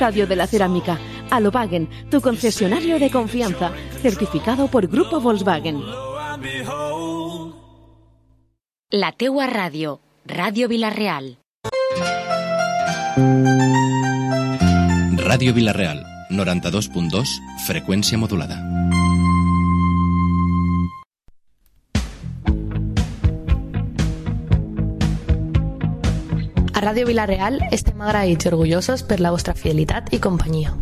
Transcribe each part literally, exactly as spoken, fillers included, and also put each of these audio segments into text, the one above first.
Radio de la Cerámica. Alobagen, tu concesionario de confianza. Certificado por Grupo Volkswagen. La teua ràdio. Ràdio Vila-real. Ràdio Vila-real, noranta-dos punt dos, freqüència modulada. A Ràdio Vila-real estem agraïts i orgullosos per la vostra fidelitat i companyia.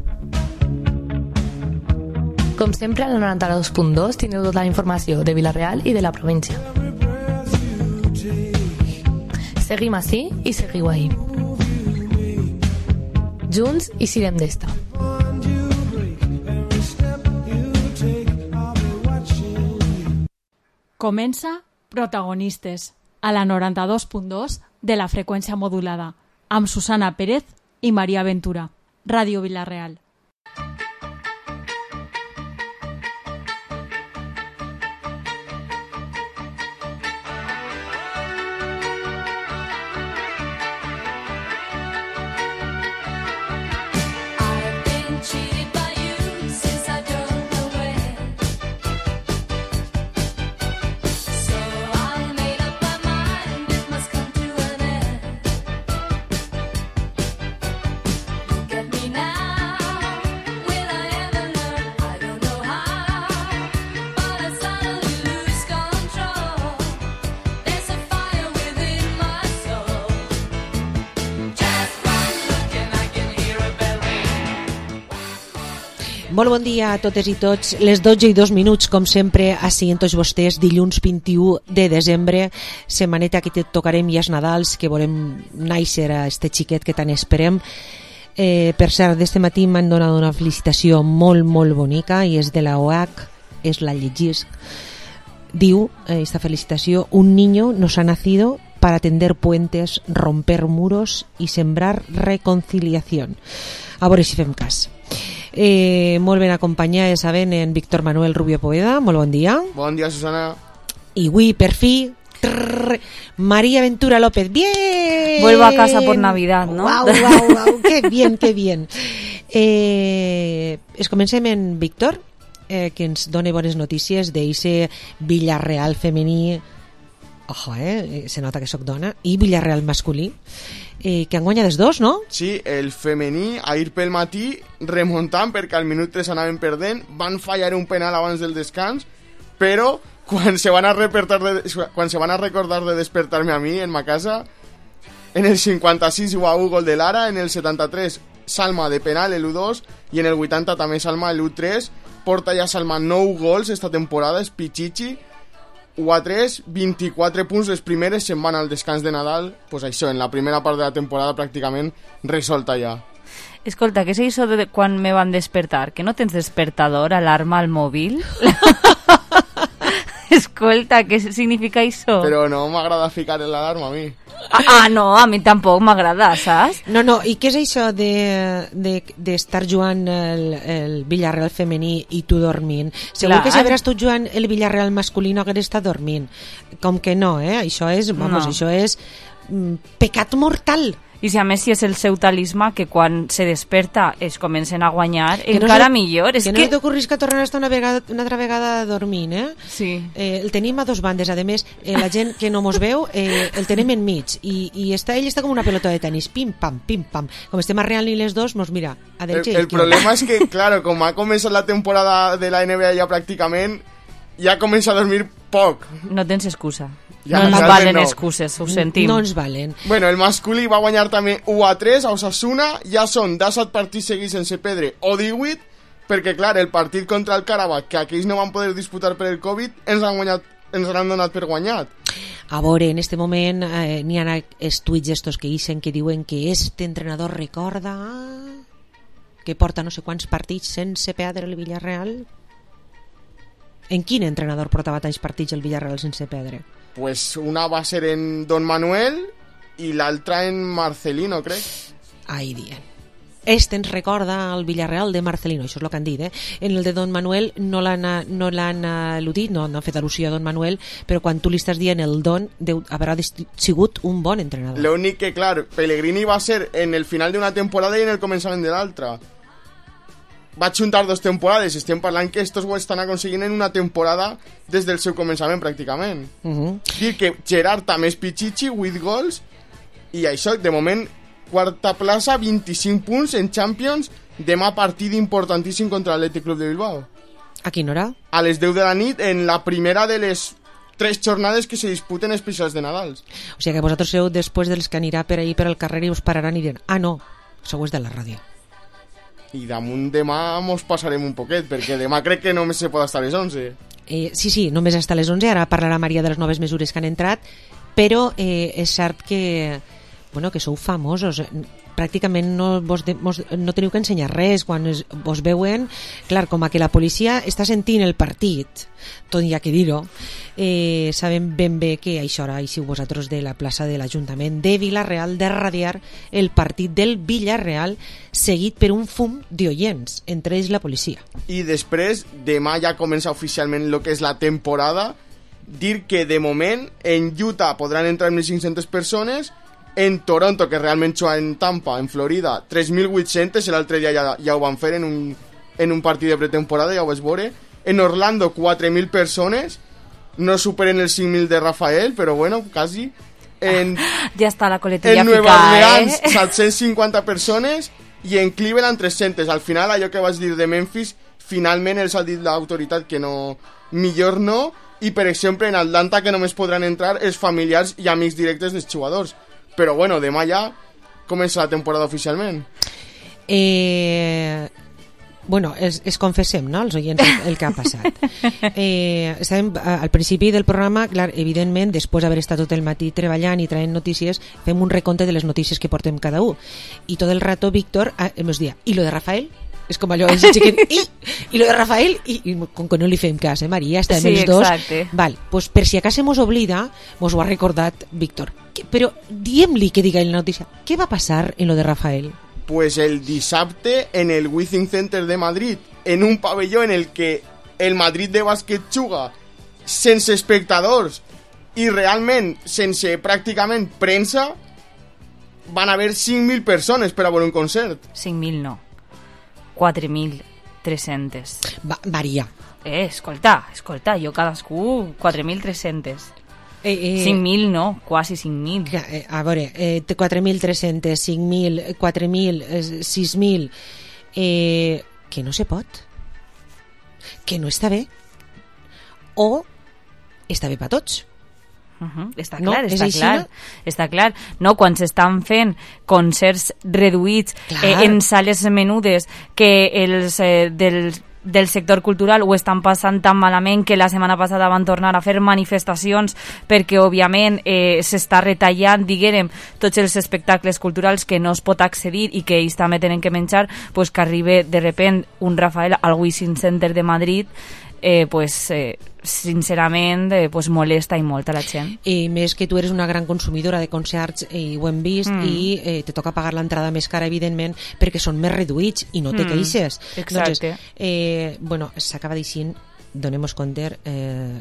Com sempre, al noranta-dos punt dos teniu tota la informació de Vila-real i de la província. Seguim ací i seguiu ahí. Junts i sirem d'esta. Comença Protagonistes, a la noranta-dos punt dos de la freqüència modulada, amb Susana Pérez i Maria Ventura. Ràdio Vila-real. Molt bon dia a totes i tots. Les dotze i dos minuts, com sempre, així en tots vostès, dilluns vint-i-u de desembre, setmaneta que tocarem ja els Nadals, que volem néixer a este xiquet que tant esperem. Eh, per cert, d'este matí m'han donat una felicitació molt, molt bonica i és de la O H, és la llegís. Diu, eh, esta felicitació, un niño nos ha nacido para tender puentes, romper muros y sembrar reconciliación. A veure si fem cas. Eh, molt ben acompanyada, ja saben, en Víctor Manuel Rubio Poeda. Molt bon dia. Bon dia, Susana. I avui, per fi, trrr, María Ventura López. ¡Bien! Vuelvo a casa por Navidad, ¿no? ¡Wow, wow, wow! ¡Qué bien, qué bien! Eh, es comencem en Víctor, eh, que ens dona bones notícies d'eixe Villarreal femení. Ojo, eh? Se nota que sóc dona. I Villarreal masculí. Eh, que han guanyat els dos, no? Sí, el femení, ahir pel matí, remuntant, perquè al minut tres anaven perdent, van fallar un penal abans del descans, però quan se van a, de, quan se van a recordar de despertar-me a mi en ma casa, en el cinquanta-sis u a u gol de Lara, en el setanta-tres Salma de penal, el u dos, i en el vuitanta també Salma, el u tres, porta ja Salma nou gols esta temporada, és Pichichi, u a tres, vint-i-quatre punts, les primeres se'n van al descans de Nadal, pues això, en la primera part de la temporada pràcticament resolta ja. Escolta, què és això de quan me van despertar? Que no tens despertador, alarma al mòbil? Escolta, què significa això? Però no m'agrada ficar l'alarma a mi. Ah, ah, no, a mi tampoc m'agrada, saps? No, no, i què és això de, de, d'estar jugant el, el Villarreal femení i tu dormint? Segur Clar. Que si hauràs tu jugant el Villarreal masculí no hagués estat dormint. Com que no, eh? Això és, vamos, no. Això és mm, pecat mortal. I si a més si és el seu talismà que quan se desperta es comencen a guanyar, que encara no se, millor. És que, que no t'ocorris que tornen a estar una, vegada, una altra vegada dormint, eh? Sí. Eh, el tenim a dos bandes, a més, eh, la gent que no mos veu, eh, el tenim enmig, i, i està, ell està com una pelota de tenis, pim-pam, pim-pam. Com estem arreant-li les dos, mos mira, a derecha el, el problema és que, claro, com ha començat la temporada de la N B A ja pràcticament, ja comença a dormir poc. No tens excusa. Ja no ens valen no. excuses, ho sentim. No ens valen. Bueno, el masculí va guanyar també u a tres a Osasuna, ja són disset partits seguits sense perdre o divuit, perquè clar, el partit contra el Karabakh, que aquells no van poder disputar per el Covid, ens han, guanyat, ens han donat per guanyat. A veure, en este moment eh, n'hi ha els tuits estos que ixen que diuen que este entrenador recorda que porta no sé quants partits sense perdre el Villarreal. En quin entrenador portava tants partits el Villarreal sense perdre? Pues una va ser en Don Manuel i l'altra en Marcelino, crec. Ai, dient. este ens recorda el Villarreal de Marcelino, això és el que han dit, eh? En el de Don Manuel no l'han no l'han al·ludit, no, no han fet al·lusió a Don Manuel, però quan tu li estàs dient el Don, deu, haurà sigut un bon entrenador. L'únic que, clar, Pellegrini va ser en el final d'una temporada i en el començament de l'altra. Va juntar dos temporades, estem parlant que estos ho estan aconseguint en una temporada des del seu començament, pràcticament. Uh -huh. Dir que Gerard també és pitxitxi, vuit gols, i això, de moment, quarta plaça, vint-i-cinc punts en Champions, demà partit importantíssim contra l'Athletic Club de Bilbao. A quina hora? A les deu de la nit, en la primera de les tres jornades que se disputen especials de Nadals. O sigui que vosaltres sou després dels que anirà per ahí per al carrer i us pararan i diran, ah no, sou és de la ràdio. I damunt demà mos passarem un poquet, perquè demà crec que només se pot estar a les onze. Eh, sí, sí, només hasta les onze, ara parlarà Maria de les noves mesures que han entrat, però eh, és cert que, bueno, que sou famosos, pràcticament no, vos de, vos, no teniu que ensenyar res quan es, vos veuen, clar, com a que la policia està sentint el partit, tot hi ha que dir-ho, eh, sabem ben bé que això ara hi siu vosaltres de la plaça de l'Ajuntament de Vila-real de radiar el partit del Villarreal seguit per un fum d'oients, entre ells la policia. I després, demà ja comença oficialment el que és la temporada, dir que de moment en Utah podran entrar mil cinc-centes persones, en Toronto, que realment juga en Tampa, en Florida, tres mil vuit-centes, l'altre dia ja, ja ho van fer en un, en un partit de pretemporada, ja ho vaig veure. En Orlando, quatre mil persones, no superen els cinc mil de Rafael, però bueno, quasi. En, ah, ja està la coletilla en Nueva picada, Orleans, eh? set-cents cinquanta persones, i en Cleveland, tres-centes. Al final, allò que vaig dir de Memphis, finalment els ha dit l'autoritat que no, millor no, i per exemple en Atlanta que només podran entrar els familiars i amics directes dels jugadors. Però bueno, demà ja comença la temporada oficialment. Eh... Bueno, es, es confessem, no?, els oients el, el que ha passat. Eh, estàvem al principi del programa, clar, evidentment, després d'haver estat tot el matí treballant i traient notícies, fem un recompte de les notícies que portem cada un. I tot el rato, Víctor, ens dia, i lo de Rafael? És com allò, és xiquet, i, i lo de Rafael, i, i com que no li fem cas, eh, Maria, estem sí, els dos. Exacte. Val, pues per si acaso mos oblida, mos ho ha recordat Víctor. Que, però diem-li que diga en la notícia, què va passar en lo de Rafael? Pues el dissabte en el Wizzing Center de Madrid, en un pavelló en el que el Madrid de bàsquet juga sense espectadors i realment sense pràcticament premsa, van haver cinc mil persones per a veure un concert. cinc mil no, quatre mil tres-centes. Va, varia. Eh, escolta, escolta, jo cadascú quatre mil tres-centes. Eh, eh, cinc mil no, quasi cinc mil. Eh, a veure, eh, quatre mil tres-centes, cinc mil, quatre mil, eh, sis mil, eh, que no se pot, que no està bé, o està bé per tots. Uh -huh. Està No, clar, és està així, clar, no? està clar. No, quan s'estan fent concerts reduïts eh, en sales menudes que els eh, dels del sector cultural ho estan passant tan malament que la setmana passada van tornar a fer manifestacions perquè òbviament eh, s'està retallant, diguem, tots els espectacles culturals que no es pot accedir i que ells també tenen que menjar, pues que arribi de repent un Rafael al Wizzing Center de Madrid, eh, pues eh, sincerament eh, pues molesta i molt a la gent. I més que tu eres una gran consumidora de concerts i ho hem vist, mm. i eh, te toca pagar l'entrada més cara, evidentment, perquè són més reduïts i no te mm. queixes. Exacte. Doncs, eh, bueno, s'acaba dient, donemos compte, eh,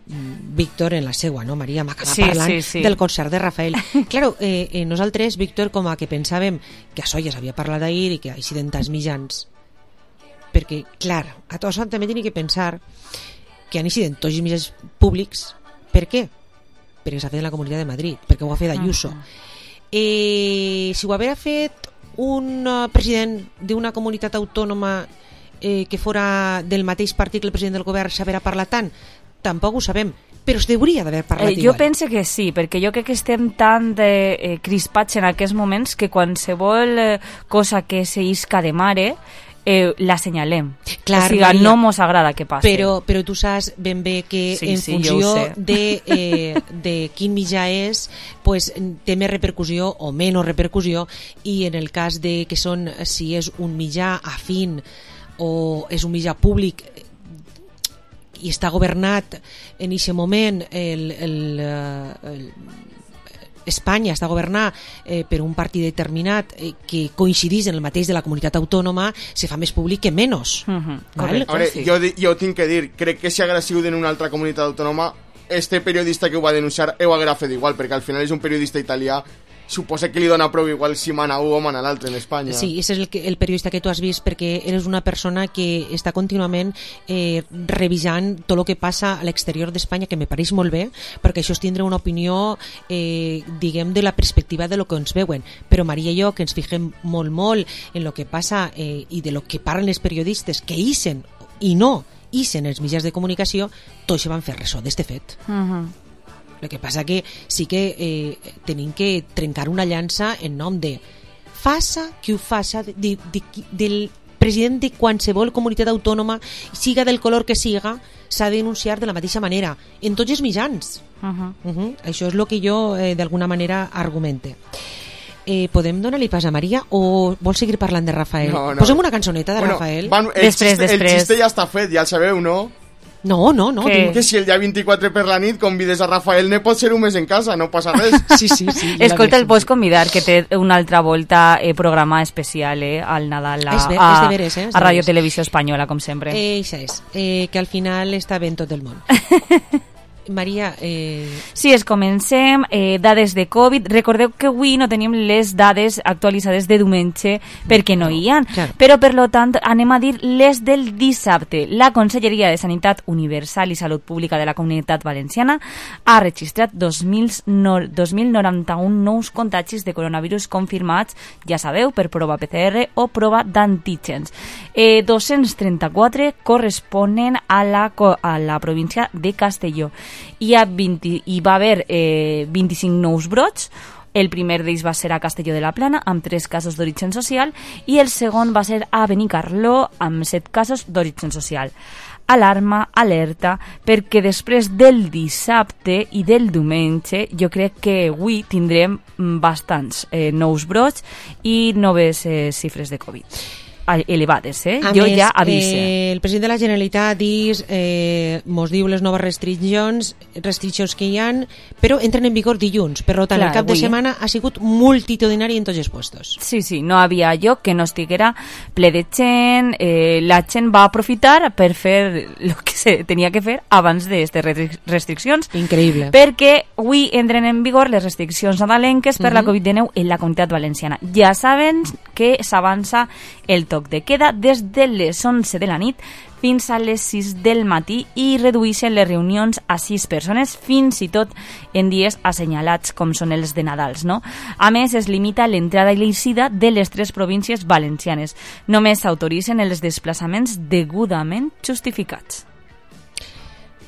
Víctor en la seua, no, Maria? M'acaba sí, parlant sí, sí. del concert de Rafael. Claro, eh, eh, nosaltres, Víctor, com a que pensàvem que això ja s'havia parlat ahir i que així d'entants mitjans, perquè, clar, a tots també tenim que pensar que han incidit tots els mitjans públics. Per què? Perquè s'ha fet en la Comunitat de Madrid, perquè ho ha fet Ayuso. Uh-huh. Eh, si ho haguera fet un uh, president d'una comunitat autònoma eh, que fora del mateix partit que el president del govern, s'haurà parlat tant? Tampoc ho sabem, però es hauria d'haver parlat eh, igual. Jo pense que sí, perquè jo crec que estem tan de, eh, crispats en aquests moments que qualsevol eh, cosa que se isca de mare Eh, la senyalem. Clar, o sigui, Maria, no mos agrada que passi. Però, però tu saps ben bé que sí, en sí, funció de, eh, de quin mitjà és, pues, té més repercussió o menys repercussió, i en el cas de que són, si és un mitjà afín o és un mitjà públic i està governat en aquest moment el, el, el, Espanya està governada eh, per un partit determinat eh, que coincidís en el mateix de la comunitat autònoma, se fa més públic que menys. Uh-huh. Val? Veure, sí. jo, jo tinc que dir, crec que si hagués sigut en una altra comunitat autònoma, este periodista que ho va denunciar ho hagués fet igual, perquè al final és un periodista italià, suposa que li dona prou igual si mana un o mana l'altre en Espanya. Sí, és el, que, el periodista que tu has vist, perquè eres una persona que està contínuament eh, revisant tot el que passa a l'exterior d'Espanya, que me pareix molt bé, perquè això és tindre una opinió eh, diguem de la perspectiva de lo que ens veuen, però Maria i jo, que ens fixem molt molt en lo que passa eh, i de lo que parlen els periodistes que isen i no isen els mitjans de comunicació, tot això van fer ressò d'este fet. Uh-huh. El que passa que sí que eh, tenim que trencar una llança en nom de faça qui ho faça de, de, de, del president de qualsevol comunitat autònoma, siga del color que siga, s'ha de denunciar de la mateixa manera en tots els mitjans. Uh-huh. Uh-huh. Això és el que jo eh, d'alguna manera argumente. Eh, podem donar-li pas a Maria o vols seguir parlant de Rafael? No, no. Posem una cançoneta de bueno, Rafael. Van, el, després, xiste, després. el xiste ja està fet, ja el sabeu, no? No, no, no. Que- Que si el dia vint-i-quatre per la nit convides a Rafael ne pot ser un mes en casa, no passa res. Sí, sí, sí. Escolta, el pots convidar, que té una altra volta eh, programa especial eh, al Nadal a, És ver- a, és de veres, eh, és de a Radio veres. Televisió Espanyola, com sempre. Eh, això és, eh, que al final està ben tot el món. Maria, eh, Sí, es comencem. Eh, dades de Covid. Recordeu que avui no tenim les dades actualitzades de diumenge perquè no hi ha. Clar. Però, per lo tant, anem a dir les del dissabte. La Conselleria de Sanitat Universal i Salut Pública de la Comunitat Valenciana ha registrat dos mil noranta-un nous contagis de coronavirus confirmats, ja sabeu, per prova P C R o prova d'antígens. Eh, dos-cents trenta-quatre corresponen a la, co- a la província de Castelló. Hi, ha vint, hi va haver eh, vint-i-cinc nous brots. El primer d'ells va ser a Castelló de la Plana, amb tres casos d'origen social, i el segon va ser a Benicarló, amb set casos d'origen social. Alarma, alerta, perquè després del dissabte i del diumenge jo crec que avui tindrem bastants eh, nous brots i noves eh, xifres de Covid. Elevades, eh? a Jo més, ja avise. eh, el president de la Generalitat dis, eh, mos diu les noves restriccions, restriccions que hi han, però entren en vigor dilluns. Per tant, Clar, el cap de avui, eh? setmana ha sigut multitudinari en tots els puestos. Sí, sí, no havia lloc que no estiguera ple de gent, eh, la gent va aprofitar per fer el que se tenia que fer abans d'aquestes restriccions, Increïble. perquè avui entren en vigor les restriccions nadalenques per Mhm. la Covid dinou en la Comunitat Valenciana. Ja saben que s'avança el toc de queda des de les onze de la nit fins a les sis del matí i redueixen les reunions a sis persones, fins i tot en dies assenyalats com són els de Nadals, no? A més, es limita l'entrada i l'eixida de les tres províncies valencianes. Només s'autoritzen els desplaçaments degudament justificats.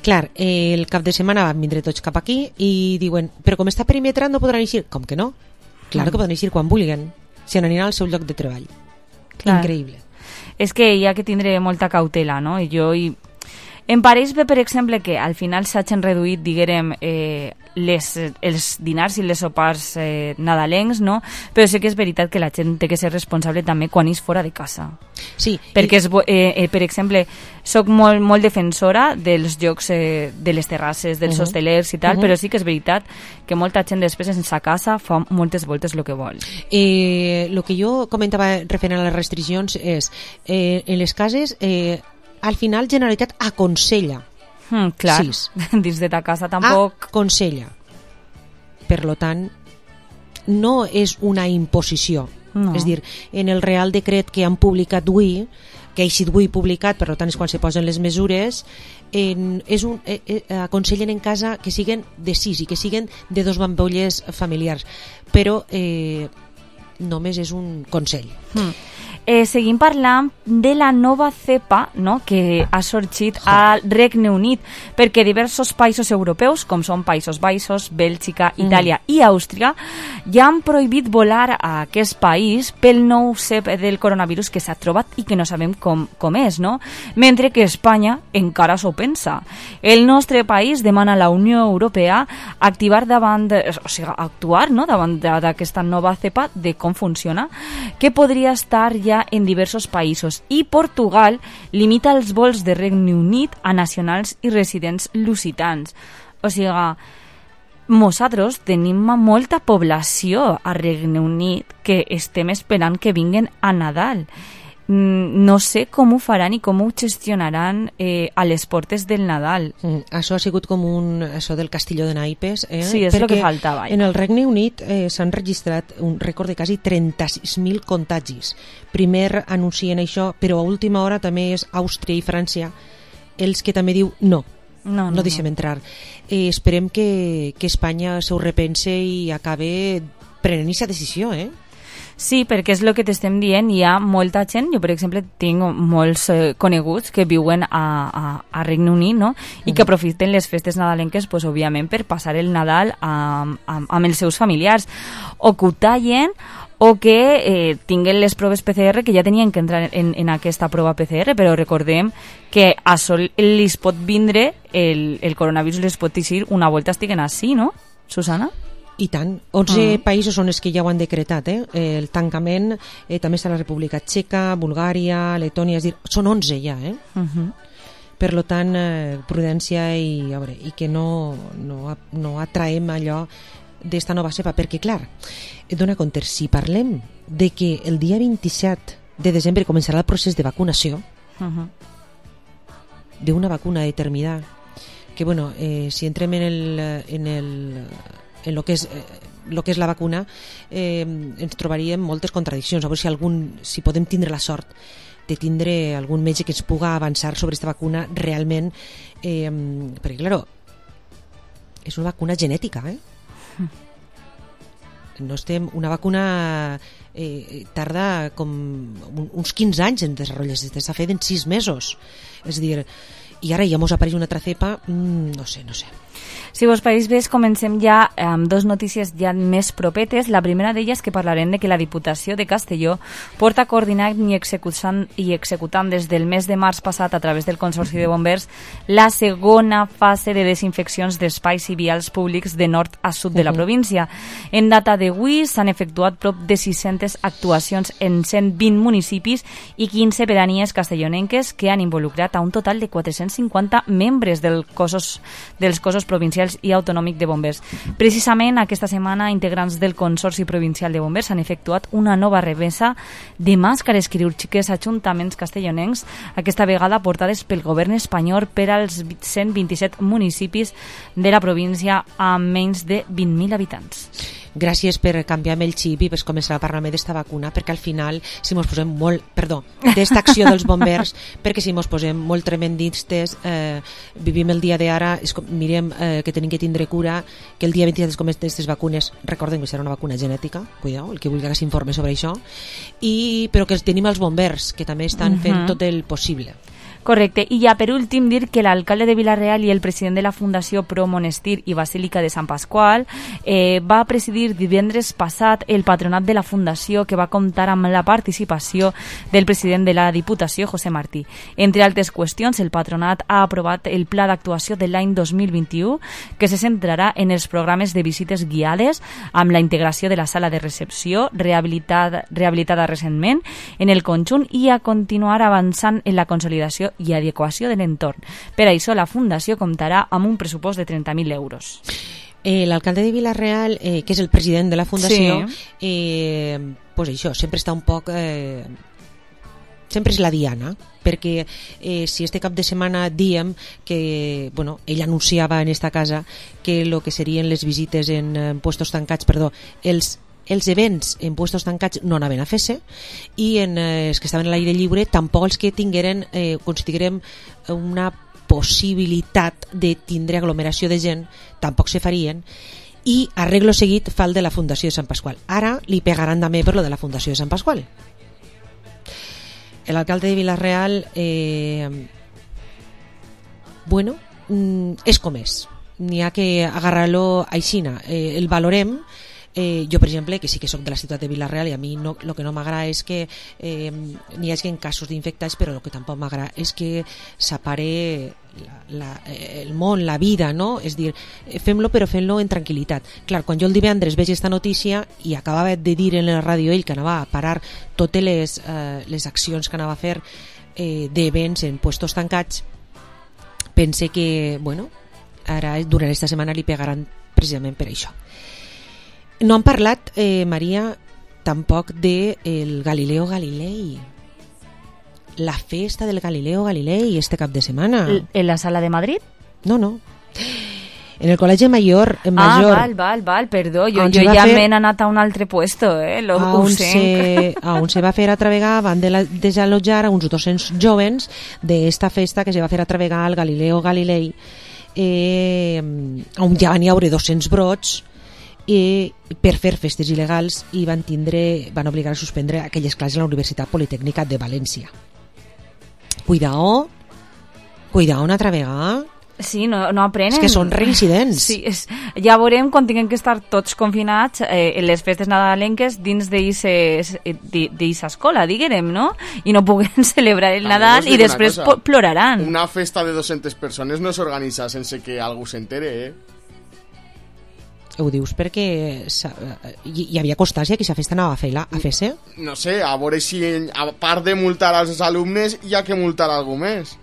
Clar, eh, el cap de setmana van vindre tots cap aquí i diuen, però com està perimetrat no podran eixir. Com que no? Clar que poden eixir quan vulguen, si n'aniran al seu lloc de treball. Clar. Increïble. És que hi ha que tindre molta cautela, no? I jo... I... Em pareix bé, per exemple, que al final s'hagin reduït, diguérem, eh, les, els dinars i les sopars eh, nadalencs, no? Però sí que és veritat que la gent té que ser responsable també quan és fora de casa. Sí. Perquè, és, bo- eh, eh, per exemple, soc molt, molt defensora dels llocs eh, de les terrasses, dels Uh-huh. hostelers i tal, Uh-huh. però sí que és veritat que molta gent després en sa casa fa moltes voltes el que vol. Eh, el que jo comentava referent a les restriccions és, eh, en les cases, eh, al final Generalitat aconsella, Mm, clar, Sis. dins de ta casa tampoc... aconsella. Per lo tant, no és una imposició. No. És dir, en el Real Decret que han publicat avui, que ha eixit avui publicat, per tant és quan se posen les mesures, en, és un, eh, eh, aconsellen en casa que siguen de sis i que siguen de dos bambolles familiars, però eh, només és un consell. Mm. Eh, seguim parlant de la nova cepa, no?, que ha sorgit al Regne Unit, perquè diversos països europeus, com són Països Baixos, Bèlgica, Itàlia i Àustria, ja han prohibit volar a aquest país pel nou cep del coronavirus que s'ha trobat i que no sabem com, com és, no? Mentre que Espanya encara s'ho pensa. El nostre país demana a la Unió Europea activar davant, de, o sigui, actuar, no?, davant d'aquesta nova cepa, de com funciona, que podria estar ja en diversos països, i Portugal limita els vols de Regne Unit a nacionals i residents lusitans. O sigui, nosaltres tenim molta població a Regne Unit que estem esperant que vinguen a Nadal. No sé com ho faran i com ho gestionaran eh, a les portes del Nadal. Mm, això ha sigut com un això del castillo de naipes. Eh? Sí, és el que faltava. En el Regne Unit eh, s'han registrat un rècord de quasi trenta-sis mil contagis. Primer anuncien això, però a última hora també és Àustria i França els que també diu no, no, no, no deixem no. entrar. Eh, esperem que, que Espanya s'ho repense i acabe prenent aquesta decisió, eh? Sí, perquè és el que t'estem dient, hi ha molta gent, jo per exemple tinc molts eh, coneguts que viuen a, a, a Regne Unit, no? I que aprofiten les festes nadalenques, pues, òbviament, per passar el Nadal amb, amb, amb els seus familiars, o que ho tallen, o que eh, tinguen les proves P C R, que ja tenien que entrar en, en aquesta prova P C R, però recordem que a sol li pot vindre, el, el coronavirus les pot dir una volta estiguen així, no, Susana? I tant. onze uh-huh. països són els que ja ho han decretat, eh? El tancament eh, també està a la República Txeca, Bulgària, Letònia, és dir, són onze ja, eh? Uh-huh. Per lo tant, eh, prudència i, a veure, i que no, no, no atraem allò d'esta nova cepa, perquè clar, et dona compte, si parlem de que el dia vint-i-set de desembre començarà el procés de vacunació uh-huh. d'una vacuna determinada, que bueno, eh, si entrem en el, en el en lo que és eh, lo que és la vacuna, eh, ens trobaríem moltes contradiccions. A veure si algun, si podem tindre la sort de tindre algun metge que ens puga avançar sobre aquesta vacuna realment, eh, perquè claro, és una vacuna genètica, eh? No estem, una vacuna eh, tarda com uns quinze anys en desenvolupar-se, s'ha fet en sis mesos, és a dir, i ara ja mos apareix una altra cepa, mm, no sé, no sé. Si vos pareix bé, comencem ja amb dos notícies ja més propetes. La primera d'elles que parlarem de que la Diputació de Castelló porta coordinant i executant, i executant des del mes de març passat a través del Consorci de Bombers la segona fase de desinfeccions d'espais i vials públics de nord a sud de la província. En data d'avui s'han efectuat prop de sis-centes actuacions en cent vint municipis i quinze pedanies castellonenques que han involucrat a un total de quatre-cents cinquanta membres del cossos, dels cossos provincials i autonòmic de bombers. Precisament aquesta setmana, integrants del Consorci Provincial de Bombers han efectuat una nova remesa de màscares quirúrgiques a ajuntaments castellonencs, aquesta vegada portades pel govern espanyol per als cent vint-i-set municipis de la província amb menys de vint mil habitants. Gràcies per canviar-me el xip i per començar a parlar-me d'esta vacuna, perquè al final, si mos posem molt, perdó, d'esta acció dels bombers, perquè si mos posem molt tremendistes, eh, vivim el dia d'ara, mirem eh, que tenim que tindre cura, que el dia vint-i-set es comencen aquestes vacunes, recordem que serà una vacuna genètica, cuidao, el que vulgui que s'informe sobre això, i, però que tenim els bombers, que també estan fent uh-huh. tot el possible. Correcte. I ja per últim dir que l'alcalde de Vila-real i el president de la Fundació Pro Monestir i Basílica de Sant Pasqual eh, va presidir divendres passat el patronat de la Fundació, que va comptar amb la participació del president de la Diputació, José Martí. Entre altres qüestions, el patronat ha aprovat el pla d'actuació de l'any dos mil vint-i-u, que se centrarà en els programes de visites guiades amb la integració de la sala de recepció rehabilitada, rehabilitada recentment en el conjunt i a continuar avançant en la consolidació i adequació de l'entorn. Per això la Fundació comptarà amb un pressupost de trenta mil euros. Eh, L'alcalde de Vila-real, eh, que és el president de la Fundació, sí. eh, pues això, sempre està un poc... Eh, sempre és la diana, perquè eh, si este cap de setmana diem que, bueno, ell anunciava en esta casa que el que serien les visites en, en puestos tancats, perdó, els els events en puestos tancats no anaven a fer-se i en eh, els que estaven a l'aire lliure tampoc els que tingueren, eh, considerem una possibilitat de tindre aglomeració de gent tampoc se farien, i arreglo seguit fa el de la Fundació de Sant Pasqual. Ara li pegaran també per lo de la Fundació de Sant Pasqual. L'alcalde de Vila-real eh, bueno, és com és, n'hi ha que agarrar-lo aixina, eh, el valorem. Eh, jo, per exemple, que sí que soc de la ciutat de Vila-real i a mi no, lo que no m'agrada és que eh, n'hi hagi casos d'infectats, però el que tampoc m'agrada és que s'apare la, la, el món, la vida, no? És dir, fem-lo però fem-lo en tranquil·litat. Clar, quan jo el divendres veig aquesta notícia i acabava de dir en la ràdio ell que anava a parar totes les, eh, les accions que anava a fer eh, d'events en puestos tancats, pense que, bueno, ara durant esta setmana li pegaran precisament per això. No han parlat, eh, Maria, tampoc de el Galileo Galilei, la festa del Galileo Galilei este cap de setmana. ¿En la sala de Madrid? No, no. En el Col·legi Mayor, en Ah, Major. val, val, val, perdó. Jo, On jo se va ja fer- m'he anat a un altre puesto, eh? Lo, a ho on, sé. se, a on se va fer a Travegar van de la, desallotjar a uns dos-cents jovens d'esta festa que se va fer a Travegar al Galileo Galilei, eh, on ja van hi haure dos-cents brots i per fer festes il·legals i van tindre, van obligar a suspendre aquelles classes a la Universitat Politècnica de València. Cuidao, cuidao a Travegar. Sí, no, no aprenen. És que són reincidents. Sí, és, ja veurem quan tinguem que estar tots confinats eh, en les festes nadalenques dins d'eixa escola, diguem, no? I no puguen celebrar el També Nadal vos dic i una després cosa. po- ploraran. Una festa de dos-centes persones no s'organitza sense que algú s'entere, eh? Ho dius perquè s'ha- hi, hi havia constància que aquesta festa anava a fer-la, a fer-se? No sé, a veure si a part de multar als alumnes hi ha que multar algú més.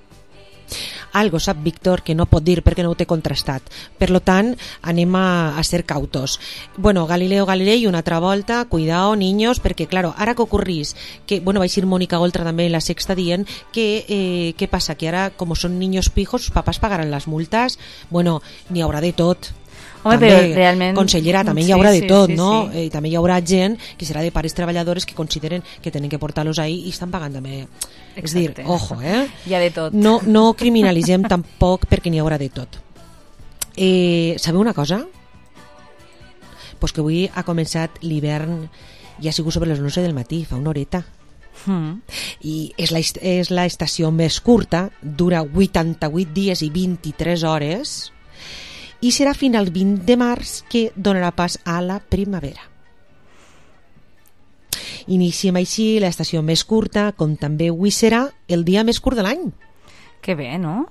Algo sap Víctor que no pot dir perquè no ho té contrastat. Per lo tant, anem a, a ser cautos. Bueno, Galileo Galilei una altra volta, cuidao, niños, perquè, claro, ara que ocorrís, que, bueno, va ir Mónica Oltra també en la Sexta dient que, eh, què passa, que ara, com són niños pijos, sus papás pagaran les multes. Bueno, n'hi haurà de tot. Home, també, però realment... consellera, també hi Sí, haurà de sí, tot, sí, no? sí. Eh, també hi haurà gent que serà de pares treballadores que consideren que tenen que portar-los ahí i estan pagant també. És dir, Exacte. ojo, eh? Hi ha de tot. No, no criminalitzem tampoc perquè n'hi haurà de tot. Eh, sabeu una cosa? Pues que avui ha començat l'hivern i ha sigut sobre les onze del matí, fa una horeta. Mm. I és la, est- és la estació més curta, dura vuitanta-vuit dies i vint-i-tres hores, i serà fins al vint de març que donarà pas a la primavera. Iniciem així l'estació més curta, com també avui serà el dia més curt de l'any. Que bé, no?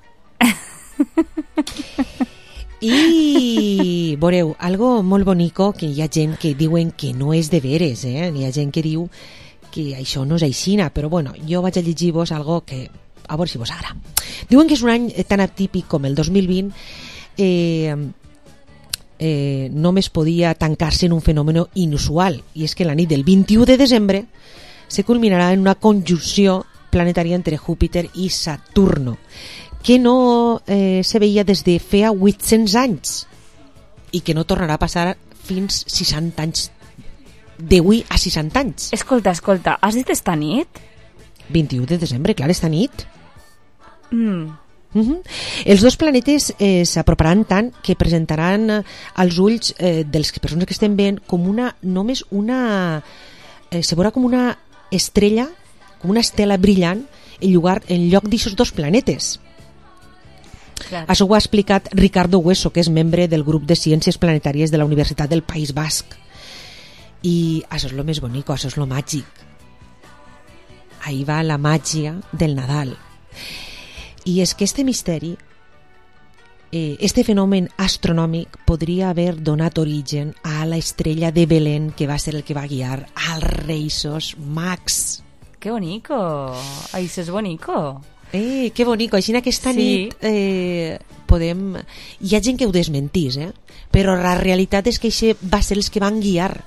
I veureu, algo molt bonico, que hi ha gent que diuen que no és de veres, eh? Hi ha gent que diu que això no és aixina, però bueno, jo vaig a llegir-vos algo que a veure si vos agrada. Diuen que és un any tan atípic com el dos mil vint, eh, eh, només podia tancar-se en un fenomen inusual, i és que la nit del vint-i-u de desembre se culminarà en una conjunció planetària entre Júpiter i Saturno, que no eh, se veia des de feia vuit-cents anys i que no tornarà a passar fins seixanta anys, d'avui a seixanta anys. Escolta, escolta, has dit esta nit? vint-i-u de desembre, clar, esta nit. Mm. Uh-huh. Els dos planetes eh, s'aproparan tant que presentaran eh, als ulls eh, de les persones que estem veient com una, només una eh, se veurà com una estrella, com una estela brillant en, lloc, en lloc d'aixòs dos planetes. Clar. Això ho ha explicat Ricardo Hueso, que és membre del grup de ciències planetàries de la Universitat del País Basc. I això és lo més bonic, això és lo màgic. Ahí va la màgia del Nadal. I és que este misteri, eh, este fenomen astronòmic podria haver donat origen a la estrella de Belén, que va ser el que va guiar als Reisos Mags. Que bonico. Ai, això és bonico. Eh, que bonico. Així aquesta Sí. nit eh, podem... Hi ha gent que ho desmentís, eh? Però la realitat és que això va ser els que van guiar.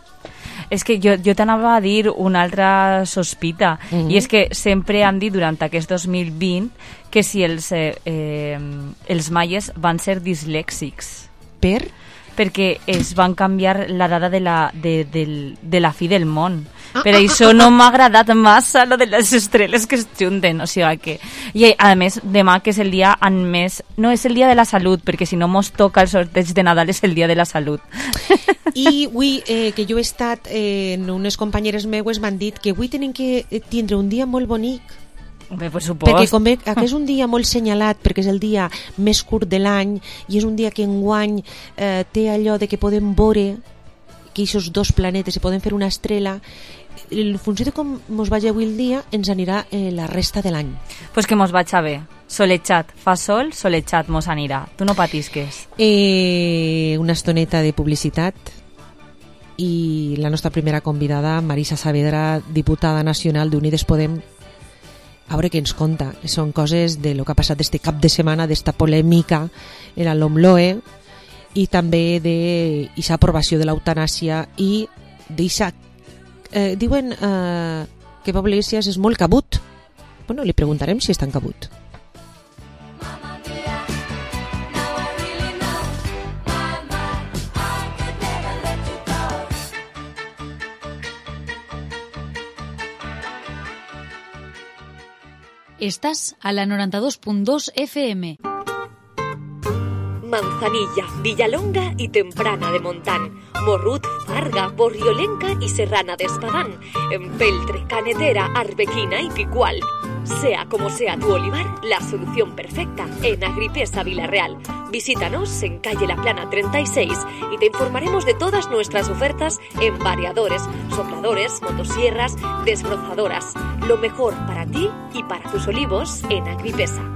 És que jo, jo t'anava a dir una altra sospita, Mhm. i és que sempre han dit durant aquest dos mil vint que si els, eh, eh, els maies van ser dislèxics. Per? Perquè es van canviar la data de la, de, de, de la fi del món. Ah, Per ah, això no m'ha agradat massa lo de les estrelles que es junten. O sigui que... I a més, demà que és el dia en més... No, és el dia de la salut, perquè si no mos toca el sorteig de Nadal és el dia de la salut. I avui, eh, que jo he estat eh, en unes companyeres meues, m'han dit que avui tenen que eh, tindre un dia molt bonic. Bé, per supost. Perquè com ve, que és un dia molt senyalat, perquè és el dia més curt de l'any i és un dia que enguany eh, té allò de que podem veure que aquests dos planetes se poden fer una estrella. En funció de com mos vagi avui el dia ens anirà eh, la resta de l'any. Pues que mos vaig a bé. Solejat. Fa sol, solejat mos anirà. Tu no patisques. Eh, una estoneta de publicitat i la nostra primera convidada, Marisa Saavedra, diputada nacional d'Unides Podem, a veure què ens conta. Són coses de lo que ha passat este cap de setmana, d'esta polèmica en l'Omloe, i també d'aquesta aprovació de l'eutanàsia i d'aquesta... Eh, diuen eh, que Pablo Iglesias és molt cabut. Bueno, li preguntarem si és tan cabut. Estás a la noranta-dos punt dos F M. Manzanilla, Villalonga y Temprana de Montán, Morrut, Farga, Borriolenca y Serrana de Espadán, Empeltre, Canetera, Arbequina y Picual. Sea como sea tu olivar, la solución perfecta en Agripesa Villarreal. Visítanos en calle La Plana treinta y seis y te informaremos de todas nuestras ofertas en variadores, sopladores, motosierras, desbrozadoras. Lo mejor para ti y para tus olivos en Agripesa.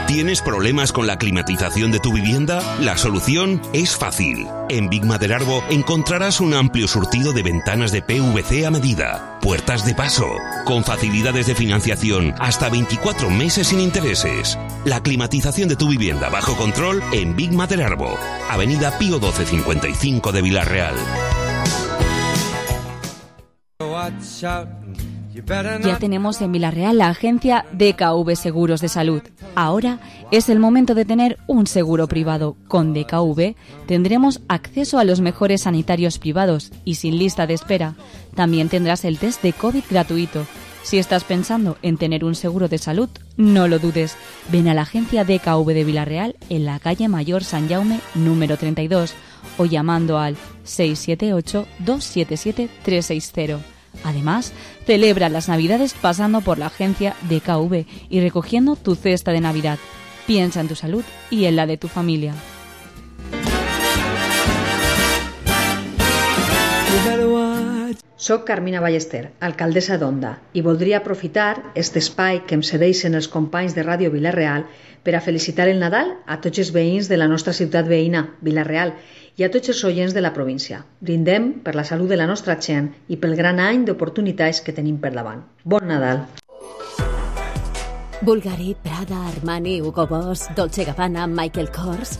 ¿Tienes problemas con la climatización de tu vivienda? La solución es fácil. En Big Maderarbo encontrarás un amplio surtido de ventanas de P V C a medida, puertas de paso, con facilidades de financiación hasta veinticuatro meses sin intereses. La climatización de tu vivienda bajo control en Big Maderarbo, Avenida Pío doce cincuenta y cinco de Villarreal. Ya tenemos en Villarreal la agencia D K V Seguros de Salud. Ahora es el momento de tener un seguro privado. Con D K V tendremos acceso a los mejores sanitarios privados y sin lista de espera. También tendrás el test de COVID gratuito. Si estás pensando en tener un seguro de salud, no lo dudes. Ven a la agencia D K V de Villarreal en la calle Mayor San Jaume número treinta y dos o llamando al seis siete ocho, dos siete siete, tres seis cero. Además, celebra las Navidades pasando por la agencia D K V y recogiendo tu cesta de Navidad. Piensa en tu salud y en la de tu familia. Soc Carmina Ballester, alcaldessa d'Onda, i voldria aprofitar aquest espai que em cedeixen els companys de Ràdio Vilareal per a felicitar el Nadal a tots els veïns de la nostra ciutat veïna, Vilareal, i a tots els oients de la província. Brindem per la salut de la nostra gent i pel gran any d'oportunitats que tenim per davant. Bon Nadal! Bulgari, Prada, Armani, Hugo Boss, Dolce Gabbana, Michael Kors.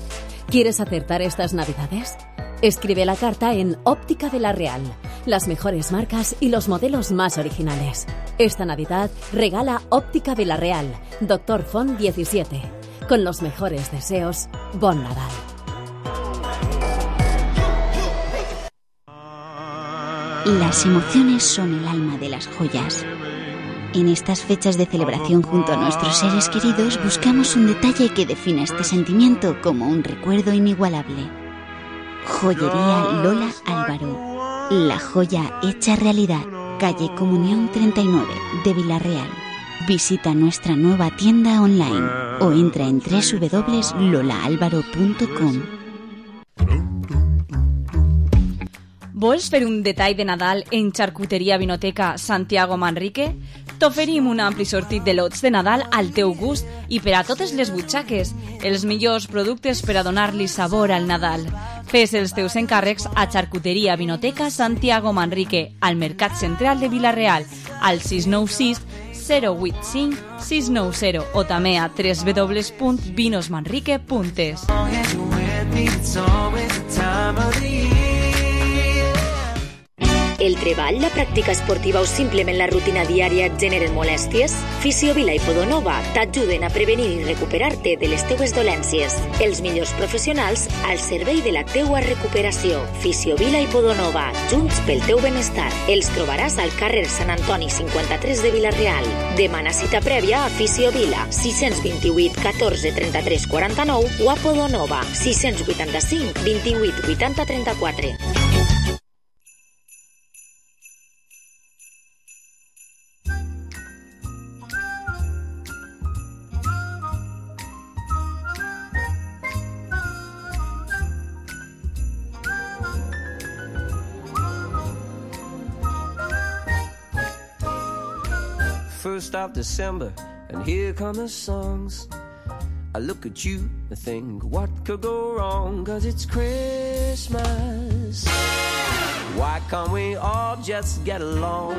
¿Quieres acertar estas Navidades? Escribe la carta en Óptica Vilarreal. Las mejores marcas y los modelos más originales. Esta Navidad regala Óptica Vilarreal, Doctor Font diecisiete. Con los mejores deseos, bon Nadal. Las emociones son el alma de las joyas. En estas fechas de celebración junto a nuestros seres queridos buscamos un detalle que defina este sentimiento como un recuerdo inigualable. Joyería Lola Álvaro. La joya hecha realidad. Calle Comunión treinta y nueve de Villarreal. Visita nuestra nueva tienda online o entra en doble u doble u doble u punto lola álvaro punto com. Vols fer un detall de Nadal en Xarcuteria Vinoteca Santiago Manrique? T'oferim un ampli sortit de lots de Nadal al teu gust i per a totes les butxaques, els millors productes per a donar-li sabor al Nadal. Fes els teus encàrrecs a Xarcuteria Vinoteca Santiago Manrique, al Mercat Central de Vilareal, al sis nou sis, zero vuit cinc, sis nou zero o també a doble u doble u doble u punt vinos manrique punt es. El treball, la pràctica esportiva o simplement la rutina diària et generen molèsties? Fisiovila i Podonova t'ajuden a prevenir i recuperar-te de les teues dolències. Els millors professionals al servei de la teua recuperació. Fisiovila i Podonova, junts pel teu benestar. Els trobaràs al carrer Sant Antoni cinquanta-tres de Vilareal. Demana cita prèvia a Fisiovila, sis dos vuit, catorze, trenta-tres, quaranta-nou o a Podonova, sis vuitanta-cinc, vint-i-vuit, vuitanta, trenta-quatre. First of December, and here come the songs. I look at you and think, what could go wrong? 'Cause it's Christmas. Why can't we all just get along?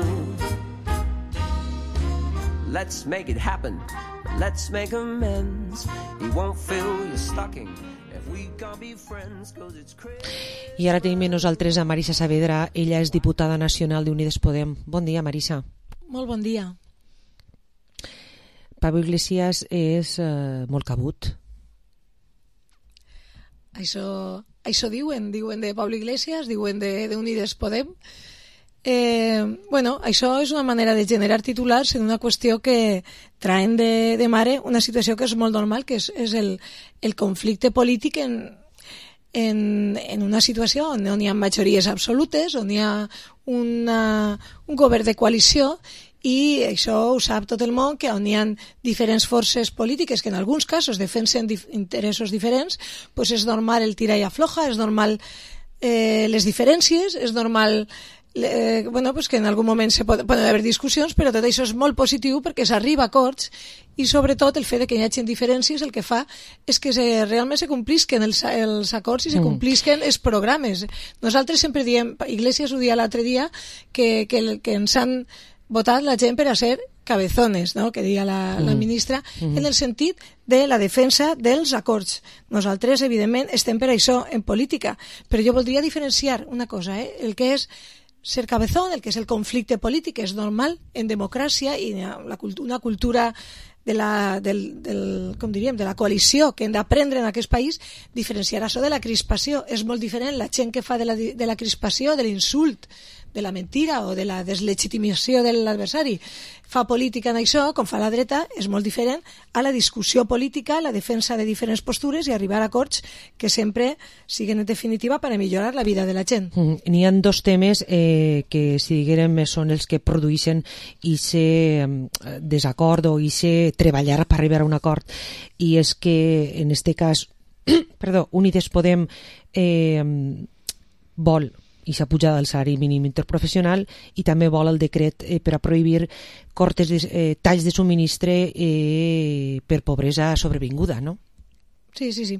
Let's make it happen. Let's make amends. You won't fill your stocking. I ara tenim nosaltres a Marisa Saavedra, ella és diputada nacional d'Unides Podem. Bon dia, Marisa. Molt bon dia. Pablo Iglesias és eh, molt cabut. Això, això diuen, diuen de Pablo Iglesias, diuen de, de Unides Podem. Eh, bueno, això és una manera de generar titulars en una qüestió que traen de, de mare una situació que és molt normal, que és, és el, el conflicte polític en, en, en una situació on no hi ha majories absolutes, on hi ha una, un govern de coalició, i això ho sap tot el món, que on hi ha diferents forces polítiques que en alguns casos defensen dif interessos diferents, pues és normal el tira i afloja, és normal eh, les diferències, és normal eh, bueno, pues que en algun moment se pot, poden haver discussions, però tot això és molt positiu perquè s'arriba a acords, i sobretot el fet de que hi hagi diferències el que fa és que se, realment se complisquen els, els acords i se complisquen els programes. Nosaltres sempre diem, Iglesias ho dia l'altre dia, que, que, que ens han votat la gent per a ser cabezones, no? Que deia la, mm. la ministra, mm. en el sentit de la defensa dels acords. Nosaltres, evidentment, estem per això en política, però jo voldria diferenciar una cosa, eh? El que és ser cabezón, el que és el conflicte polític, és normal en democràcia i la, una cultura de la, del, del, com diríem, de la coalició que hem d'aprendre en aquest país, diferenciar això de la crispació. És molt diferent la gent que fa de la, de la crispació, de l'insult, de la mentira o de la deslegitimació de l'adversari. Fa política en això, com fa la dreta, és molt diferent a la discussió política, la defensa de diferents postures i arribar a acords que sempre siguin en definitiva per a millorar la vida de la gent. Mm, N'hi ha dos temes eh, que, si diguérem, són els que produeixen aquest desacord o aquest treballar per arribar a un acord, i és que, en este cas, perdó, Unides Podem eh, vol i s'ha pujat el salari mínim interprofessional i també vol el decret eh, per a prohibir cortes de, eh, talls de subministre eh, per pobresa sobrevinguda, no? Sí, sí, sí.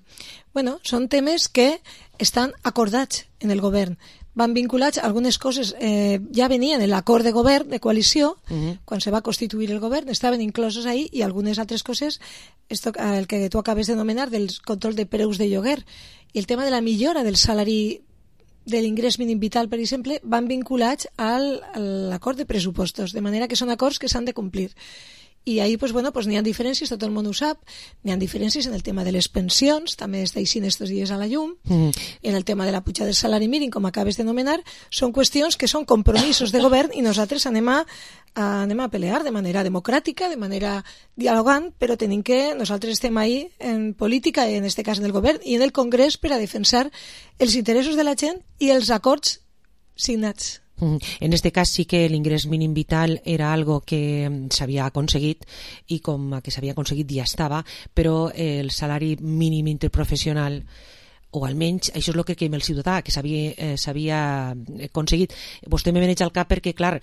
Bueno, són temes que estan acordats en el govern. Van vinculats, algunes coses eh, ja venien en l'acord de govern, de coalició, uh-huh. quan se va constituir el govern, estaven incloses ahí, i algunes altres coses, esto, el que tu acabes de nomenar, del control de preus de lloguer, i el tema de la millora del salari de l'ingrés mínim vital, per exemple, van vinculats al, a l'acord de pressupostos, de manera que són acords que s'han de complir. I ahí, pues, bueno, pues, n'hi ha diferències, tot el món ho sap, n'hi ha diferències en el tema de les pensions, també està eixint estos dies a la llum, mm. en el tema de la pujada del salari mínim, com acabes de nomenar, són qüestions que són compromisos de govern i nosaltres anem a, a, anem a pelear de manera democràtica, de manera dialogant, però tenim que, nosaltres estem ahí en política, en este cas en el govern i en el Congrés, per a defensar els interessos de la gent i els acords signats. En este cas sí que l'ingrés mínim vital era algo que s'havia aconseguit i com que s'havia aconseguit ja estava, però el salari mínim interprofessional, o almenys això és el que creiem el ciutadà, que s'havia eh, s'havia aconseguit. Vostè me veneix al cap perquè, clar,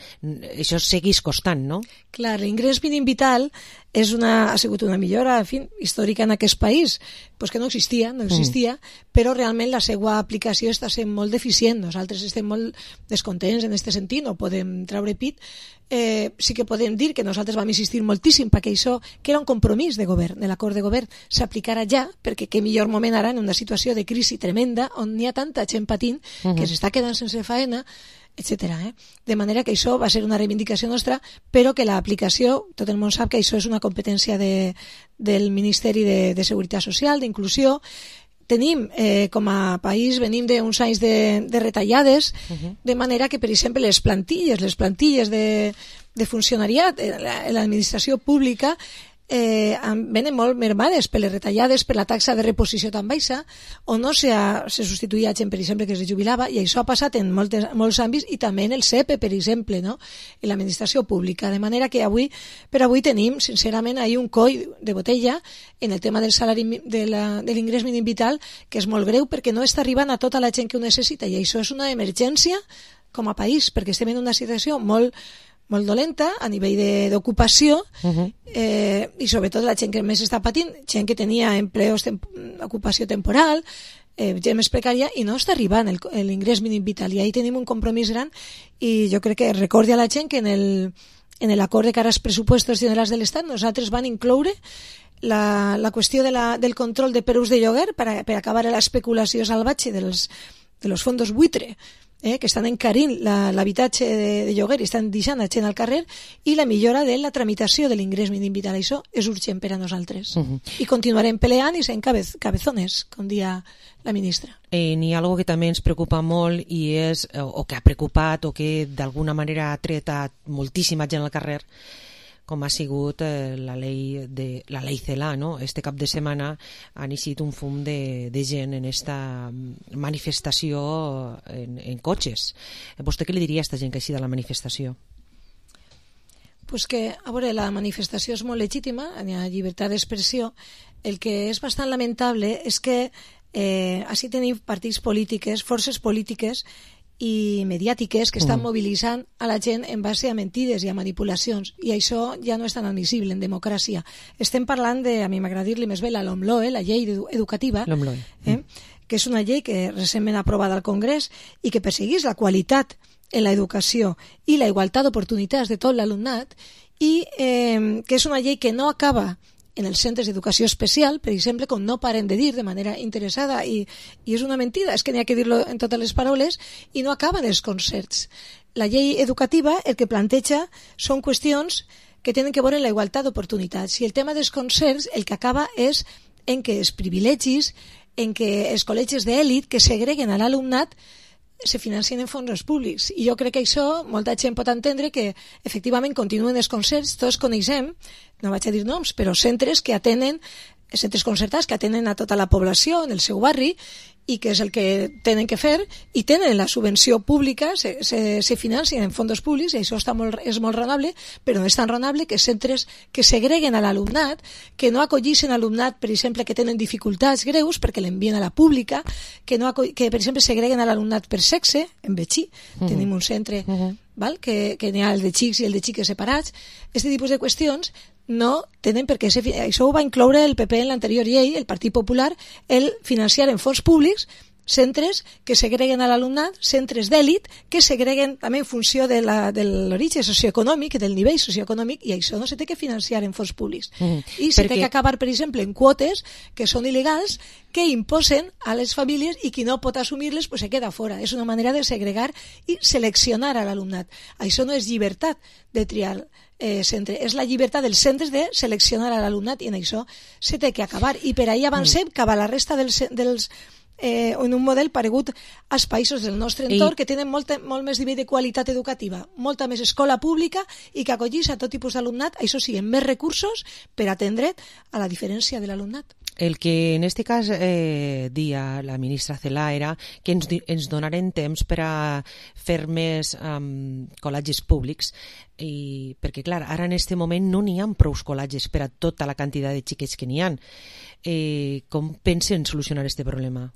això segueix costant, no? Clar, l'ingrés mínim vital és una, ha sigut una millora, en fi, històrica en aquest país, pues que no existia, no existia, mm. però realment la seva aplicació està sent molt deficient. Nosaltres estem molt descontents en aquest sentit, no podem treure pit. Eh, sí que podem dir que nosaltres vam insistir moltíssim perquè això, que era un compromís de govern, de l'acord de govern, s'aplicarà ja, perquè què millor moment ara en una situació de crisi tremenda on hi ha tanta gent patint uh-huh. que s'està quedant sense faena, etcètera. Eh? De manera que això va ser una reivindicació nostra, però que l'aplicació, tot el món sap que això és una competència de, del Ministeri de, de Seguretat Social, d'Inclusió. Tenim, eh, com a país, venim d'uns anys de, de retallades, uh-huh. de manera que, per exemple, les plantilles, les plantilles de, de funcionariat en l'administració pública eh, venen molt mermades per les retallades, per la taxa de reposició tan baixa, o no se, ha, se substituïa gent, per exemple, que es jubilava, i això ha passat en moltes, molts àmbits, i també en el C E P E, per exemple, no? En l'administració pública, de manera que avui, per avui tenim, sincerament, ahí un coll de botella en el tema del salari de l'ingrés mínim vital, que és molt greu perquè no està arribant a tota la gent que ho necessita, i això és una emergència com a país, perquè estem en una situació molt molt dolenta a nivell d'ocupació uh-huh. eh, i sobretot la gent que més està patint, gent que tenia empleos, temp ocupació temporal, eh, gent més precària, i no està arribant l'ingrés mínim vital, i ahí tenim un compromís gran, i jo crec que recordi a la gent que en el en l'acord de cara als pressupostos generals de l'Estat nosaltres van incloure la, la qüestió de la, del control de preus de lloguer per, a, per acabar l'especulació salvatge dels, de los fondos buitre, eh, que estan encarint l'habitatge de, de lloguer i estan deixant la gent al carrer, i la millora de la tramitació de l'ingrés mínim vital. Això és urgent per a nosaltres. Uh-huh. I continuarem peleant i sent cabez, cabezones, com dia la ministra. Eh, N'hi ha algo que també ens preocupa molt i és, o que ha preocupat o que d'alguna manera ha tret a moltíssima gent al carrer, com ha sigut eh, la llei de la llei Celaá, no? Este cap de setmana han eixit un fum de, de gent en esta manifestació en, en cotxes. Vostè què li diria a aquesta gent que ha eixit a la manifestació? Pues que, a veure, la manifestació és molt legítima, hi ha llibertat d'expressió. El que és bastant lamentable és que eh, així tenim partits polítiques, forces polítiques i mediàtiques que estan mm. mobilitzant a la gent en base a mentides i a manipulacions, i això ja no és tan admissible en democràcia. Estem parlant de, a mi m'agrada dir-li més bé, la LOMLOE, la llei educativa, eh, que és una llei que recentment aprovada al Congrés i que perseguís la qualitat en l'educació i la igualtat d'oportunitats de tot l'alumnat, i eh, que és una llei que no acaba en els centres d'educació especial, per exemple, com no paren de dir de manera interessada, i, i és una mentida, és que n'hi ha que dir-lo en totes les paraules, i no acaben els concerts. La llei educativa el que planteja són qüestions que tenen que veure amb la igualtat d'oportunitats, i el tema dels concerts el que acaba és en que els privilegis, en que els col·legis d'èlit que segreguen a l'alumnat se financien en fons públics, i jo crec que això molta gent pot entendre que efectivament continuen els concerts. Tots coneixem, no vaig a dir noms, però centres que atenen, centres concertats que atenen a tota la població en el seu barri, i que és el que tenen que fer, i tenen la subvenció pública, se, se, se financien en fons públics, i això està molt, és molt raonable, però no és tan raonable que centres que segreguen a l'alumnat, que no acollissin alumnat, per exemple, que tenen dificultats greus perquè l'envien a la pública, que, no que per exemple, segreguen a l'alumnat per sexe. En Betxí uh-huh. tenim un centre uh-huh. val? que, que n'hi ha el de xics i el de xiques separats. Aquest tipus de qüestions no tenen per què ser... Això ho va incloure el P P en l'anterior llei, el Partit Popular, el financiar en fons públics centres que segreguen a l'alumnat, centres d'èlit que segreguen també en funció de l'origen socioeconòmic, del nivell socioeconòmic, i això no se té que financiar en fons públics. Mm. I se Perquè... té que acabar, per exemple, en quotes que són il·legals, que imposen a les famílies, i qui no pot assumir-les pues se queda fora. És una manera de segregar i seleccionar a l'alumnat. Això no és llibertat de triar eh, centre, és la llibertat dels centres de seleccionar a l'alumnat, i en això se té que acabar. I per ahir avancem mm. cap a la resta dels... dels Eh, en un model paregut als països del nostre entorn, I... que tenen molt, molt més nivell de qualitat educativa, molta més escola pública, i que acollís a tot tipus d'alumnat, això sí, amb més recursos per atendre a la diferència de l'alumnat. El que en este cas eh, dia la ministra Celaá era que ens, ens donaren temps per a fer més um, col·legis públics, i, perquè clar, ara en este moment no n'hi ha prou col·legis per a tota la quantitat de xiquets que n'hi ha. Eh, com pensen solucionar este problema?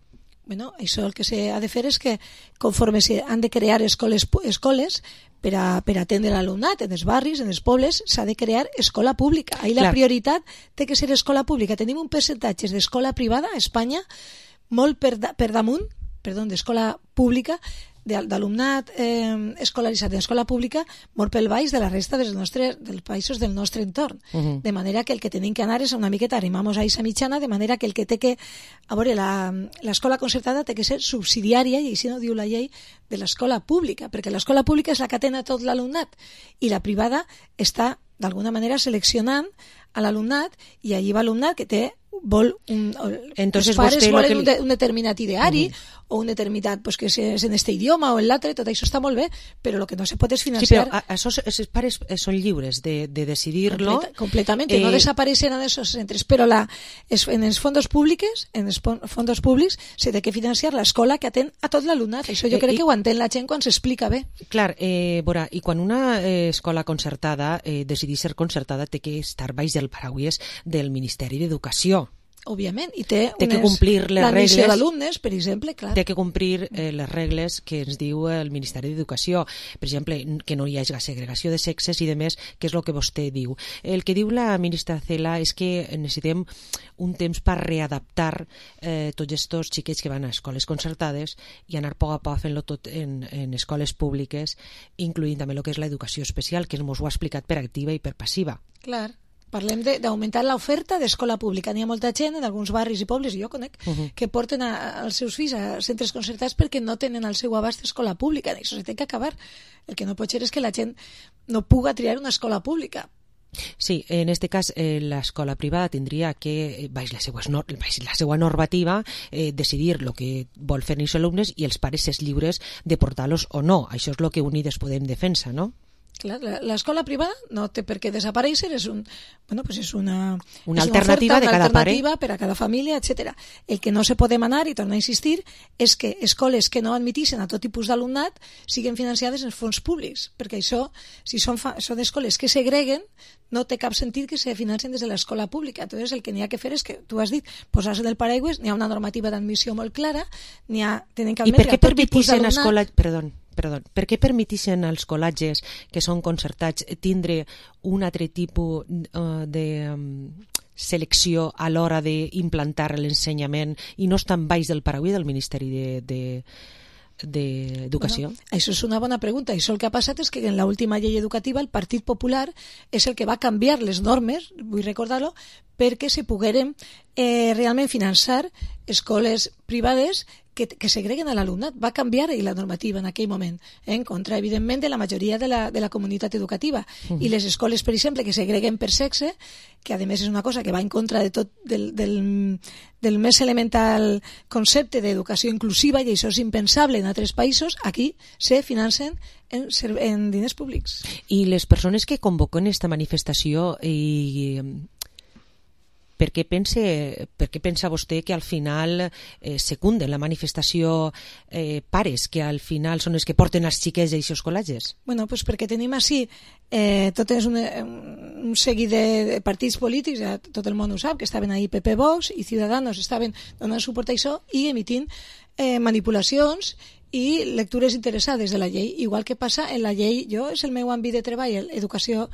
Bueno, això el que s'ha de fer és que conforme s'han de crear escoles, escoles per a, per a atendre l'alumnat en els barris, en els pobles, s'ha de crear escola pública. Ahí la Clar. prioritat té que ser escola pública. Tenim un percentatge d'escola privada a Espanya molt per, da, per damunt, perdó, d'escola pública, d'alumnat eh, escolaritzat en escola pública molt pel baix de la resta dels, nostres, dels països del nostre entorn. Uh-huh. De manera que el que tenim que anar és una miqueta, arrimamos a esa mitjana, de manera que el que té que... A veure, l'escola concertada té que ser subsidiària, i així no diu la llei, de l'escola pública, perquè l'escola pública és la que atén a tot l'alumnat, i la privada està, d'alguna manera, seleccionant a l'alumnat, i allí va alumnat que té vol un, Entonces, els pares volen que... un, de, un determinat ideari uh-huh. o un determinat pues, que és en este idioma o en l'altre, tot això està molt bé, però el que no se pot és financiar... Sí, però això, els pares són lliures de, de decidir-lo. Completa, completament, eh... no desapareixen en aquests centres, però la, es, en els fons públics, en els fons públics se té que financiar l'escola que atén a tot l'alumnat. Això jo crec eh, i... que ho entén la gent quan s'explica bé. Clar, eh, veurà, i quan una eh, escola concertada eh, decidís ser concertada té que estar baix del paraigües del Ministeri d'Educació. Òbviament, i té, té que complir les regles d'alumnes, per exemple, clar. Té que complir eh, les regles que ens diu el Ministeri d'Educació, per exemple, que no hi hagi segregació de sexes i de més, que és el que vostè diu. El que diu la ministra Celaá és que necessitem un temps per readaptar eh, tots aquests xiquets que van a escoles concertades i anar a poc a poc fent-lo tot en, en escoles públiques, incloent també el que és l'educació especial, que ens ho ha explicat per activa i per passiva. Clar. parlem d'augmentar l'oferta d'escola pública. N'hi ha molta gent en alguns barris i pobles, i jo conec, uh -huh. que porten a, als seus fills a centres concertats perquè no tenen al seu abast escola pública. I això s'ha de acabar. El que no pot ser és que la gent no puga triar una escola pública. Sí, en este cas eh, l'escola privada tindria que, baix la seva, baix la seva normativa, eh, decidir el que vol fer els alumnes i els pares és lliures de portar-los o no. Això és el que Unides Podem defensa, no? Clar, l'escola privada no té per què desaparèixer, és, un, bueno, pues és una, una és alternativa, una oferta, de cada una alternativa pare per a cada família, etcètera. El que no se pot demanar, i torno a insistir, és que escoles que no admitixen a tot tipus d'alumnat siguin financiades en fons públics, perquè això, si són, fa, són escoles que segreguen, no té cap sentit que se financien des de l'escola pública. Entonces, el que n'hi ha que fer és que, tu has dit, posar-se del paraigües, n'hi ha una normativa d'admissió molt clara, n'hi ha, tenen que admetre I per què permetixen escola... Perdó. Perdó, per què permetixen als col·legis que són concertats tindre un altre tipus uh, de um, selecció a l'hora d'implantar l'ensenyament i no estan baix del paraigües del Ministeri de, de, d'Educació? Bueno, això és una bona pregunta. Això el que ha passat és que en l'última llei educativa el Partit Popular és el que va canviar les normes, vull recordar-ho, perquè se pogueren eh, realment finançar escoles privades que, que segreguen a l'alumnat. Va canviar la normativa en aquell moment, eh, en contra, evidentment, de la majoria de la, de la comunitat educativa. Uh-huh. I les escoles, per exemple, que segreguen per sexe, que a més és una cosa que va en contra de tot del, del, del més elemental concepte d'educació inclusiva, i això és impensable en altres països, aquí se financen en, en diners públics. I les persones que convoquen esta manifestació i... Per què, pense, per què pensa vostè que al final eh, secunden la manifestació eh, pares, que al final són els que porten els xiquets a aquests col·legis? Bueno, pues perquè tenim així eh, tot és un, un seguit de partits polítics, ja tot el món ho sap, que estaven ahí P P, Vox i Ciudadanos, estaven donant suport a això i emitint eh, manipulacions i lectures interessades de la llei, igual que passa en la llei, jo és el meu àmbit de treball, l'educació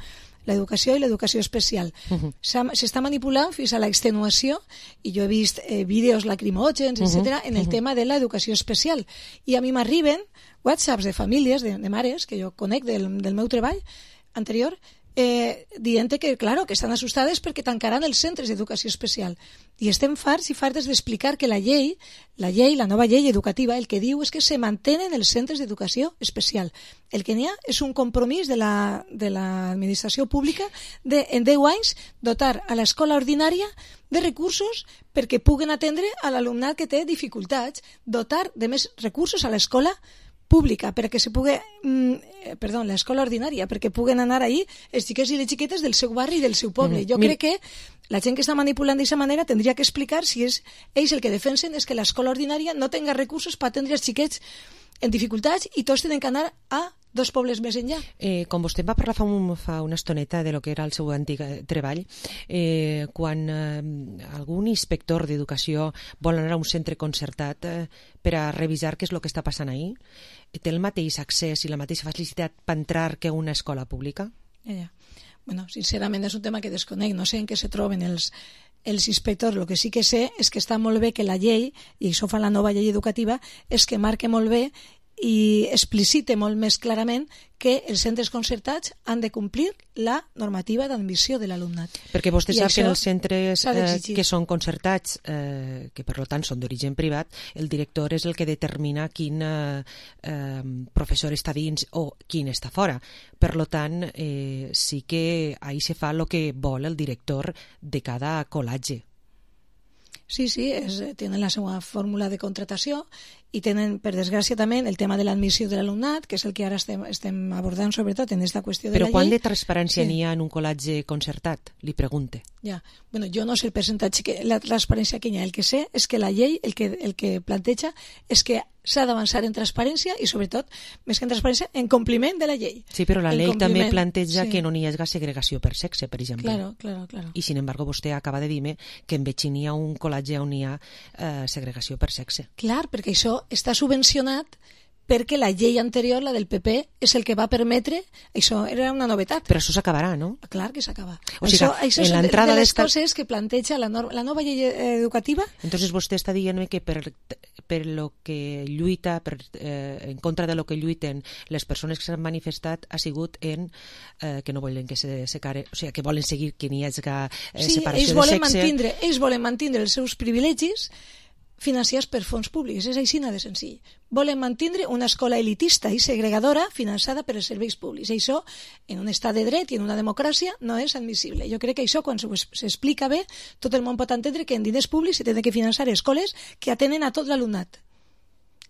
l'educació i l'educació especial. Uh-huh. S'està manipulant fins a l'extenuació, i jo he vist eh, vídeos lacrimògens, uh-huh. etcètera, en el uh-huh. tema de l'educació especial. I a mi m'arriben whatsapps de famílies, de, de mares, que jo conec del, del meu treball anterior, eh, dient que, claro, que estan assustades perquè tancaran els centres d'educació especial. I estem farts i fartes d'explicar que la llei, la llei, la nova llei educativa, el que diu és que se mantenen els centres d'educació especial. El que n'hi ha és un compromís de la, de l'administració pública de, en deu anys, dotar a l'escola ordinària de recursos perquè puguen atendre a l'alumnat que té dificultats, dotar de més recursos a l'escola pública, perquè se pugui, mm, perdó, l'escola ordinària, perquè puguen anar ahí els xiquets i les xiquetes del seu barri i del seu poble. Jo crec que la gent que està manipulant d'aquesta manera tindria que explicar si és ells el que defensen és que l'escola ordinària no tenga recursos per atendre els xiquets en dificultats i tots tenen que anar a dos pobles més enllà. Eh, com vostè va parlar fa, un, fa una estoneta de lo que era el seu antic treball, eh, quan eh, algun inspector d'educació vol anar a un centre concertat eh, per a revisar què és el que està passant ahí, té el mateix accés i la mateixa facilitat per entrar que una escola pública? Ja, ja. Bueno, sincerament és un tema que desconec, no sé en què se troben els, els inspectors. El que sí que sé és que està molt bé que la llei, i això fa la nova llei educativa, és que marque molt bé i explicite molt més clarament que els centres concertats han de complir la normativa d'admissió de l'alumnat. Perquè vostè I sap que els centres eh, que són concertats, eh, que per tant són d'origen privat, el director és el que determina quin eh, eh, professor està dins o quin està fora. Per tant, eh, sí que ahí se fa el que vol el director de cada col·legi. Sí, sí, és, tenen la seva fórmula de contratació i tenen, per desgràcia, també el tema de l'admissió de l'alumnat, que és el que ara estem, estem abordant sobretot en aquesta qüestió de Però la llei. Però quant de transparència sí. n'hi ha en un col·legi concertat? Li pregunte. Ja, bueno, jo no sé el percentatge, que, la transparència que hi ha. El que sé és que la llei el que, el que planteja és que s'ha d'avançar en transparència i, sobretot, més que en transparència, en compliment de la llei. Sí, però la llei també planteja sí. que no n'hi hagi segregació per sexe, per exemple. Claro, claro, claro. I, sin embargo, vostè acaba de dir-me que en Betxí n'hi ha un col·legi on n'hi ha eh, segregació per sexe. Clar, perquè això està subvencionat perquè la llei anterior, la del P P, és el que va permetre, això era una novetat. Però això s'acabarà, no? Clar que s'acaba. O sigui, això això en és de, de les d'esta... coses que planteja la, nor... la nova llei educativa. Entonces vostè està dient que per, per lo que lluita, per, eh, en contra de lo que lluiten les persones que s'han manifestat ha sigut en eh, que no volen que se separe, o sigui, que volen seguir que n'hi hagi eh, sí, separació ells de volen sexe. Mantindre, ells volen mantindre els seus privilegis financiats per fons públics, és així de senzill. Volen mantindre una escola elitista i segregadora finançada per els serveis públics. I això, en un estat de dret i en una democràcia, no és admissible. Jo crec que això, quan s'explica bé, tot el món pot entendre que en diners públics se tenen que finançar escoles que atenen a tot l'alumnat.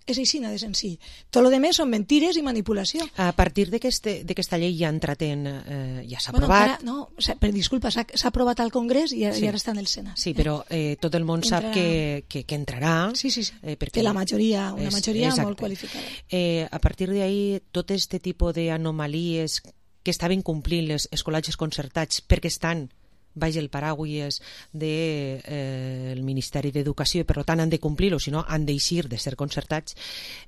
És així de senzill. Tot el que són mentires i manipulació. A partir d'aquesta llei ja ha entrat en... Eh, ja s'ha bueno, aprovat... Ara, no, per disculpa, s'ha aprovat al Congrés i, sí. i ara està en el Senat. Sí, però eh, tot el món entrarà... sap que, que, que entrarà... Sí, sí, sí. Eh, perquè que la majoria, una és, majoria exacte. molt qualificada. Eh, a partir d'ahí, tot este tipus d'anomalies que estaven complint les escolatges concertats perquè estan baix el paraules del de, eh, Ministeri d'Educació i per tant han de complir-ho, si no han d'eixir de ser concertats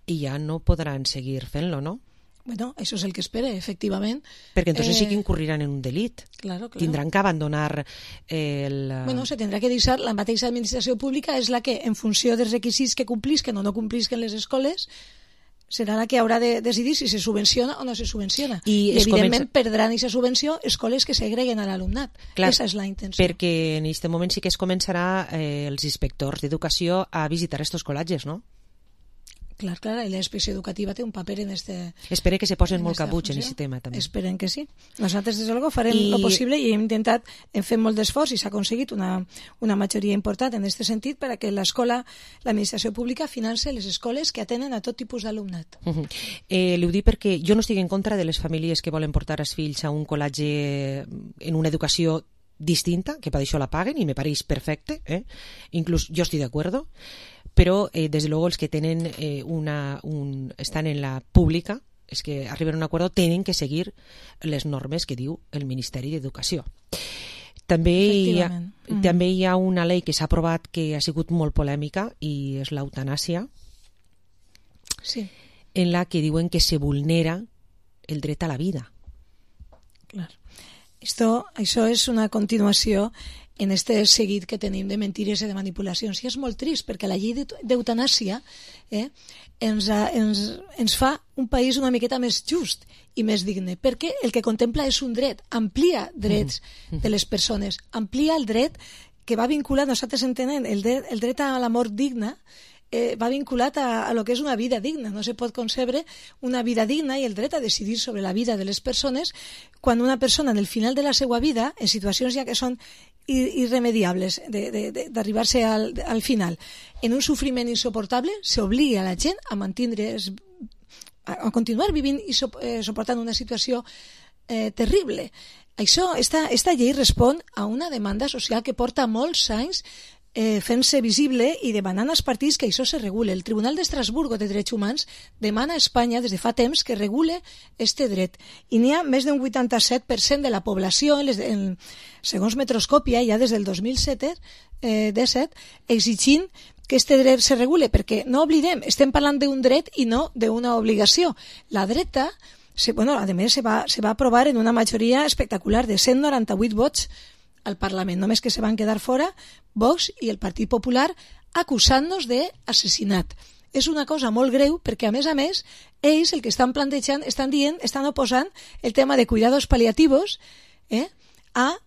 i ja no podran seguir fent-lo, no? Bueno, això és el que espera, efectivament. Perquè entonces eh... sí que incurriran en un delit. Claro, claro. Tindran que abandonar el... Bueno, se tindrà que deixar, la mateixa administració pública és la que, en funció dels requisits que complisquen o no complisquen les escoles, serà la que haurà de decidir si se subvenciona o no se subvenciona. I, I evidentment comença... perdran aquesta subvenció escoles que segreguen a l'alumnat. Aquesta és la intenció. Perquè en aquest moment sí que es començarà eh, els inspectors d'educació a visitar estos col·legis, no? Clar, clar, i la inspecció educativa té un paper en este... Espero que se posen molt cabuts en aquest tema, també. Esperen que sí. Nosaltres, des de luego, farem I... lo possible i hem intentat, hem fet molt d'esforç i s'ha aconseguit una, una majoria important en aquest sentit per a que l'escola, l'administració pública, finance les escoles que atenen a tot tipus d'alumnat. Uh -huh. eh, li ho dic perquè jo no estic en contra de les famílies que volen portar els fills a un col·legi en una educació distinta, que per això la paguen i me pareix perfecte, eh? Inclús jo estic d'acord, però eh, des de luego els que tenen eh, una, un, estan en la pública, és que arriben a un acord, tenen que seguir les normes que diu el Ministeri d'Educació. També hi ha, mm. també hi ha una llei que s'ha aprovat que ha sigut molt polèmica i és l'eutanàsia, sí. en la que diuen que se vulnera el dret a la vida. Clar. Esto, això és una continuació en este seguit que tenim de mentires i de manipulacions. I és molt trist, perquè la llei d'eutanàsia eh, ens, ens, ens fa un país una miqueta més just i més digne, perquè el que contempla és un dret, amplia drets de les persones, amplia el dret que va vinculat, nosaltres entenem, el dret, el dret a la mort digna, eh, va vinculat a, a lo que és una vida digna. No se pot concebre una vida digna i el dret a decidir sobre la vida de les persones quan una persona en el final de la seva vida, en situacions ja que són irremediables d'arribar-se al, al final, en un sofriment insoportable, s'obliga a la gent a mantindre, a continuar vivint i so, eh, suportant una situació eh, terrible. Això, esta, esta llei respon a una demanda social que porta molts anys eh, fent-se visible i demanant als partits que això se regule. El Tribunal d'Estrasburgo de Drets Humans demana a Espanya des de fa temps que regule este dret. I n'hi ha més d'un vuitanta-set per cent de la població, en les, en, segons Metroscòpia, ja des del dos mil set, eh, disset, exigint que este dret se regule, perquè no oblidem, estem parlant d'un dret i no d'una obligació. La dreta, se, bueno, a més, se va, se va aprovar en una majoria espectacular de cent noranta-vuit vots al Parlament, només que se van quedar fora Vox i el Partit Popular acusant-nos d'assassinat. És una cosa molt greu perquè, a més a més, ells el que estan plantejant, estan dient, estan oposant el tema de cuidados paliativos eh, a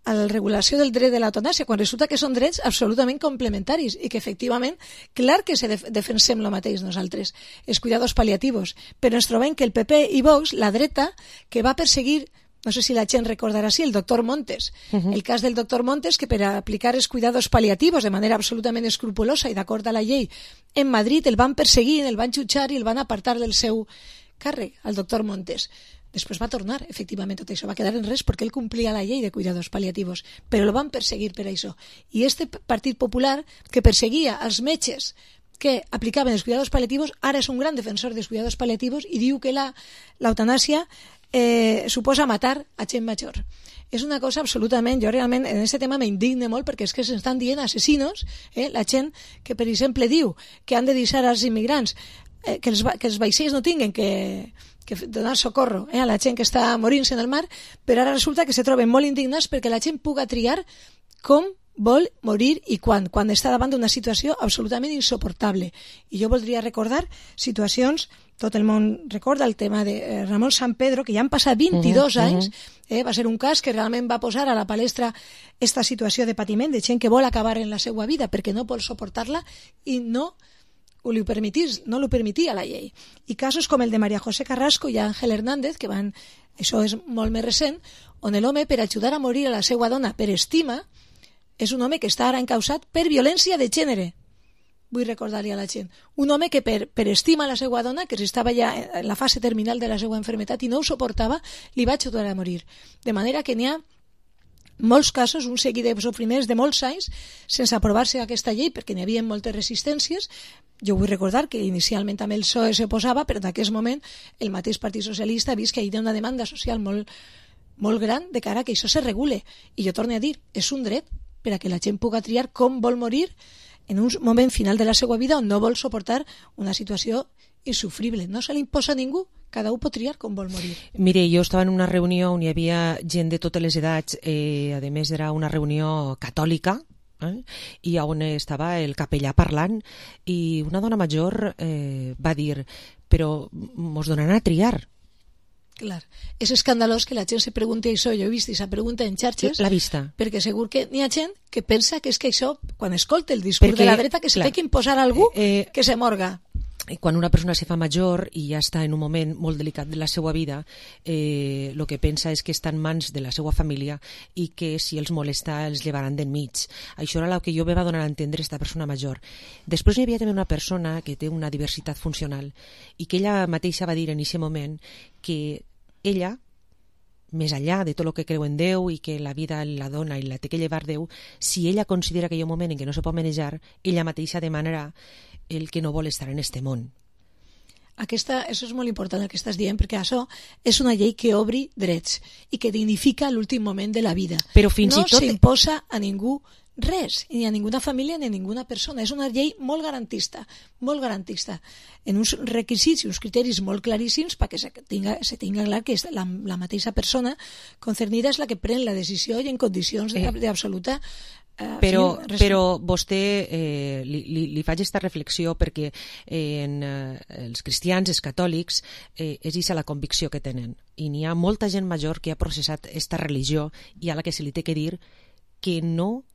a la regulació del dret de l'eutanàsia, quan resulta que són drets absolutament complementaris i que, efectivament, clar que se def defensem el mateix nosaltres, els cuidados paliativos, però ens trobem que el P P i Vox, la dreta, que va perseguir, no sé si la gent recordarà així, el doctor Montes, uh-huh. el cas del doctor Montes, que per a aplicar els cuidados paliativos de manera absolutament escrupulosa i d'acord a la llei, en Madrid el van perseguir, el van jutjar i el van apartar del seu càrrec, al doctor Montes. Després va tornar, efectivament, tot això va quedar en res perquè ell complia la llei de cuidados paliativos, però el van perseguir per això. I este Partit Popular, que perseguia els metges que aplicaven els cuidados paliativos, ara és un gran defensor dels cuidados paliativos i diu que l'eutanàsia eh, suposa matar a gent major. És una cosa absolutament, jo realment en aquest tema m'indigne molt perquè és que s'estan dient assassinos, eh, la gent que per exemple diu que han de deixar als immigrants eh, que, els, que els vaixells no tinguin que, que donar socorro eh, a la gent que està morint-se en el mar, però ara resulta que se troben molt indignats perquè la gent puga triar com vol morir i quan, quan està davant d'una situació absolutament insoportable. I jo voldria recordar situacions, tot el món recorda el tema de Ramon San Pedro, que ja han passat vint-i-dos uh -huh, anys, eh, va ser un cas que realment va posar a la palestra esta situació de patiment de gent que vol acabar en la seva vida perquè no vol suportar-la i no ho li permetís, no ho permetia la llei. I casos com el de María José Carrasco i Ángel Hernández, que van, això és molt més recent, on l'home, per ajudar a morir a la seva dona per estima, és un home que està ara encausat per violència de gènere. Vull recordar-li a la gent. Un home que per, per estima la seva dona, que estava ja en la fase terminal de la seva enfermetat i no ho suportava, li va ajudar a morir. De manera que n'hi ha molts casos, un seguit de sofriments de molts anys, sense aprovar-se aquesta llei, perquè n'hi havia moltes resistències. Jo vull recordar que inicialment també el P S O E se posava, però en aquest moment el mateix Partit Socialista ha vist que hi ha una demanda social molt, molt gran de cara a que això se regule. I jo torno a dir, és un dret per a que la gent pugui triar com vol morir en un moment final de la seva vida on no vol suportar una situació insufrible. No se li imposa a ningú, cada un pot triar com vol morir. Mire, jo estava en una reunió on hi havia gent de totes les edats, eh, a més era una reunió catòlica, eh, i on estava el capellà parlant, i una dona major eh, va dir, però mos donaran a triar. Clar, és escandalós que la gent se pregunti això. Jo he vist aquesta pregunta en xarxes. La vista. Perquè segur que n'hi ha gent que pensa que és que això, quan escolta el discurs perquè, de la dreta, que se té que imposar a algú eh, que se morga. Quan una persona se fa major i ja està en un moment molt delicat de la seva vida, eh, el que pensa és que està en mans de la seva família i que si els molesta els llevaran d'enmig. Això era el que jo me va donar a entendre aquesta persona major. Després hi havia també una persona que té una diversitat funcional i que ella mateixa va dir en aquest moment que ella, més enllà de tot el que creu en Déu i que la vida la dona i la té que llevar Déu, si ella considera que hi ha un moment en què no se pot manejar, ella mateixa demanarà el que no vol estar en este món. Aquesta, això és molt important el que estàs dient, perquè això és una llei que obri drets i que dignifica l'últim moment de la vida. Però fins no i tot s'imposa a ningú res, ni a ninguna família ni a ninguna persona. És una llei molt garantista, molt garantista, en uns requisits i uns criteris molt claríssims perquè se tinga, se tinga clar que és la, la mateixa persona concernida és la que pren la decisió i en condicions d'absoluta Uh, però, sí, però vostè eh, li, li, li faig aquesta reflexió perquè eh, en eh, els cristians, els catòlics, eh, és aquesta la convicció que tenen i n'hi ha molta gent major que ha processat aquesta religió i a la que se li té que dir que no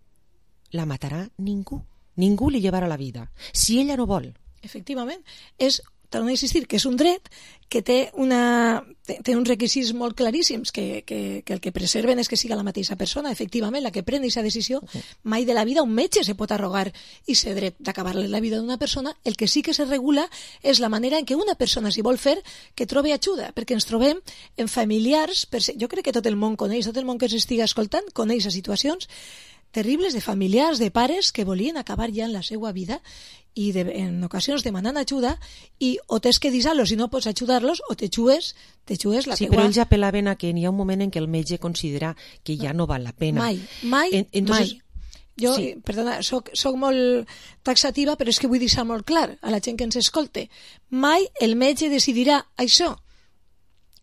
la matarà ningú, ningú li llevarà la vida si ella no vol. Efectivament, és torno a insistir que és un dret que té, una, té, té uns requisits molt claríssims que, que, que el que preserven és que siga la mateixa persona, efectivament, la que pren aquesta decisió. Mai de la vida un metge se pot arrogar i ser dret d'acabar-li la vida d'una persona. El que sí que se regula és la manera en què una persona, si vol fer, que trobi ajuda, perquè ens trobem en familiars, jo crec que tot el món coneix, tot el món que s'estiga escoltant coneix a situacions terribles de familiars, de pares que volien acabar ja en la seva vida i de, en ocasions demanant ajuda i o tens que deixar-los i no pots ajudar-los o te xues, te xues la sí, teua... però ells apel·laven a que n'hi ha un moment en què el metge considera que ja no val la pena. Mai, mai, en, entonces, mai. Jo, sí. perdona, soc, soc molt taxativa, però és que vull deixar molt clar a la gent que ens escolte. Mai el metge decidirà això.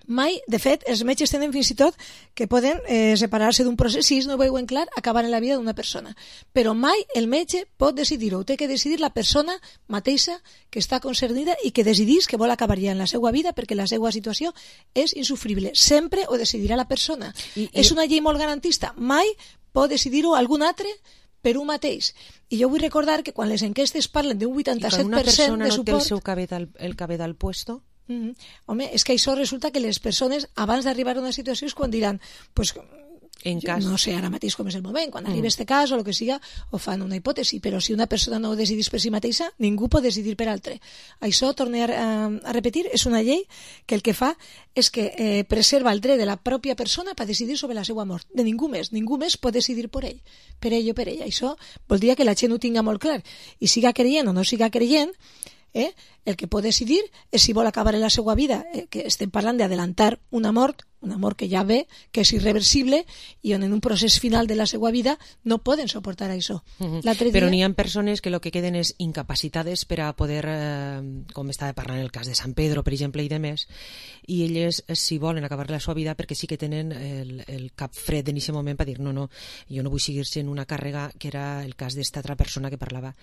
Mai, de fet, els metges tenen fins i tot que poden eh, separar-se d'un procés si no veuen clar acabar en la vida d'una persona. Però mai el metge pot decidir-ho. Ho té que decidir la persona mateixa que està concernida i que decidís que vol acabar ja en la seva vida perquè la seva situació és insufrible. Sempre ho decidirà la persona. I, i... És una llei molt garantista. Mai pot decidir-ho algun altre per un mateix. I jo vull recordar que quan les enquestes parlen d'un vuitanta-set per cent de suport... I quan una persona no té el seu cabedal, el cabedal puesto... Mm -hmm. Home, és que això resulta que les persones abans d'arribar a una situació és quan diran pues, en cas... no sé ara mateix com és el moment, quan mm. arriba este cas o el que siga, o fan una hipòtesi, però si una persona no ho decidís per si mateixa, ningú pot decidir per altre. Això, torno a, a repetir, és una llei que el que fa és que eh, preserva el dret de la pròpia persona per decidir sobre la seva mort, de ningú més, ningú més pot decidir per ell, per ell o per ella. Això voldria que la gent ho tinga molt clar, i siga creient o no siga creient, Eh? el que pot decidir és si vol acabar en la seva vida, eh, que estem parlant d'adelantar una mort, una mort que ja ve, que és irreversible i on en un procés final de la seva vida no poden suportar això. Uh-huh. Dia... Però n'hi ha persones que el que queden és incapacitades per a poder, eh, com estava parlant el cas de Sant Pedro, per exemple, i de més, i elles si volen acabar la seva vida perquè sí que tenen el, el cap fred en aquest moment per dir no, no, jo no vull seguir sent una càrrega, que era el cas d'esta altra persona que parlava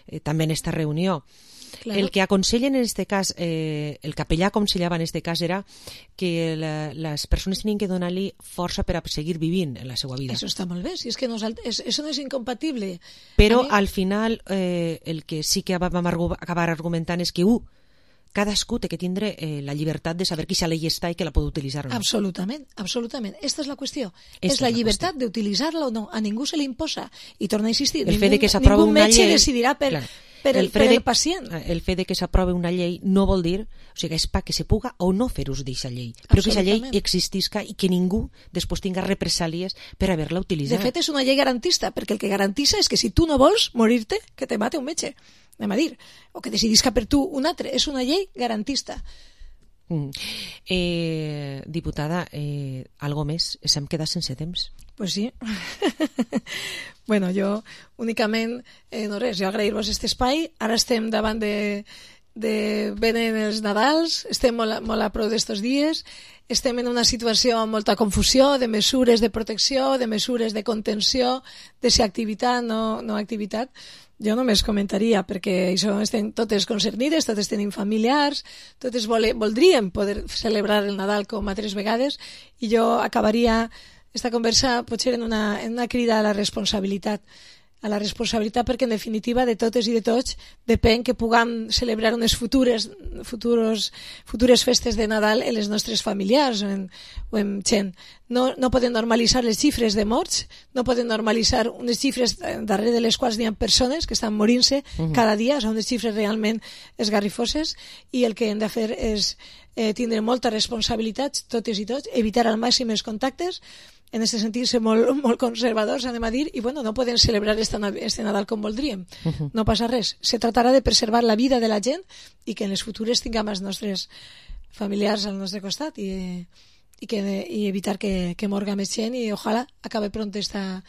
eh, també en esta reunió. Claro. El que aconsellen en este cas, eh, el capellà aconsellava en este cas era que la, les persones tenien que donar-li força per a seguir vivint en la seva vida. Això està molt bé, si és que no, és, això no és incompatible. Però mi... al final eh, el que sí que vam acabar argumentant és que uh, cadascú té que tindre eh, la llibertat de saber qui se llei està i que la pot utilitzar o no. Absolutament, absolutament. Esta és la qüestió. Esta és la, la llibertat d'utilitzar-la o no. A ningú se li imposa. I torna a insistir, el ningú, fet de que s'aprova una metge llei... decidirà per... Claro. Per el, el, per de, el pacient. El fet de que s'aprovi una llei no vol dir, o sigui, és pa que se puga o no fer ús d'aquesta llei, però que aquesta llei existisca i que ningú després tinga represàlies per haver-la utilitzat. De fet, és una llei garantista, perquè el que garantissa és que si tu no vols morir-te, que te mate un metge, anem a dir, o que decidisca per tu un altre. És una llei garantista. Mm. Eh, diputada, eh, algo més? S'hem quedat sense temps? Pues sí. Bueno, jo únicament, eh, no res, jo agrair-vos aquest espai. Ara estem davant de, de venen els Nadals, estem molt, molt a prou d'estos dies, estem en una situació amb molta confusió de mesures de protecció, de mesures de contenció, de si activitat, no, no activitat. Jo només comentaria, perquè això estem totes concernides, totes tenim familiars, totes vole, voldríem poder celebrar el Nadal com altres vegades, i jo acabaria esta conversa potser en una, en una crida a la responsabilitat, a la responsabilitat perquè en definitiva de totes i de tots depèn que puguem celebrar unes futures, futures, futures festes de Nadal en les nostres familiars o en, o en gent. No, no poden normalitzar les xifres de morts, no poden normalitzar unes xifres darrere de les quals hi ha persones que estan morint-se uh-huh. cada dia, són unes xifres realment esgarrifoses, i el que hem de fer és eh, tindre molta responsabilitat, totes i tots, evitar al màxim els contactes, en aquest sentit ser molt, molt conservadors, anem a dir, i bueno, no podem celebrar este, este Nadal com voldríem. Uh-huh. No passa res. Se tractarà de preservar la vida de la gent i que en les futures tinguem els nostres familiars al nostre costat i, i, que, i evitar que, que morga més gent i ojalà acabe pronto esta,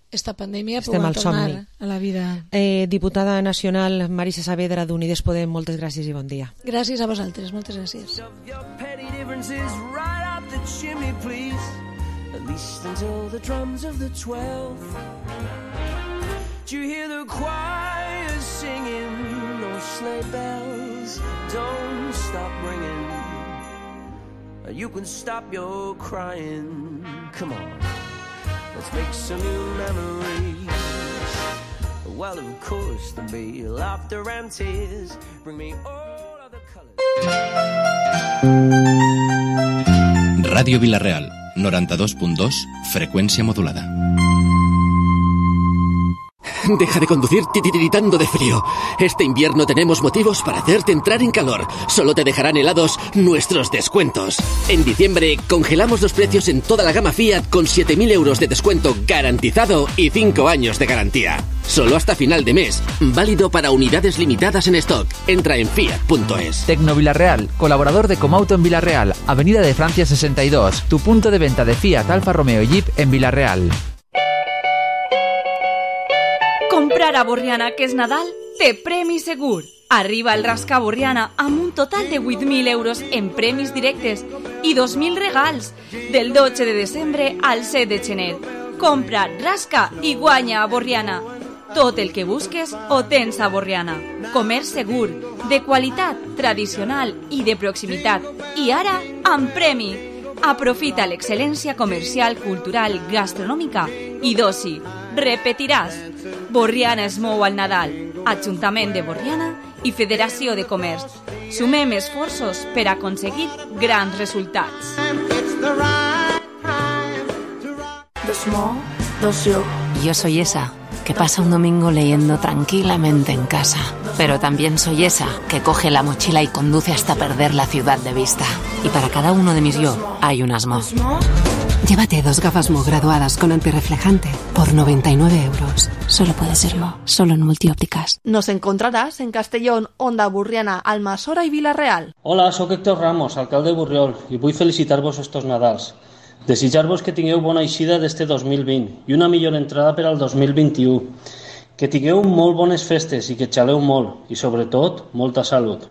esta pandèmia Estem puguem al tornar somni. a la vida. Eh, diputada nacional Marisa Saavedra d'Unides Podem, moltes gràcies i bon dia. Gràcies a vosaltres, moltes gràcies. At least until the drums of the twelve. Do you hear the choir singing? No sleigh bells, don't stop ringing. You can stop your crying. Come on, let's make some new memories. Well, of course, there'll be laughter and tears. Bring me all of the colors. Radio Villarreal, noranta-dos punt dos, frecuencia modulada. Deja de conducir titiritando de frío. Este invierno tenemos motivos para hacerte entrar en calor. Solo te dejarán helados nuestros descuentos. En diciembre congelamos los precios en toda la gama Fiat con siete mil euros de descuento garantizado y cinco años de garantía. Solo hasta final de mes. Válido para unidades limitadas en stock. Entra en fiat punto es. Tecno Villarreal, colaborador de Comauto en Villarreal, Avenida de Francia sesenta y dos, tu punto de venta de Fiat, Alfa Romeo y Jeep en Villarreal. Comprar a Borriana, que és Nadal, té premi segur. Arriba el Rasca Borriana amb un total de vuit mil euros en premis directes i dos mil regals del dotze de desembre al set de gener. Compra, rasca i guanya a Borriana. Tot el que busques ho tens a Borriana. Comerç segur, de qualitat, tradicional i de proximitat. I ara, amb premi. Aprofita l'excel·lència comercial, cultural, gastronòmica i d'oci. Repetiràs. Borriana es mou al Nadal. Ajuntament de Borriana i Federació de Comerç. Sumem esforços per aconseguir grans resultats. Dos mo, dos yo. Yo soy esa que pasa un domingo leyendo tranquilamente en casa. Pero también soy esa que coge la mochila y conduce hasta perder la ciudad de vista. Y para cada uno de mis yo hay un asmo. Llévate dos gafas Mo graduadas con antirreflejante por noventa y nueve euros. Solo puede ser Mo, solo en Multiópticas. Nos encontrarás en Castellón, Onda Burriana, Almassora i Vila-real. Hola, sóc Héctor Ramos, alcalde de Borriol, i vull felicitar-vos estos Nadals. Desitjar-vos que tingueu bona eixida d'este dos mil vint i una millor entrada per al dos mil vint-i-u. Que tingueu molt bones festes i que xaleu molt i, sobretot, molta salut.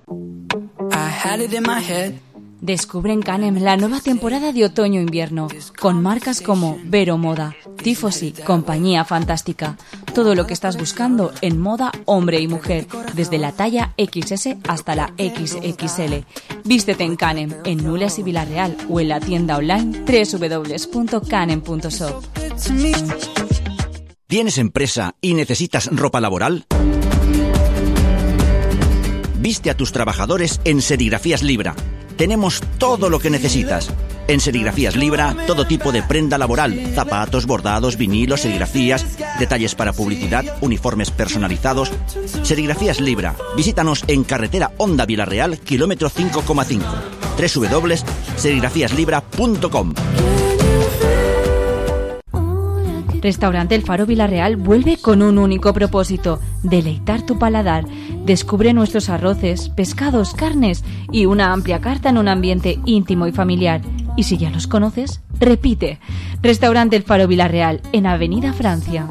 Descubre en Canem la nueva temporada de otoño-invierno, con marcas como Vero Moda, Tifosi, Compañía Fantástica. Todo lo que estás buscando en moda hombre y mujer, desde la talla equis ese hasta la equis equis ele. Vístete en Canem, en Nules y Villarreal, o en la tienda online doble u doble u doble u punto canem punto shop. ¿Tienes empresa y necesitas ropa laboral? Viste a tus trabajadores en Serigrafías Libra. Tenemos todo lo que necesitas. En Serigrafías Libra, todo tipo de prenda laboral, zapatos, bordados, vinilos, serigrafías, detalles para publicidad, uniformes personalizados. Serigrafías Libra. Visítanos en carretera Onda Villarreal, kilómetro cinco coma cinco. doble u doble u doble u punto serigrafías libra punto com. Restaurante El Faro Villarreal vuelve con un único propósito: deleitar tu paladar. Descubre nuestros arroces, pescados, carnes y una amplia carta en un ambiente íntimo y familiar. Y si ya los conoces, repite. Restaurante El Faro Villarreal, en Avenida Francia.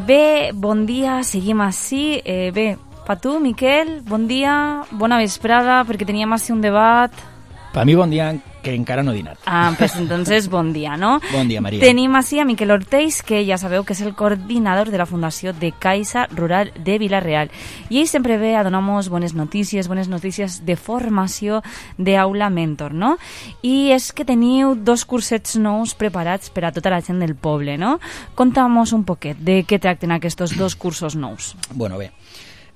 Bé, bon dia, seguim així. Eh, bé, per tu, Miquel, bon dia, bona vesprada, perquè teníem així un debat. Per mi bon dia, que encara no he dinat. Ah, pues entonces bon dia, ¿no? Bon dia, Maria. Tenim així a Miquel Ortells, que ja sabeu que és el coordinador de la Fundació de Caixa Rural de Vila-real. I ell sempre ve a donar-nos bones notícies, bones notícies de formació d'Aula Mentor, no? I és que teniu dos cursets nous preparats per a tota la gent del poble, no? Conta'm-nos un poquet de què tracten aquests dos cursos nous. Bueno, bé,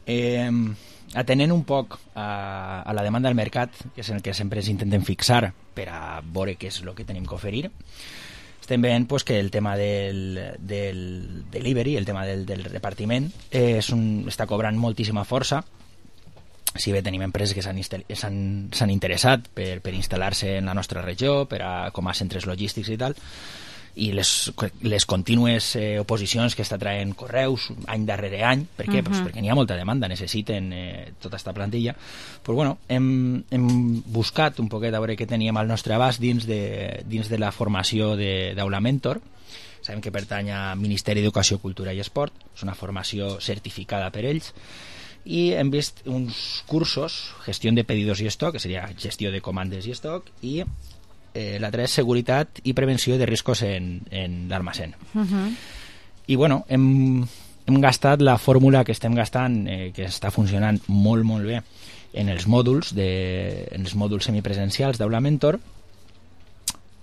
eh, atenent un poc a, a la demanda del mercat, que és en el que sempre ens intentem fixar per a veure què és el que tenim que oferir, estem veient pues, que el tema del, del delivery, el tema del, del repartiment, eh, és un, està cobrant moltíssima força. Si bé tenim empreses que s'han interessat per, per instal·lar-se en la nostra regió, per a, com a centres logístics i tal, i les, les contínues eh, oposicions que està traient Correus any darrere any, per què? Uh-huh. Pues perquè n'hi ha molta demanda, necessiten eh, tota aquesta plantilla. Pues bueno, hem, hem buscat un poquet a veure què teníem al nostre abast dins de, dins de la formació d'Aula Mentor. Sabem que pertany al Ministeri d'Educació, Cultura i Esport, és una formació certificada per ells, i hem vist uns cursos, gestió de pedidos i estoc, que seria gestió de comandes i estoc, i Eh, l'altre és seguretat i prevenció de riscos en, en l'almacén. Uh-huh. I bueno, hem, hem gastat la fórmula que estem gastant, eh, que està funcionant molt, molt bé en els mòduls, de, en els mòduls semipresencials d'Aula Mentor,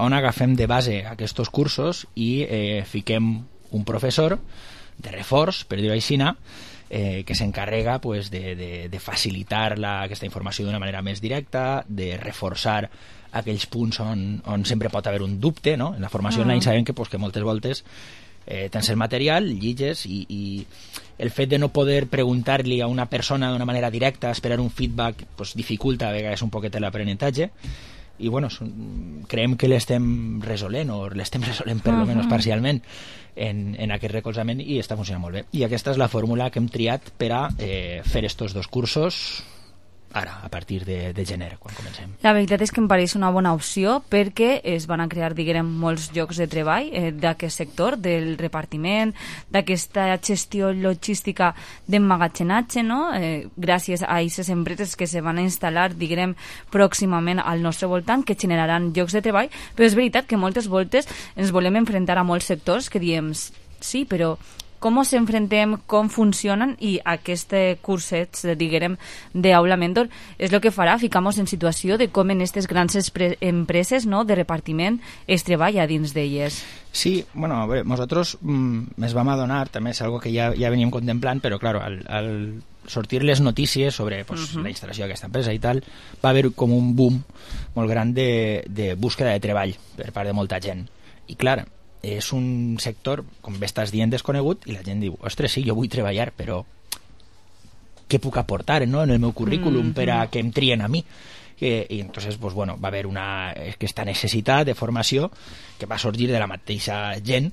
on agafem de base aquests cursos i eh, fiquem un professor de reforç, per dir-ho així, eh, que s'encarrega pues, de, de, de facilitar la, aquesta informació d'una manera més directa, de reforçar aquells punts on, on sempre pot haver un dubte, no? En la formació online sabem que, pues, que moltes voltes eh, tens el material, lliges i, i el fet de no poder preguntar-li a una persona d'una manera directa, esperar un feedback, pues, dificulta a vegades un poquet l'aprenentatge i bueno, son, creiem que l'estem resolent o l'estem resolent per almenys uh-huh. parcialment en, en aquest recolzament i està funcionant molt bé. I aquesta és la fórmula que hem triat per a eh, fer estos dos cursos ara, a partir de, de gener, quan comencem. La veritat és que em pareix una bona opció perquè es van a crear, diguem, molts llocs de treball eh, d'aquest sector, del repartiment, d'aquesta gestió logística d'emmagatzenatge, no? Eh, gràcies a aquestes empreses que se van a instal·lar, diguem, pròximament al nostre voltant, que generaran llocs de treball, però és veritat que moltes voltes ens volem enfrontar a molts sectors que diem, sí, però com ens enfrontem, com funcionen, i aquests cursets, diguem, d'Aula Mentor és el que farà ficar-nos en situació de com en aquestes grans empreses, no, de repartiment es treballa dins d'elles. Sí, bueno, a veure, nosaltres mm, ens vam adonar, també és algo que ja, ja veníem contemplant, però claro, al, al sortir les notícies sobre pues, uh-huh. la instal·lació d'aquesta empresa i tal, va haver com un boom molt gran de, de búsqueda de treball per part de molta gent. I clar, és un sector, com bé estàs dient, desconegut, i la gent diu, ostres, sí, jo vull treballar, però què puc aportar, no?, en el meu currículum mm-hmm. per a que em trien a mi? I, i entonces, pues, bueno, va haver una, aquesta necessitat de formació que va sorgir de la mateixa gent,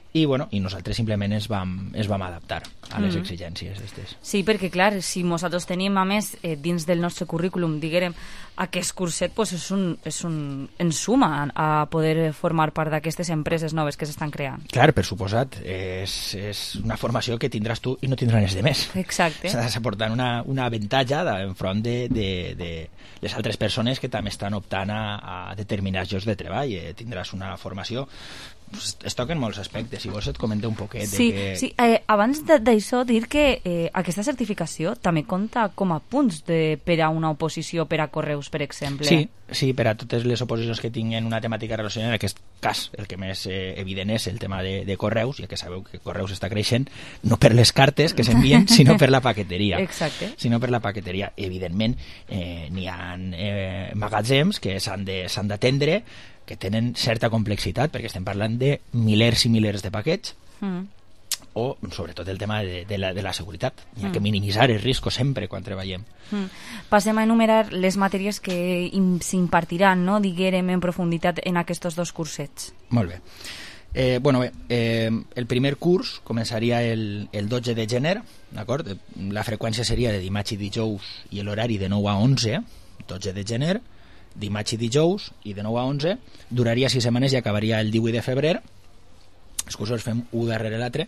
i, bueno, i nosaltres simplement ens vam, ens vam adaptar a les mm. exigències aquestes. Sí, perquè clar, si nosaltres tenim a més eh, dins del nostre currículum, diguem, aquest curset, pues, és un, és un, ens suma a poder formar part d'aquestes empreses noves que s'estan creant. Clar, per suposat, és, és una formació que tindràs tu i no tindràs res de més. Exacte. Estàs aportant una, una avantatge enfront de, de, de les altres persones que també estan optant a, a determinats llocs de treball. Eh, tindràs una formació. Es toquen molts aspectes, si vols et comento un poquet. Sí, de que... sí. Eh, abans d'això dir que eh, aquesta certificació també compta com a punts de, per a una oposició per a correus, per exemple. Sí, sí, per a totes les oposicions que tinguin una temàtica relacionada, en aquest cas el que més eh, evident és el tema de, de correus, ja que sabeu que correus està creixent no per les cartes que s'envien, sinó per la paqueteria. Exacte. Sinó per la paqueteria. Evidentment, eh, n'hi ha eh, magatzems que s'han de, s'han d'atendre, que tenen certa complexitat, perquè estem parlant de milers i milers de paquets, mm. o sobretot el tema de, de, la, de la seguretat. Hi ha mm. que minimitzar el risc sempre quan treballem. Mm. Passem a enumerar les matèries que s'impartiran, no?, diguem, en profunditat en aquests dos cursets. Molt bé. Eh, bueno, bé, eh, el primer curs començaria el, el dotze de gener, d'acord? La freqüència seria de dimarts i dijous i l'horari de nou a onze, dotze de gener, dimarts i dijous, i de nou a onze, duraria sis setmanes i acabaria el divuit de febrer. Els cursos fem un darrere l'altre,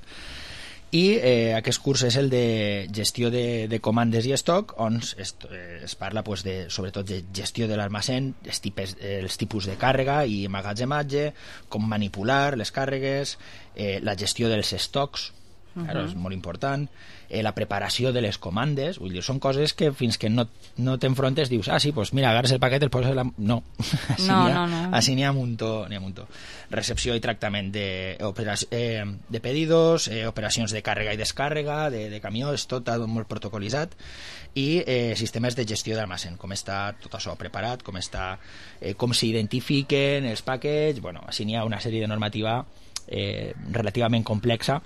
i eh, aquest curs és el de gestió de, de comandes i estoc, on es, eh, es parla pues, de, sobretot de gestió de l'almacén, els, tipus, els tipus de càrrega i emmagatzematge, com manipular les càrregues, eh, la gestió dels estocs, uh-huh. claro, és molt important, eh, la preparació de les comandes, vull dir, són coses que fins que no, no t'enfrontes dius, ah, sí, pues mira, agarres el paquet, el poses la... No, així no, n'hi ha, no, no. Així n'hi ha un muntó, n'hi ha un muntó. Recepció i tractament de, eh, de pedidos, eh, operacions de càrrega i descàrrega, de, de camió, és tot molt protocolitzat, i eh, sistemes de gestió d'almacén, com està tot això preparat, com està, eh, com s'identifiquen els paquets, bueno, així n'hi ha una sèrie de normativa eh, relativament complexa,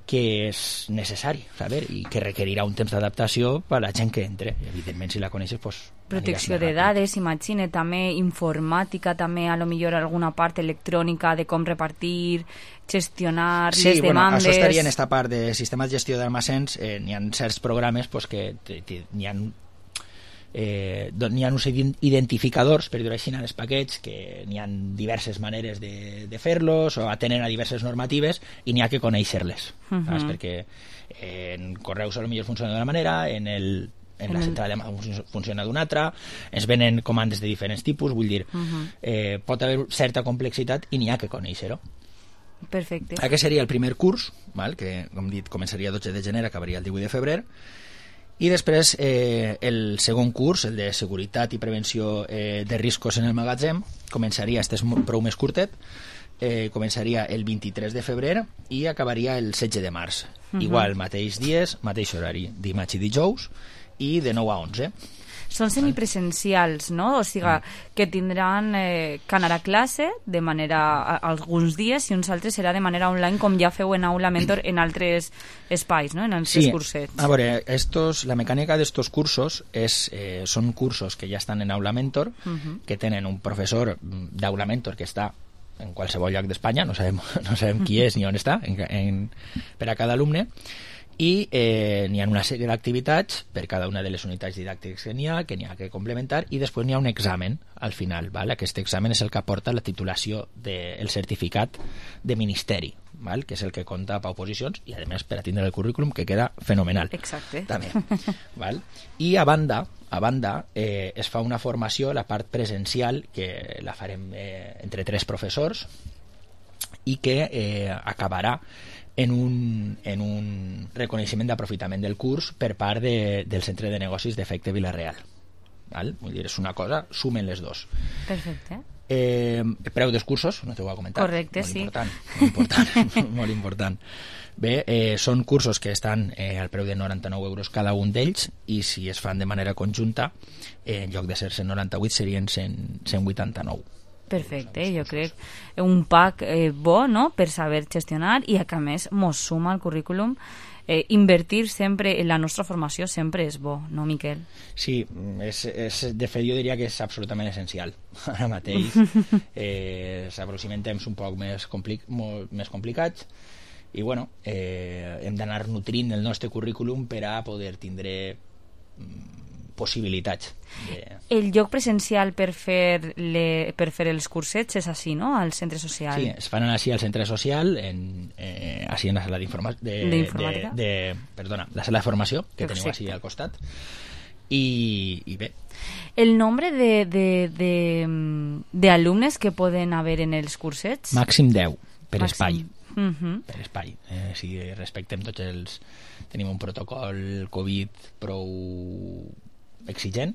que és necessari saber i que requerirà un temps d'adaptació per a la gent que entre. I, evidentment, si la coneixes, pues, protecció de dades, imagine, també informàtica, també a lo millor alguna part electrònica de com repartir, gestionar sí, les bueno, demandes... Això estaria en esta part de sistema de gestió d'almacens, eh, n'hi ha certs programes pues, que n'hi ha Eh, n'hi ha uns identificadors, per dir-ho així, en els paquets, que n'hi ha diverses maneres de, de fer-los, o atenen a diverses normatives, i n'hi ha que conèixer-les, uh -huh. perquè en correus potser funciona d'una manera, en, el, en la central funciona d'una altra, ens venen comandes de diferents tipus, vull dir, uh -huh. eh, pot haver certa complexitat i n'hi ha que conèixer-ho. Perfecte. Aquest seria el primer curs, val? Que, com dit, començaria el dotze de gener, acabaria el divuit de febrer, i després eh, el segon curs, el de seguretat i prevenció eh, de riscos en el magatzem, començaria, este és prou més curtet, eh, començaria el vint-i-tres de febrer i acabaria el setze de març. Uh-huh. Igual, mateix dies, mateix horari, dimarts i dijous, i de nou a onze. Són semipresencials, no? O sigui, que tindran eh, que anar a classe de manera a, alguns dies i uns altres serà de manera online, com ja feu en Aula Mentor en altres espais, no? En altres sí. cursets. A veure, estos, la mecànica d'estos cursos és, eh, són cursos que ja estan en Aula Mentor, uh-huh. que tenen un professor d'Aula Mentor que està en qualsevol lloc d'Espanya, no sabem, no sabem qui és ni on està, en, en, per a cada alumne, i eh, n'hi ha una sèrie d'activitats per cada una de les unitats didàctiques que n'hi ha, que n'hi ha que complementar, i després n'hi ha un examen al final, val? Aquest examen és el que aporta la titulació del de, certificat de ministeri, val? Que és el que compta per oposicions i a més per a tindre el currículum, que queda fenomenal. Exacte. També. Val? I a banda, a banda eh, es fa una formació, la part presencial, que la farem eh, entre tres professors i que eh, acabarà en un, en un reconeixement d'aprofitament del curs per part de, del Centre de Negocis d'Efecte Vila-real. Val? Vull dir, és una cosa, sumen les dos. Perfecte. Eh, preu dels cursos, no t'ho ho he comentat. Correcte, molt sí. Important, molt important, molt important. Bé, eh, són cursos que estan eh, al preu de noranta-nou euros cada un d'ells, i si es fan de manera conjunta, eh, en lloc de ser cent noranta-vuit serien cent, cent vuitanta-nou. Perfecte, jo crec un pack eh, bo, no?, per saber gestionar i que a més mos suma al currículum. Eh, invertir sempre en la nostra formació sempre és bo, no, Miquel? Sí, és, és, de fet jo diria que és absolutament essencial ara mateix. Eh, s'aproximen temps un poc més, complic, molt més complicats i bueno, eh, hem d'anar nutrint el nostre currículum per a poder tindre possibilitats. De... El lloc presencial per fer, le, per fer els cursets és així, no?, al centre social. Sí, es fan així al centre social, en, eh, així en la sala d'informació, de, d'informàtica. De, de, perdona, la sala de formació, que Perfecte. Teniu així al costat. I, i bé. El nombre de, de, de, de alumnes que poden haver en els cursets? Màxim deu, per Màxim. espai. Uh -huh. Per espai. Eh, si respectem tots els... Tenim un protocol Covid prou exigent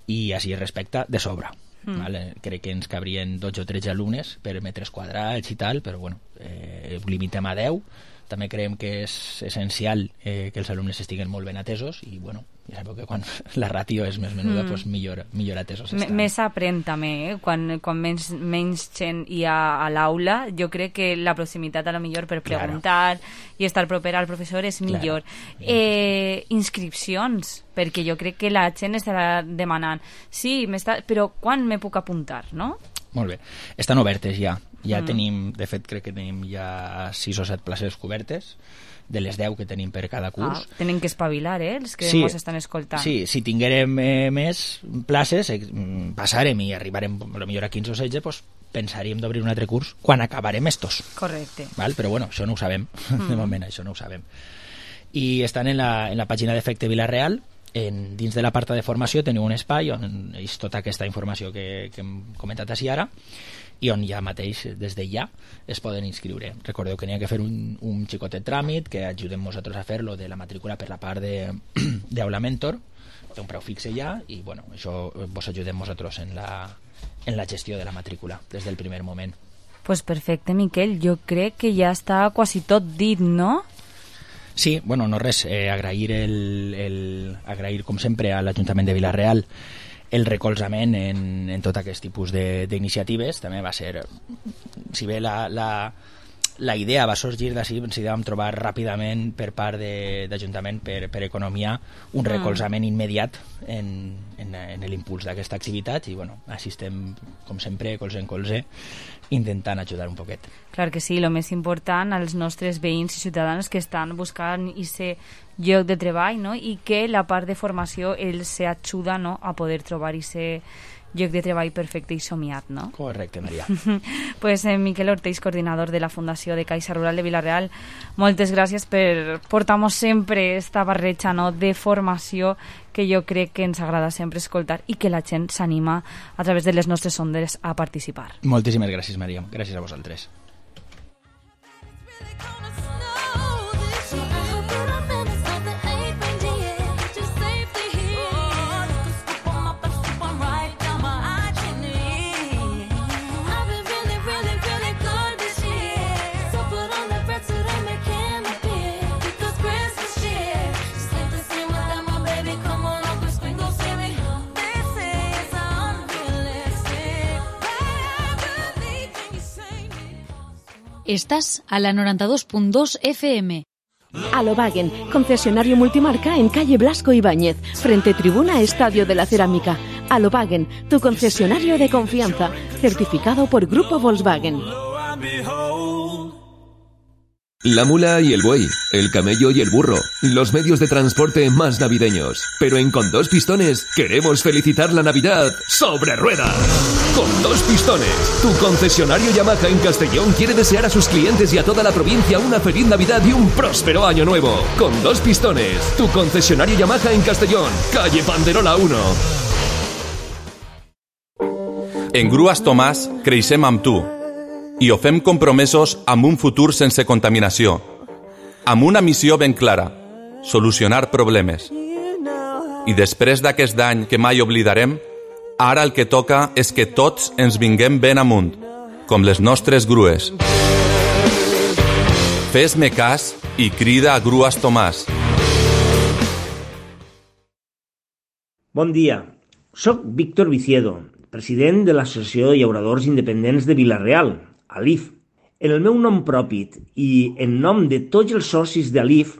i així es respecta de sobre. Mm. Vale? Crec que ens cabrien dotze o tretze alumnes per metres quadrats i tal, però bueno, eh, limitem a deu. També creiem que és essencial eh, que els alumnes estiguen molt ben atesos i bueno, ja sabeu que quan la ràtio és més menuda, mm. pues millor, millor atesos estan. M més aprèn també, eh? quan, quan menys, menys gent hi ha a l'aula, jo crec que la proximitat a lo millor per preguntar claro. i estar proper al professor és millor. Claro. Eh, inscripcions, perquè jo crec que la gent estarà demanant sí, però quan me puc apuntar, no? Molt bé, estan obertes ja. Ja mm. tenim, de fet crec que tenim ja sis o set places cobertes de les deu que tenim per cada curs. Ah, tenen que espavilar, eh, els que sí, ens estan escoltant. Sí, si tinguérem eh, més places, eh, passarem i arribarem potser a quinze o setze, doncs pensaríem d'obrir un altre curs quan acabarem estos. Correcte. Val? Però bueno, això no ho sabem. Mm. De moment, això no ho sabem. I estan en la, en la pàgina d'Efecte Vila-real. En, dins de la part de formació teniu un espai on és tota aquesta informació que, que hem comentat així ara i on ja mateix, des de ja, es poden inscriure. Recordeu que n'hi ha que fer un, un xicotet tràmit, que ajudem nosaltres a fer-lo de la matrícula per la part d'Aula Mentor, té un preu fixe ja, i bueno, això vos ajudem nosaltres en la, en la gestió de la matrícula des del primer moment. Pues perfecte, Miquel, jo crec que ja està quasi tot dit, no? Sí, bueno, no res, eh, agrair, el, el, agrair com sempre a l'Ajuntament de Vila-real el recolzament en, en tot aquest tipus d'iniciatives. També va ser, si bé la, la, la idea va sorgir d'ací, ens hi vam trobar ràpidament per part d'Ajuntament per, per economia un recolzament immediat en, en, en l'impuls d'aquesta activitat i bueno, així estem, com sempre, colze en colze, intentant ajudar un poquet. Clar que sí, el més important als nostres veïns i ciutadans que estan buscant aquest lloc de treball, no? I que la part de formació els ajuda, no?, a poder trobar aquest lloc de treball perfecte i somiat, no? Correcte, Maria. Pues eh, Miquel Ortells, coordinador de la Fundació de Caixa Rural de Vila-real, moltes gràcies per portar-nos sempre esta barreja, no?, de formació que jo crec que ens agrada sempre escoltar i que la gent s'anima a través de les nostres ondes a participar. Moltíssimes gràcies, Maria. Gràcies a vosaltres. Estás a la noventa y dos punto dos F M. Alobagen, concesionario multimarca en calle Blasco Ibáñez, frente tribuna Estadio de la Cerámica. Alobagen, tu concesionario de confianza, certificado por Grupo Volkswagen. La mula y el buey, el camello y el burro, los medios de transporte más navideños. Pero en Con Dos Pistones queremos felicitar la Navidad sobre ruedas. Con Dos Pistones, tu concesionario Yamaha en Castellón quiere desear a sus clientes y a toda la provincia una feliz Navidad y un próspero año nuevo. Con Dos Pistones, tu concesionario Yamaha en Castellón, calle Banderola uno. En Grues Tomàs creixem amb tu i ho fem compromesos amb un futur sense contaminació, amb una missió ben clara, solucionar problemes. I després d'aquest any que mai oblidarem, ara el que toca és que tots ens vinguem ben amunt, com les nostres grues. Fes-me cas i crida a Grues Tomàs. Bon dia, soc Víctor Viciedo, president de l'Associació de Llauradors Independents de Vila-real, A L I F. En el meu nom propi i en nom de tots els socis de A L I F,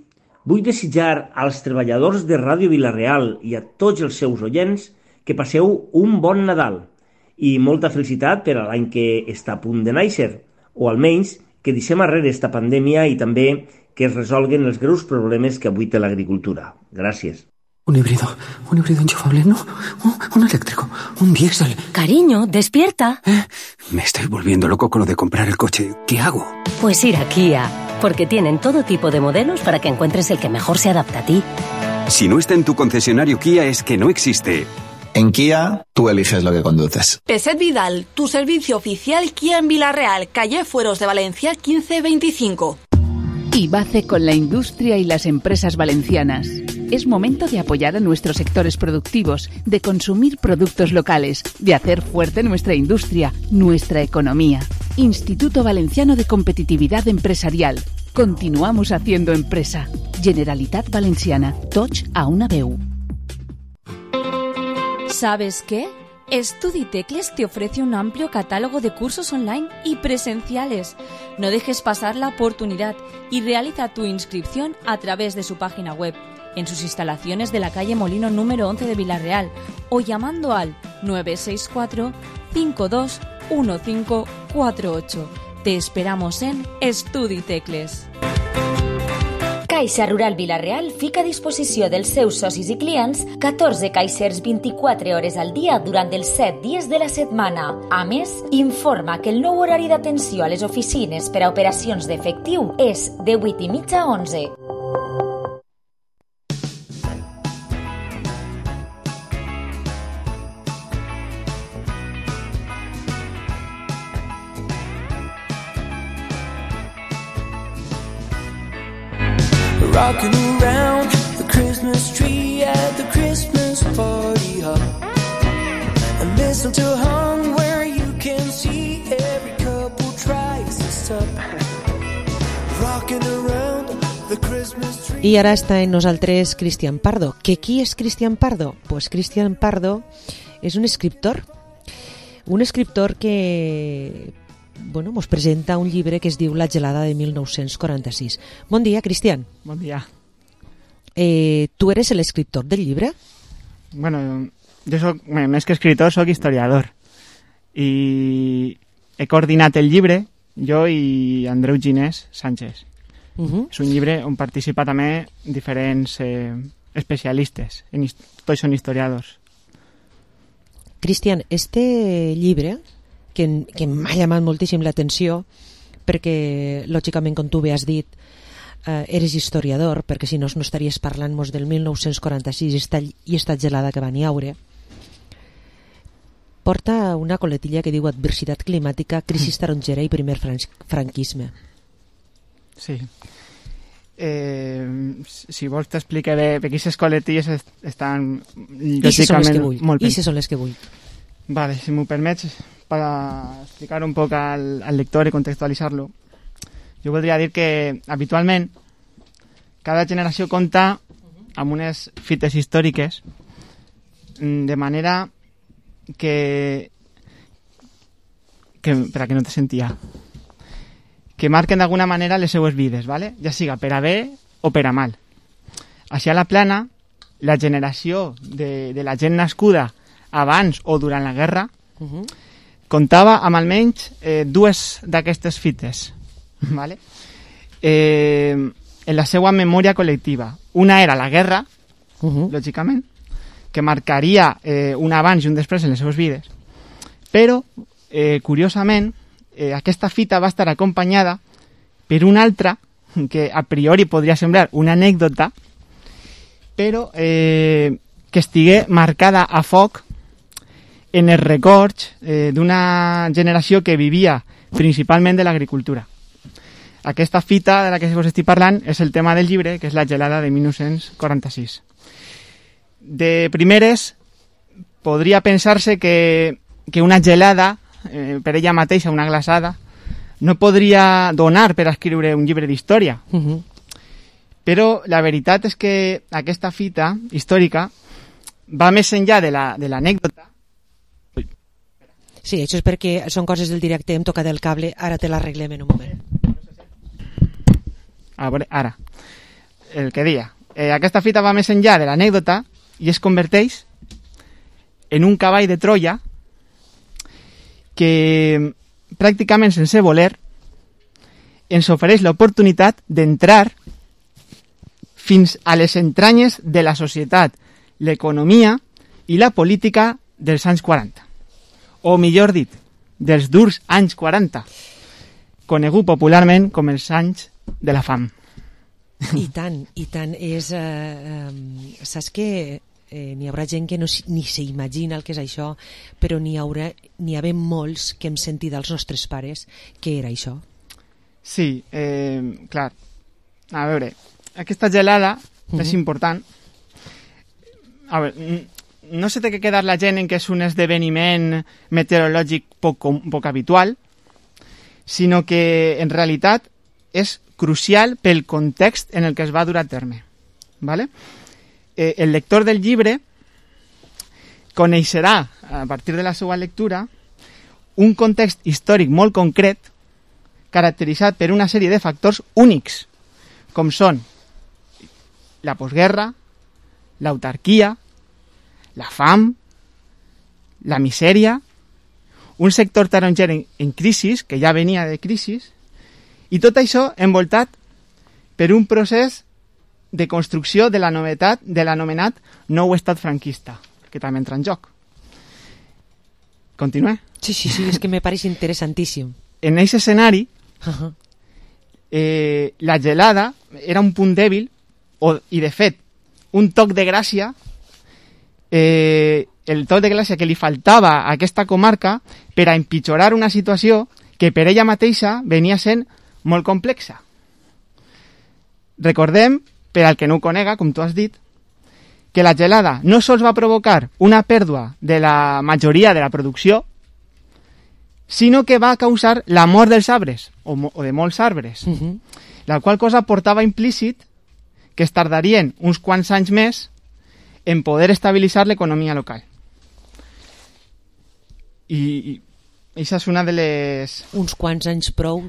vull desitjar als treballadors de Ràdio Vila-real i a tots els seus oients que passeu un bon Nadal i molta felicitat per a l'any que està a punt de néixer, o almenys que deixem arrere esta pandèmia i també que es resolguen els greus problemes que avui té l'agricultura. Gràcies. Un híbrido, un híbrido enchufable, no, un, un eléctrico, un diésel. Cariño, despierta. ¿Eh? Me estoy volviendo loco con lo de comprar el coche. ¿Qué hago? Pues ir a Kia, porque tienen todo tipo de modelos para que encuentres el que mejor se adapta a ti. Si no está en tu concesionario Kia es que no existe. En Kia, tú eliges lo que conduces. Peset Vidal, tu servicio oficial Kia en Vila-real, calle Fueros de Valencia quince veinticinco. IBACE con la industria y las empresas valencianas. Es momento de apoyar a nuestros sectores productivos, de consumir productos locales, de hacer fuerte nuestra industria, nuestra economía. Instituto Valenciano de Competitividad Empresarial. Continuamos haciendo empresa. Generalitat Valenciana. Tots a una veu. ¿Sabes qué? StudiTecles te ofrece un amplio catálogo de cursos online y presenciales. No dejes pasar la oportunidad y realiza tu inscripción a través de su página web, en sus instalaciones de la calle Molino número once de Vila-real o llamando al nueve seis cuatro, cinco dos uno cinco cuatro ocho. Te esperamos en StudiTecles. Caixa Rural Vila-real fica a disposició dels seus socis i clients catorze caixers vint-i-quatre hores al dia durant els set dies de la setmana. A més, informa que el nou horari d'atenció a les oficines per a operacions d'efectiu és de vuit i mitja a onze. Rocking around the Christmas tree at the Christmas party hop. And mistletoe hung where you can see every couple tries to stop. Rocking around the Christmas tree. I ara està en nosaltres Cristian Pardo. ¿Que qui és Cristian Pardo? Pues Cristian Pardo és un escriptor. Un escriptor que bueno, mos presenta un llibre que es diu La gelada de mil nou-cents quaranta-sis. Bon dia, Cristian. Bon dia. Eh, tu eres l'escriptor del llibre? Bueno, jo soc, més que escriptor, soc historiador. I he coordinat el llibre, jo i Andreu Ginés Sánchez. Uh-huh. És un llibre on participa també diferents eh, especialistes, en, tots són historiadors. Cristian, este llibre que, que m'ha llamat moltíssim l'atenció perquè, lògicament, com tu bé has dit, eh, eres historiador, perquè si no no estaries parlant-nos del mil nou-cents quaranta-sis i esta, i esta gelada que van haure. Porta una coletilla que diu adversitat climàtica, crisi tarongera i primer franquisme. Sí. Eh, si vols t'explicar bé, perquè aquestes coletilles estan lògicament molt bé. I són les que vull. Vale, si m'ho permets, per explicar un poc al, al lector i contextualitzar-lo, jo voldria dir que habitualment cada generació compta amb unes fites històriques de manera que, que per a que no te sentia que marquen d'alguna manera les seues vides, ¿vale? Ja siga per a bé o per a mal. Així a la plana, la generació de, de la gent nascuda abans o durant la guerra uh-huh. comptava amb almenys eh, dues d'aquestes fites, ¿vale? eh, en la seva memòria col·lectiva. Una era la guerra, uh-huh. lògicament, que marcaria eh, un abans i un després en les seves vides. Però, eh, curiosament, eh, aquesta fita va estar acompanyada per una altra, que a priori podria semblar una anècdota, però eh, que estigué marcada a foc en els records eh, d'una generació que vivia principalment de l'agricultura. Aquesta fita de la que us estic parlant és el tema del llibre, que és la gelada de mil nou-cents quaranta-sis. De primeres, podria pensar-se que, que una gelada, eh, per ella mateixa, una glaçada, no podria donar per escriure un llibre d'història. Uh-huh. Però la veritat és que aquesta fita històrica va més enllà de l'anècdota. La, sí, això és perquè són coses del directe, hem tocat el cable, ara te l'arreglem en un moment. A veure, ara, el que dia. Eh, aquesta fita va més enllà de l'anècdota i es converteix en un cavall de Troia que pràcticament sense voler ens ofereix l'oportunitat d'entrar fins a les entranyes de la societat, l'economia i la política dels anys quaranta. O millor dit, dels durs anys quaranta, conegut popularment com els anys de la fam. I tant, i tant. És, eh, eh, saps que eh, n'hi haurà gent que no, ni s'imagina el que és això, però n'hi haurà, n'hi ha ben molts que hem sentit dels nostres pares que era això. Sí, eh, clar. A veure, aquesta gelada uh-huh. és important. A veure, no se té que quedar la gent en que és un esdeveniment meteorològic poc, poc habitual, sinó que en realitat és crucial pel context en el que es va dur a terme. ¿Vale? Eh, el lector del llibre coneixerà, a partir de la seva lectura, un context històric molt concret caracteritzat per una sèrie de factors únics, com són la postguerra, l'autarquia, la fam, la misèria, un sector taronger en, en crisi, que ja venia de crisi, i tot això envoltat per un procés de construcció de la novetat de l'anomenat nou estat franquista, que també entra en joc. Continué? Sí, sí, sí, és que me pareix interessantíssim. En aquest escenari, uh-huh. eh, la gelada era un punt dèbil, o, i de fet, un toc de gràcia, eh, el toc de gràcia que li faltava a aquesta comarca per a empitjorar una situació que per ella mateixa venia sent molt complexa. Recordem, per al que no ho conega, com tu has dit, que la gelada no sols va provocar una pèrdua de la majoria de la producció, sinó que va causar la mort dels arbres, o, o de molts arbres, uh-huh. la qual cosa portava implícit que es tardarien uns quants anys més en poder estabilitzar l'economia local. I, i això és una de les... Uns quants anys prou.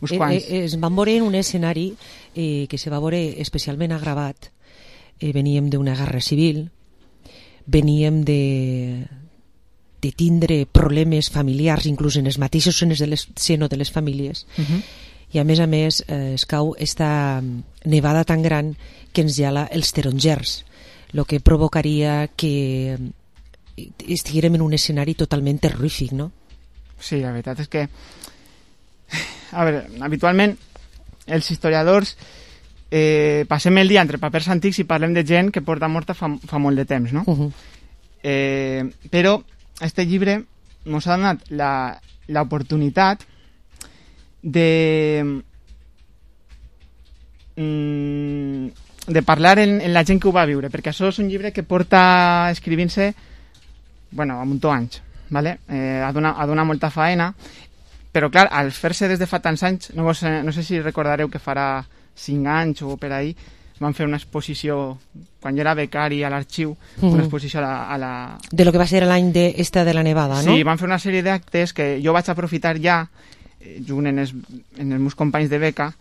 Uns quants. Eh, eh, es van veure en un escenari eh, que se va veure especialment agravat. Eh, veníem d'una guerra civil, veníem de, de tindre problemes familiars, inclús en els mateixos senos de les, seno de les famílies, uh-huh. i a més a més eh, es cau esta nevada tan gran que ens gela els tarongers, el que provocaria que estiguérem en un escenari totalment terrorífic, no? Sí, la veritat és que a veure, habitualment els historiadors eh, passem el dia entre papers antics i parlem de gent que porta morta fa, fa molt de temps, no? Uh-huh. eh, però este llibre ens ha donat l'oportunitat de mm, de parlar en, en la gent que ho va viure, perquè això és un llibre que porta escrivint-se bueno, a muntó anys, ¿vale? eh, ha, donat, ha donat molta faena, però clar, al fer-se des de fa tants anys, no, vos, no sé si recordareu que farà cinc anys o per ahí, van fer una exposició, quan jo era becari a l'arxiu, mm-hmm. una exposició a la, a la... De lo que va ser l'any de, esta de la nevada, sí, no? Sí, van fer una sèrie d'actes que jo vaig aprofitar ja, eh, junt en els, en els meus companys de beca,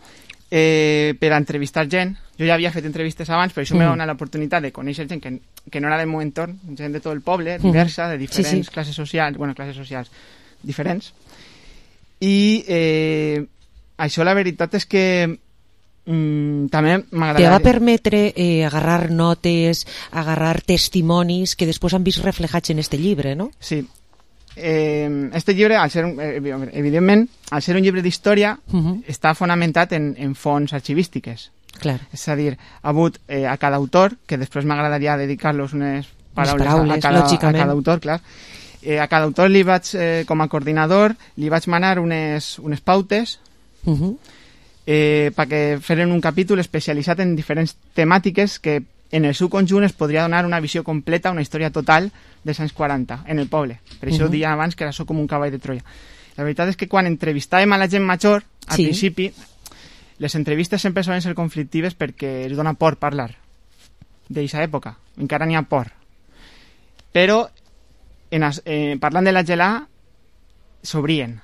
eh, per a entrevistar gent. Jo ja havia fet entrevistes abans, però això mm. m'ha donat l'oportunitat de conèixer gent que, que no era del meu entorn, gent de tot el poble, diversa, de diferents sí, sí. classes socials, bueno, classes socials diferents. I eh, això la veritat és que mm, també m'agradaria... Te va permetre eh, agarrar notes, agarrar testimonis que després han vist reflejats en este llibre, no? Sí. Eh, este llibre, al ser, eh, evidentment, al ser un llibre d'història, uh-huh. està fonamentat en, en fonts arxivístiques. Clar. És a dir, ha hagut eh, a cada autor, que després m'agradaria dedicar-los unes paraules, paraules a, cada, a lògicament. cada autor, clar. Eh, a cada autor li vaig, eh, com a coordinador, li vaig manar unes, unes pautes uh-huh. eh, perquè feren un capítol especialitzat en diferents temàtiques que en el seu conjunt es podria donar una visió completa, una història total dels anys quaranta en el poble. Per això uh-huh. deia abans que era això com un cavall de Troia. La veritat és que quan entrevistàvem a la gent major, al sí. principi, les entrevistes sempre solen ser conflictives perquè es dona por parlar d'aquesta època. Encara n'hi ha por. Però en, eh, parlant de la gelà s'obrien.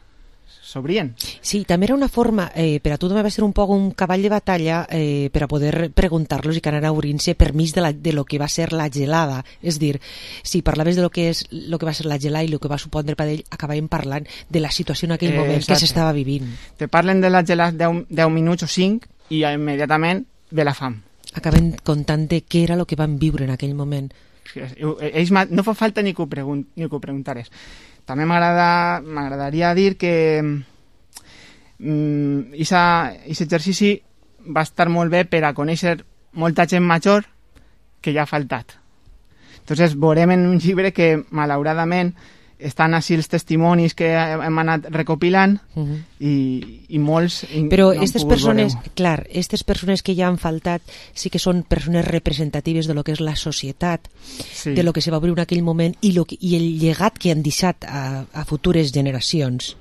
S'obrien. Sí, també era una forma, eh, per a tu també va ser un poc un cavall de batalla eh, per a poder preguntar-los i que anara obrint-se permís de, la, de lo que va ser la gelada. És dir, si parlaves de lo que, és, lo que va ser la gelada i lo que va supondre per ell, acabàvem parlant de la situació en aquell eh, moment exacte. que s'estava vivint. Te parlen de la gelada deu minuts o cinc i immediatament ve la fam. Acaben contant de què era el que van viure en aquell moment. Ells no fa falta ni que ho, pregun ni que ho preguntares. També m'agradaria dir que aquest mm, exercici va estar molt bé per a conèixer molta gent major que ja ha faltat. Entonces veurem en un llibre que malauradament estan així els testimonis que hem anat recopilant uh-huh. i, i molts... Però aquestes no persones, veure. clar, aquestes persones que ja han faltat sí que són persones representatives de lo que és la societat, sí. de lo que se va obrir en aquell moment i, lo que, i el llegat que han deixat a, a futures generacions.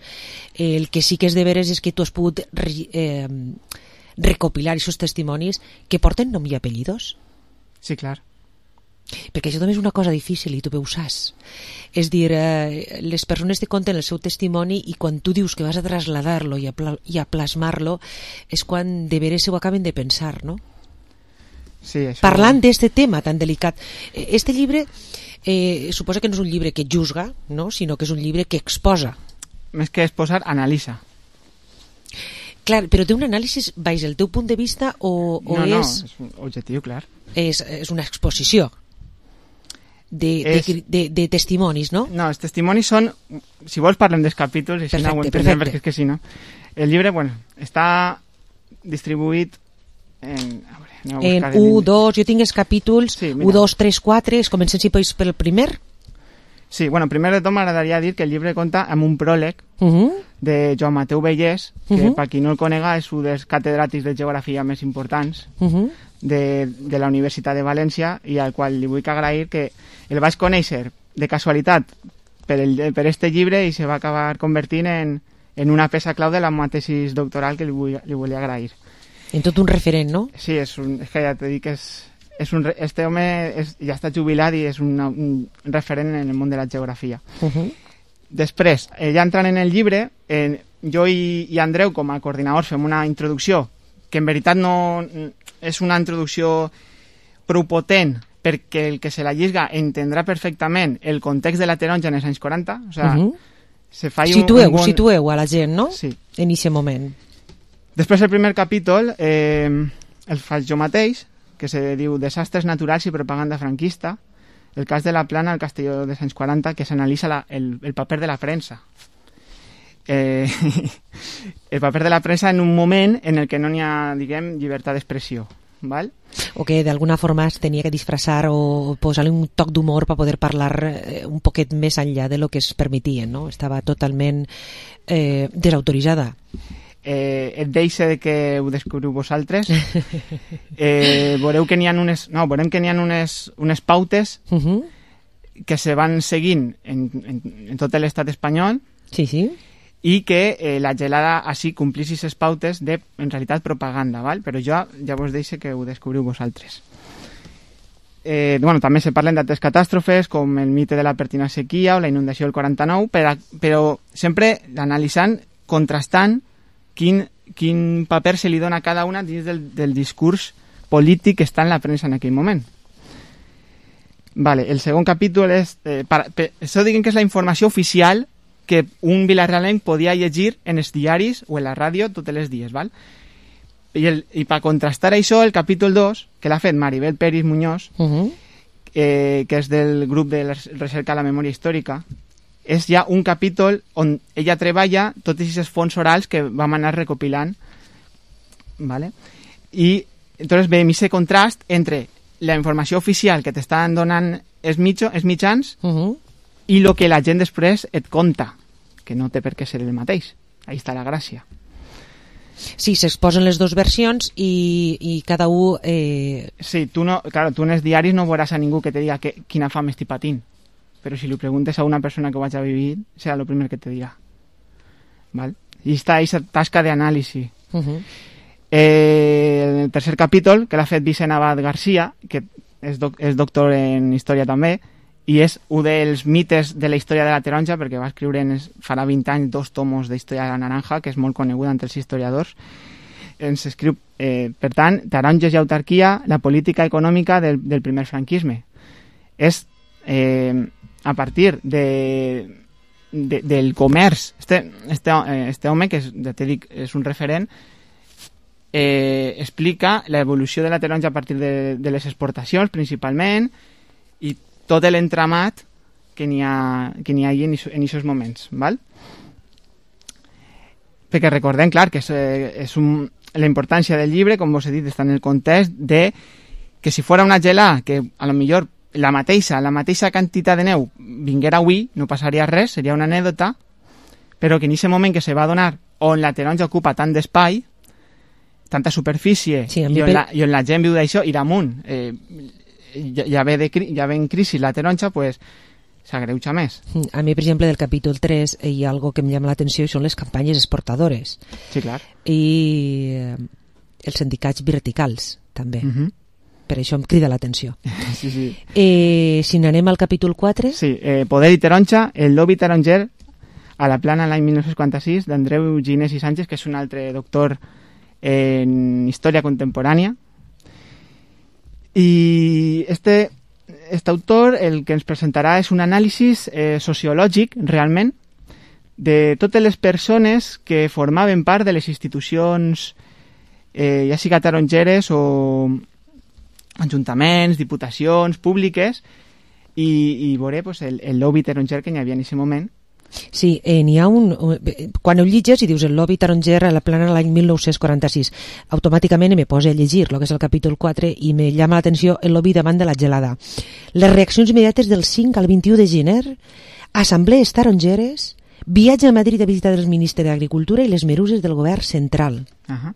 El que sí que és de veres és que tu has pogut eh, recopilar aquests testimonis que porten nom i apellidos. Sí, clar. Perquè això també és una cosa difícil i tu ho saps. És dir, eh, les persones te conten el seu testimoni i quan tu dius que vas a trasladar-lo i a, pla i a plasmar-lo és quan de veres ho acaben de pensar, no? Sí, això... Parlant d'este tema tan delicat. Este llibre eh, suposa que no és un llibre que juzga, no? Sinó que és un llibre que exposa. Més que exposar, analitza. Clar, però té un anàlisi baix el teu punt de vista o, o no, és... No, és un objectiu, clar. És, és una exposició. De, és... de, de, de testimonis, no? No, els testimonis són... Si vols parlem dels capítols, i si no ho entenem, perquè és que si no... El llibre, bueno, està distribuït en... A veure, en u, dos, jo tinc els capítols sí, u, dos, tres, quatre, es comencem si pots pel primer. Sí, bueno, primer de tot m'agradaria dir que el llibre compta amb un pròleg uh -huh. de Joan Mateu Vallès, que uh -huh. per qui no el conega és un dels catedràtics de geografia més importants uh -huh. de, de la Universitat de València i al qual li vull agrair que el vaig conèixer de casualitat per, el, per este llibre i se va acabar convertint en, en una peça clau de la meva tesis doctoral que li, vull, li volia agrair. En tot un referent, no? Sí, és, un, és que ja t'he dit que és... És un, este home és, ja està jubilat i és una, un referent en el món de la geografia. Uh -huh. Després, eh, ja entrant en el llibre, eh, jo i, i Andreu, com a coordinadors, fem una introducció que en veritat no és una introducció prou potent perquè el que se la llisga entendrà perfectament el context de la taronja en els anys quaranta. O sea, uh -huh. se fa situeu, un bon... situeu a la gent, no? Sí. En aquest moment. Després, el primer capítol eh, el faig jo mateix, que se diu Desastres naturals i propaganda franquista, el cas de la Plana al Castelló dels anys quaranta, que s'analitza el, el paper de la premsa. Eh, el paper de la premsa en un moment en el que no n'hi ha, diguem, llibertat d'expressió. ¿Val? O que d'alguna forma es tenia que disfressar o posar-li un toc d'humor per poder parlar eh, un poquet més enllà de lo que es permetien, no? Estava totalment eh, desautoritzada. Eh, et deixa de que ho descobriu vosaltres. Eh, veureu que n'hi ha unes, no, veurem que n'hi ha unes, unes pautes uh -huh. que se van seguint en, en, en tot l'estat espanyol. Sí, sí. I que eh, la gelada així complís aquestes pautes de, en realitat, propaganda, val? Però jo ja vos deixo que ho descobriu vosaltres. Eh, bueno, també se parlen d'altres catàstrofes com el mite de la pertina sequia o la inundació del quaranta-nou, però, però sempre analitzant, contrastant quin, quin paper se li dona a cada una dins del, del discurs polític que està en la premsa en aquell moment. Vale, el segon capítol és... Eh, para, per, això diguem que és la informació oficial que un vilarealenc podia llegir en els diaris o en la ràdio tots els dies, val? I, el, i per contrastar això, el capítol dos, que l'ha fet Maribel Peris Muñoz, uh -huh. eh, que és del grup de la recerca a la memòria històrica, és ja un capítol on ella treballa tots aquests fons orals que vam anar recopilant, ¿vale? I entonces veiem aquest contrast entre la informació oficial que t'estan donant els, mitjo, els mitjans uh -huh. i el que la gent després et conta, que no té per què ser el mateix. Ahí està la gràcia. Sí, s'exposen les dues versions i, i cada un... Eh... Sí, tu, no, claro, tu en els diaris no veuràs a ningú que te diga que, quina fam estic patint, però si li preguntes a una persona que ho hagi vivit, serà el primer que te dirà. ¿Val? I està aquesta tasca d'anàlisi. Uh-huh. Eh, el tercer capítol, que l'ha fet Vicent Abad Garcia, que és, doc, és doctor en història també, i és un dels mites de la història de la taronja, perquè va escriure en, farà vint anys dos tomos d'història de la naranja, que és molt coneguda entre els historiadors. Ens escriu, eh, per tant, taronges i autarquia, la política econòmica del, del primer franquisme. És eh, a partir de, de, del comerç. Este, este, este home, que és, ja t'he dit, és un referent, eh, explica l'evolució de la taronja a partir de, de les exportacions, principalment, i tot l'entramat que n'hi ha, que n'hi ha en aquests moments, val? Perquè recordem, clar, que és, és un, la importància del llibre, com vos he dit, està en el context de que si fora una gelà, que a lo millor la mateixa, la mateixa quantitat de neu vinguera avui, no passaria res, seria una anèdota, però que en aquest moment que se va donar on la taronja ocupa tant d'espai, tanta superfície, sí, i, on per... la, i on la gent viu d'això, i damunt, eh, ja, ja, ve de, ja ve en crisi la taronja, pues, s'agreuja més. A mi, per exemple, del capítol tres hi ha algo que em llama l'atenció i són les campanyes exportadores. Sí, clar. I eh, els sindicats verticals, també. Uh -huh. Per això em crida l'atenció. Sí, sí. Eh, si n'anem al capítol quatre... Sí, eh, Poder i taronja, el lobby taronger a la plana l'any mil nou-cents quaranta-sis d'Andreu Ginés i Sánchez, que és un altre doctor en història contemporània. I este, este autor el que ens presentarà és un anàlisi eh, sociològic, realment, de totes les persones que formaven part de les institucions, eh, ja siga tarongeres o ajuntaments, diputacions públiques, i, i veuré pues, el, el lobby taronger que n'hi havia en aquest moment. Sí, eh, n'hi ha un... Quan ho llitges i dius el lobby taronger a la plana l'any mil nou-cents quaranta-sis, automàticament me posa a llegir el que és el capítol quatre i me llama l'atenció el lobby davant de la gelada. Les reaccions immediates del cinc al vint-i-u de gener, assemblees tarongeres, viatge a Madrid a visitar el ministre d'Agricultura i les meruses del govern central. Uh -huh.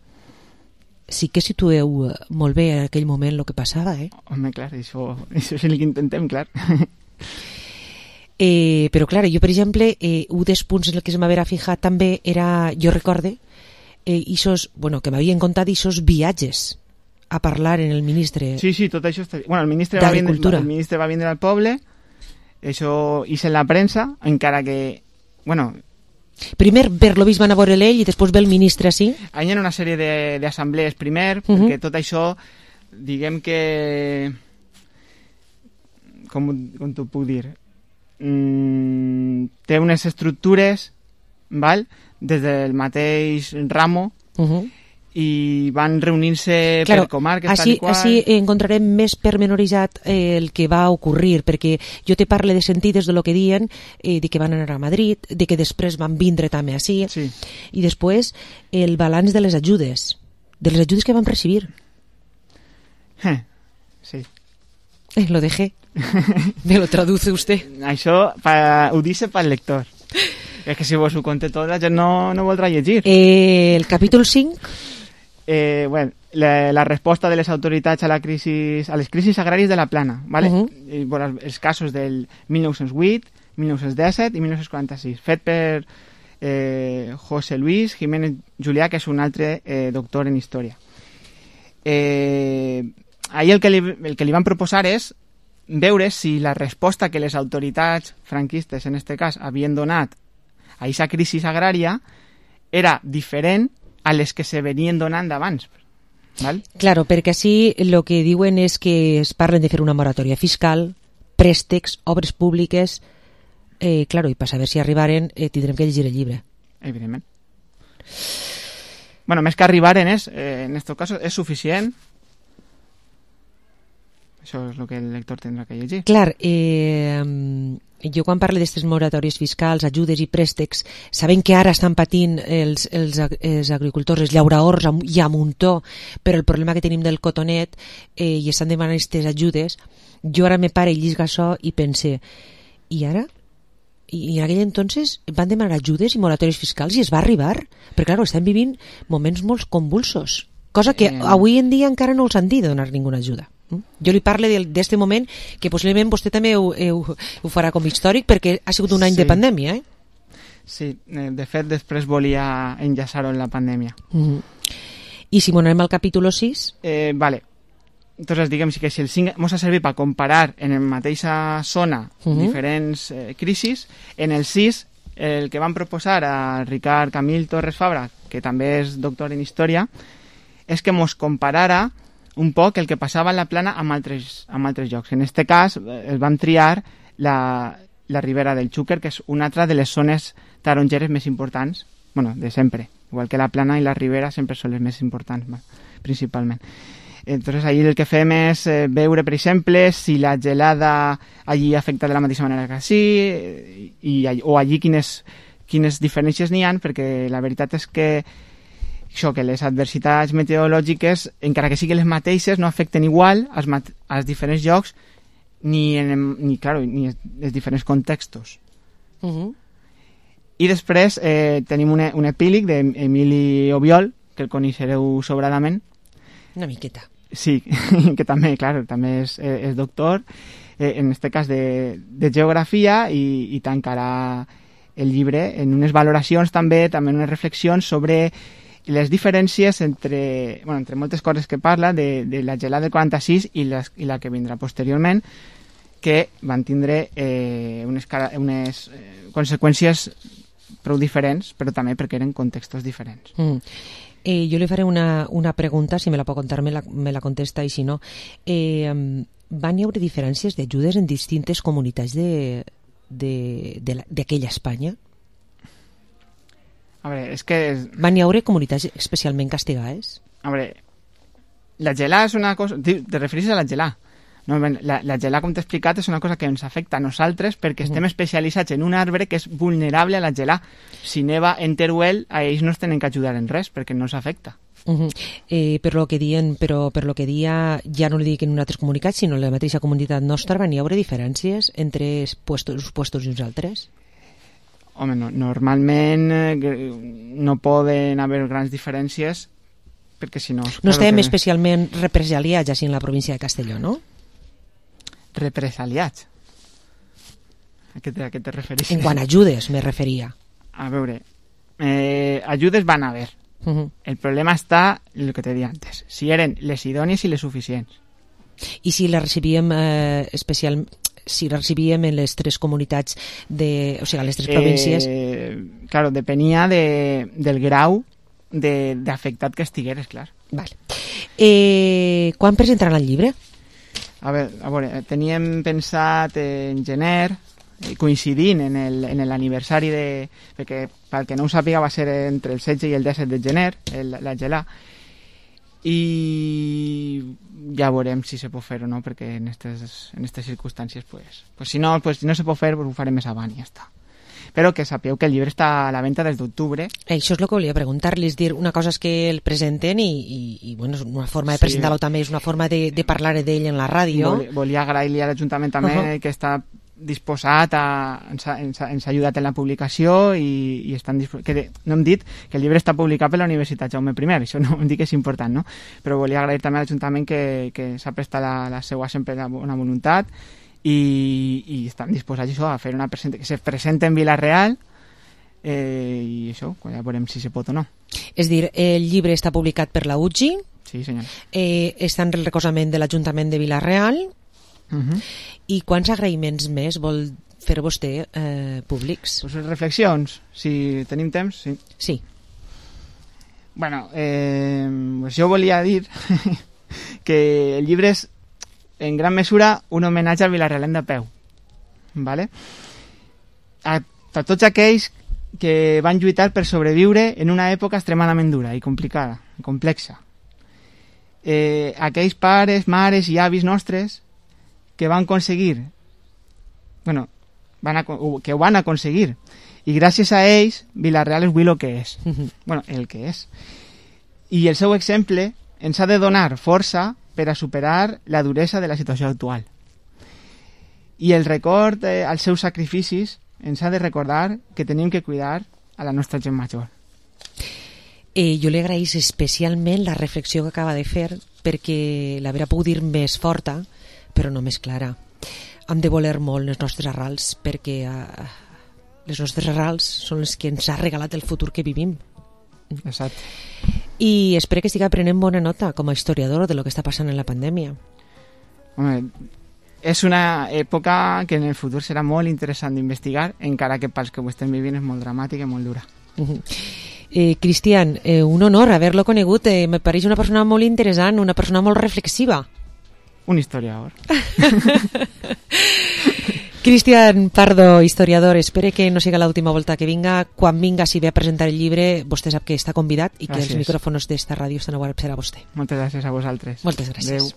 Sí que situeu molt bé en aquell moment el que passava, eh? Home, clar, això, això és el que intentem, clar. Eh, però clar, jo per exemple eh, un dels punts en el que se m'havia fijat també era, jo recorde eh, isos, bueno, que m'havien contat isos viatges a parlar en el ministre sí, sí, tot això està... bueno, el ministre va vindre, el ministre va vindre al poble, això hice en la premsa, encara que bueno, primer per lo vist van a veure l'ell i després ve el ministre així. Hi ha una sèrie d'assemblees primer, uh-huh. perquè tot això diguem que com, com t'ho puc dir Mm, té unes estructures, val? Des del mateix ramo, uh-huh. i van reunir-se claro, per comarques així, tal i qual. Així encontrarem més permenoritzat eh, el que va ocurrir, perquè jo te parle de sentides de lo que diuen, eh, de que van anar a Madrid, de que després van vindre també així, sí. i després el balanç de les ajudes, de les ajudes que van recibir. Eh, sí. Eh, lo dejé. Me lo traduce usted. Això pa, ho dice pel lector. És que si vos ho conté tot, la gent no, no voldrà llegir. Eh, el capítol cinc? Eh, bueno, la, la resposta de les autoritats a, la crisis, a les crisis agràries de la Plana, ¿vale? Uh-huh. I, bueno, els casos del mil nou-cents vuit, mil nou-cents disset i mil nou-cents quaranta-sis, fet per eh, José Luis Jiménez Julià, que és un altre eh, doctor en història. Eh, ahir el que, li, el que li van proposar és veure si la resposta que les autoritats franquistes, en este cas, havien donat a aquesta crisi agrària era diferent a les que se venien donant d'abans. ¿Val? Claro, perquè així el que diuen és que es parlen de fer una moratòria fiscal, préstecs, obres públiques, eh, claro, i per saber si arribaren eh, tindrem que llegir el llibre. Evidentment. bueno, més que arribaren és, eh, en aquest cas, és suficient. Això és el que el lector tindrà que llegir. Clar, eh, jo quan parlo d'aquestes moratòries fiscals, ajudes i préstecs, sabent que ara estan patint els, els, els agricultors, els llauradors i a muntó, però el problema que tenim del cotonet eh, i estan demanant aquestes ajudes, jo ara me pare i llisga això i pense, i ara? I en aquell entonces van demanar ajudes i moratòries fiscals i es va arribar, perquè clar, estem vivint moments molt convulsos, cosa que eh... avui en dia encara no els han dit de donar ninguna ajuda. Jo li parlo d'aquest moment que possiblement vostè també ho, ho, ho farà com històric perquè ha sigut un any sí. de pandèmia, eh? Sí, de fet després volia enllaçar-ho en la pandèmia. Mm-hmm. I si anem al capítol sis? Eh, vale. Entonces, diguem que si el cinc ens ha servit per comparar en la mateixa zona mm-hmm. diferents eh, crisis, en el sis el que van proposar a Ricard Camil Torres Fabra, que també és doctor en història, és que ens comparara un poc el que passava en la plana amb altres, amb altres llocs. En aquest cas, el vam triar la, la Ribera del Xúquer, que és una altra de les zones tarongeres més importants, bueno, de sempre. Igual que la plana i la Ribera sempre són les més importants, principalment. Entonces, allí el que fem és eh, veure, per exemple, si la gelada allí afecta de la mateixa manera que així, i, o allí quines, quines diferències n'hi ha, perquè la veritat és que això, que les adversitats meteorològiques, encara que siguin les mateixes, no afecten igual als, als diferents llocs ni, en, ni, claro, ni els diferents contextos. Uh-huh. I després eh, tenim un, un epíleg d'Emili Obiol, que el coneixereu sobradament. Una miqueta. Sí, que també, clar, també és, és doctor, eh, en aquest cas de, de geografia, i, i tancarà el llibre en unes valoracions també, també unes reflexions sobre les diferències entre, bueno, entre moltes coses que parla de, de la gelada del quaranta-sis i, les, i la que vindrà posteriorment, que van tindre eh, unes, unes eh, conseqüències prou diferents, però també perquè eren contextos diferents. Mm. Eh, jo li faré una, una pregunta, si me la pot contar me la, me la contesta, i si no. Eh, van hi haure diferències d'ajudes en distintes comunitats d'aquella Espanya? A veure, és que... Van hi haure comunitats especialment castigades? A veure, la gelà és una cosa... Te refereixes a la gelà? No, la, la gelà, com t'he explicat, és una cosa que ens afecta a nosaltres perquè estem especialitzats en un arbre que és vulnerable a la gelà. Si neva en Teruel, a ells no es tenen que ajudar en res perquè no s'afecta. Uh-huh. eh, per lo que dien, però per lo que dia, ja no li dic en altres comunicats, sinó en la mateixa comunitat nostra, van hi haure diferències entre puestos, uns puestos i uns altres? Home, no, normalment eh, no poden haver grans diferències perquè si no... No estem que... especialment represaliats així en la província de Castelló, no? Represaliats? A què te, a què te refereixes? En quant a ajudes me referia. A veure, eh, ajudes van haver. Uh-huh. El problema està en el que te deia antes, si eren les idònies i les suficients. I si les recibíem eh, especialment... si la recibíem en les tres comunitats, de, o sigui, a les tres províncies? Eh, claro, depenia de, del grau d'afectat que estigueres, clar. Vale. Eh, quan presentaran el llibre? A veure, a veure, teníem pensat en gener, coincidint en l'aniversari de... perquè, pel que no ho sàpiga, va ser entre el setze i el disset de gener, el, la gelà, i ja veurem si se pot fer o no, perquè en aquestes en aquestes circumstàncies pues, pues si no pues, si no se pot fer pues ho farem més avant i ja està. Però que sapeu que el llibre està a la venda des d'octubre. Això és el que volia preguntar-li, és dir, una cosa és que el presenten i, i, i bueno, és una forma de sí. presentar-lo també, és una forma de, de parlar d'ell en la ràdio. Vol, volia agrair-li a l'Ajuntament també uh-huh. que està disposat a, ens, ha, ens, ha, ens ha ajudat en la publicació i, i estan disposat, que no hem dit que el llibre està publicat per la Universitat Jaume I, això no hem dit que és important, no? Però volia agrair també a l'Ajuntament que, que s'ha prestat la, la seva sempre la bona voluntat i, i estan disposats això, a fer una presentació, que se presenta en Vila-real eh, i això, ja veurem si se pot o no. És dir, el llibre està publicat per la U G I, sí, senyor. Eh, està en el recolzament de l'Ajuntament de Vila-real. Uh-huh. I quants agraïments més vol fer vostè eh, públics? Pues reflexions, si tenim temps, sí. Sí. Bueno, eh, pues jo volia dir que el llibre és en gran mesura un homenatge al Vilarealem de peu, ¿vale? A, a tots aquells que van lluitar per sobreviure en una època extremadament dura i complicada, complexa. Eh, aquells pares, mares i avis nostres que van aconseguir, bueno, van a, que ho van aconseguir, i gràcies a ells Vila-real és avui el que és. Bueno, el que és. I el seu exemple ens ha de donar força per a superar la duresa de la situació actual. I el record eh, als seus sacrificis ens ha de recordar que tenim que cuidar a la nostra gent major. Eh, jo li agraïs especialment la reflexió que acaba de fer, perquè l'haurà pogut dir més forta, però no més clara. Hem de voler molt les nostres arrels, perquè eh, les nostres arrels són les que ens ha regalat el futur que vivim. Exacte. I espero que estigui prenent bona nota com a historiador de lo que està passant en la pandèmia. Home, és una època que en el futur serà molt interessant d'investigar, encara que pels que ho estem vivint és molt dramàtica i molt dura. Uh-huh. Eh, Cristian, eh, un honor haver-lo conegut. Eh, me pareix una persona molt interessant, una persona molt reflexiva. Un historiador. Cristian Pardo, historiador, espero que no siga l'última volta que vinga. Quan vinga, si ve a presentar el llibre, vostè sap que està convidat i que gràcies. Els micròfons d'esta ràdio estan oberts per a vostè. Moltes gràcies a vosaltres. Moltes gràcies. Adeu.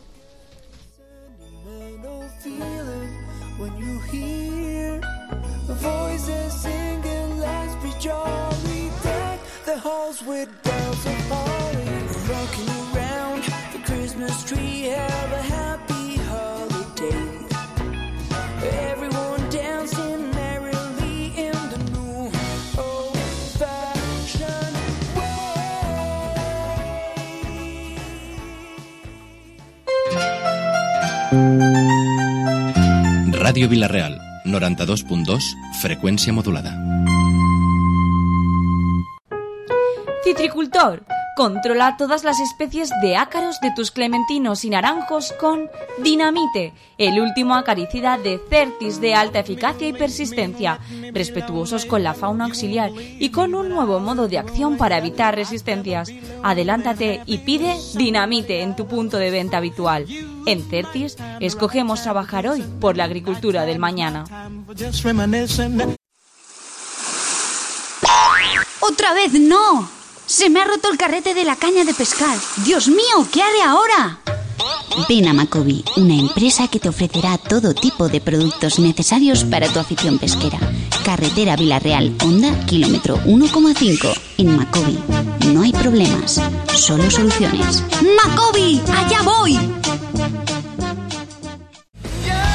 Halls with bells of holly, rocking around the Christmas tree, have a happy holiday. Everyone dancing merrily in the new old-fashioned way. Ràdio Vila-real, noranta-dos punt dos, freqüència modulada. Citricultor, controla todas las especies de ácaros de tus clementinos y naranjos con Dinamite, el último acaricida de Certis de alta eficacia y persistencia, respetuosos con la fauna auxiliar y con un nuevo modo de acción para evitar resistencias. Adelántate y pide Dinamite en tu punto de venta habitual. En Certis, escogemos trabajar hoy por la agricultura del mañana. ¡Otra vez no! ¡Se me ha roto el carrete de la caña de pescar! ¡Dios mío! ¿Qué haré ahora? Ven a Macobi, una empresa que te ofrecerá todo tipo de productos necesarios para tu afición pesquera. Carretera Vila-real, Honda, kilómetro uno coma cinco. En Macobi no hay problemas, solo soluciones. ¡Macobi! ¡Allá voy!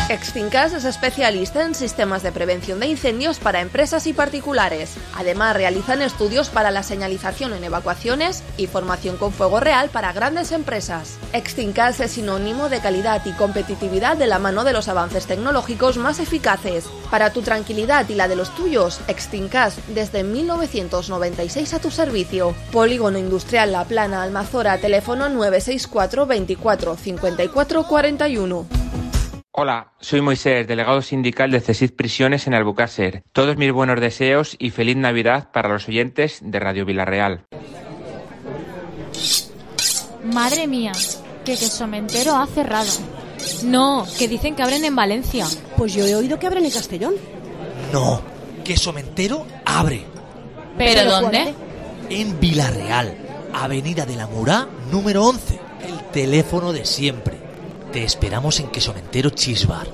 Extincas es especialista en sistemas de prevención de incendios para empresas y particulares. Además, realizan estudios para la señalización en evacuaciones y formación con fuego real para grandes empresas. Extincas es sinónimo de calidad y competitividad de la mano de los avances tecnológicos más eficaces. Para tu tranquilidad y la de los tuyos, Extincas desde mil novecientos noventa y seis a tu servicio. Polígono Industrial La Plana, Almazora, teléfono nueve seis cuatro veinticuatro cincuenta y cuatro cuarenta y uno. Hola, soy Moisés, delegado sindical de CESID Prisiones en Albucácer. Todos mis buenos deseos y feliz Navidad para los oyentes de Radio Vila-real. Madre mía, que Quesomentero ha cerrado. No, que dicen que abren en Valencia. Pues yo he oído que abren en Castellón. No, Quesomentero abre. ¿Pero, ¿Pero dónde? En Vila-real, Avenida de la Murá, número once. El teléfono de siempre. Te esperamos en Quesomentero Cheese Bar.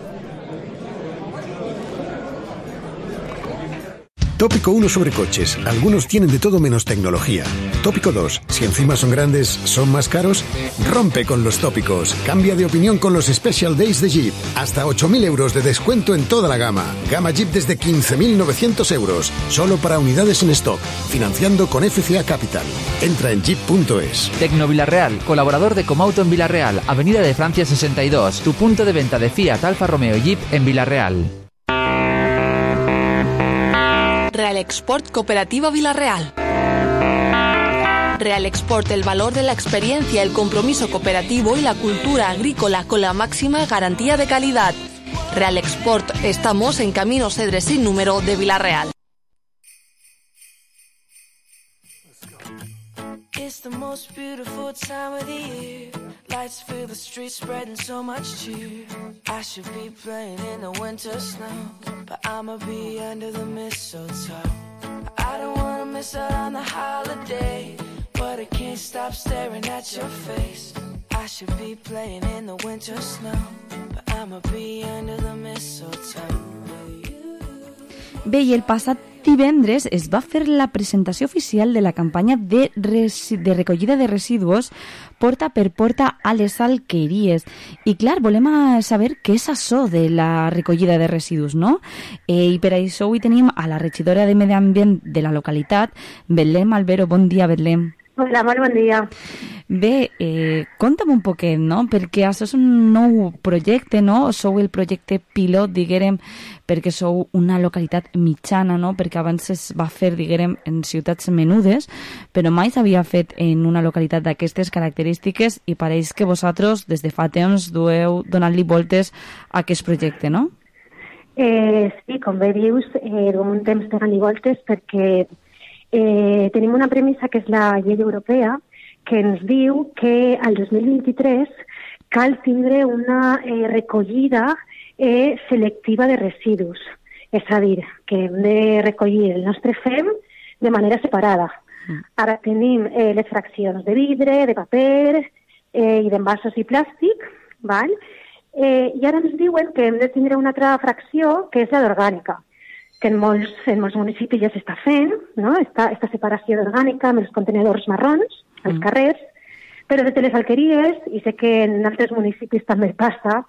Tópico uno sobre coches. Algunos tienen de todo menos tecnología. Tópico dos. Si encima son grandes, ¿son más caros? Rompe con los tópicos. Cambia de opinión con los Special Days de Jeep. Hasta ocho mil euros de descuento en toda la gama. Gama Jeep desde quince mil novecientos euros. Solo para unidades en stock. Financiando con F C A Capital. Entra en jeep punto es. Tecno Vila-real, colaborador de Comauto en Vila-real, Avenida de Francia sesenta y dos. Tu punto de venta de Fiat, Alfa Romeo y Jeep en Vila-real. Real Export Cooperativa Vila-real. Real Export, el valor de la experiencia, el compromiso cooperativo y la cultura agrícola con la máxima garantía de calidad. Real Export, estamos en Camino Cedres sin número de Vila-real. It's the most beautiful time of the year. Lights fill the streets, spreading so much cheer. I should be playing in the winter snow, but I'ma be under the mistletoe. I don't wanna miss out on the holiday, but I can't stop staring at your face. I should be playing in the winter snow, but I'ma be under the mistletoe. Bé, i el passat divendres es va fer la presentació oficial de la campanya de, resi de recollida de residus porta per porta a les alqueries. I clar, volem saber què és això de la recollida de residus, no? Eh, I per això avui tenim a la regidora de Medi Ambient de la localitat, Betlem Albero. Bon dia, Betlem. Hola, molt bon dia. Bé, eh, conta'm un poquet, no? Perquè això és un nou projecte, no? Sou el projecte pilot, diguérem, perquè sou una localitat mitjana, no? Perquè abans es va fer, diguérem, en ciutats menudes, però mai s'havia fet en una localitat d'aquestes característiques i pareix que vosaltres, des de fa temps, dueu donant-li voltes a aquest projecte, no? Eh, sí, com bé dius, eh, duem un temps donant-li voltes perquè eh, tenim una premissa que és la llei europea que ens diu que al dos mil vint-i-tres cal tindre una eh, recollida eh, selectiva de residus. És a dir, que hem de recollir el nostre fem de manera separada. Mm. Ara tenim eh, les fraccions de vidre, de paper eh, i d'envasos i plàstic, val? Eh, i ara ens diuen que hem de tindre una altra fracció que és la d'orgànica, que en molts, en molts municipis ja s'està fent, no? Esta, esta separació d'orgànica amb els contenedors marrons als mm. carrers, però des de les alqueries, i sé que en altres municipis també passa,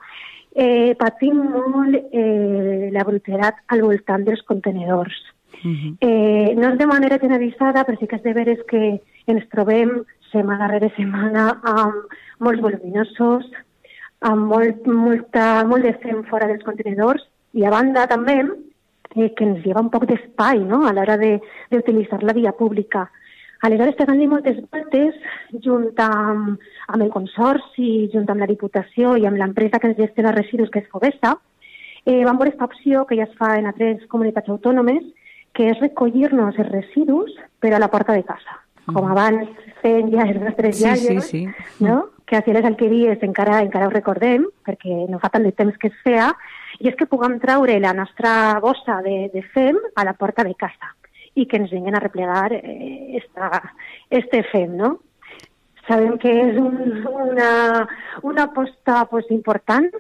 eh, patim molt eh, la brutedat al voltant dels contenedors. Mm-hmm. eh, no és de manera generalitzada, però sí que és de veres que ens trobem setmana rere setmana amb molts voluminosos, amb molt, molta, molt de fem fora dels contenedors, i a banda també eh, que ens lleva un poc d'espai, no?, a l'hora d'utilitzar la via pública. Aleshores, pegant-li moltes voltes, junt amb, amb el consorci, junt amb la Diputació i amb l'empresa que ens gestiona residus, que és Fovesa, eh, vam veure aquesta opció que ja es fa en altres comunitats autònomes, que és recollir-nos els residus per a la porta de casa. Mm. Com abans feien ja els nostres sí, iaios, sí, sí. no?, que a les alqueries encara, encara ho recordem, perquè no fa tant de temps que es feia, i és que puguem traure la nostra bossa de, de fem a la porta de casa i que ens vinguin a replegar eh, esta, este fem, no? Sabem que és un, una, una aposta pues, important,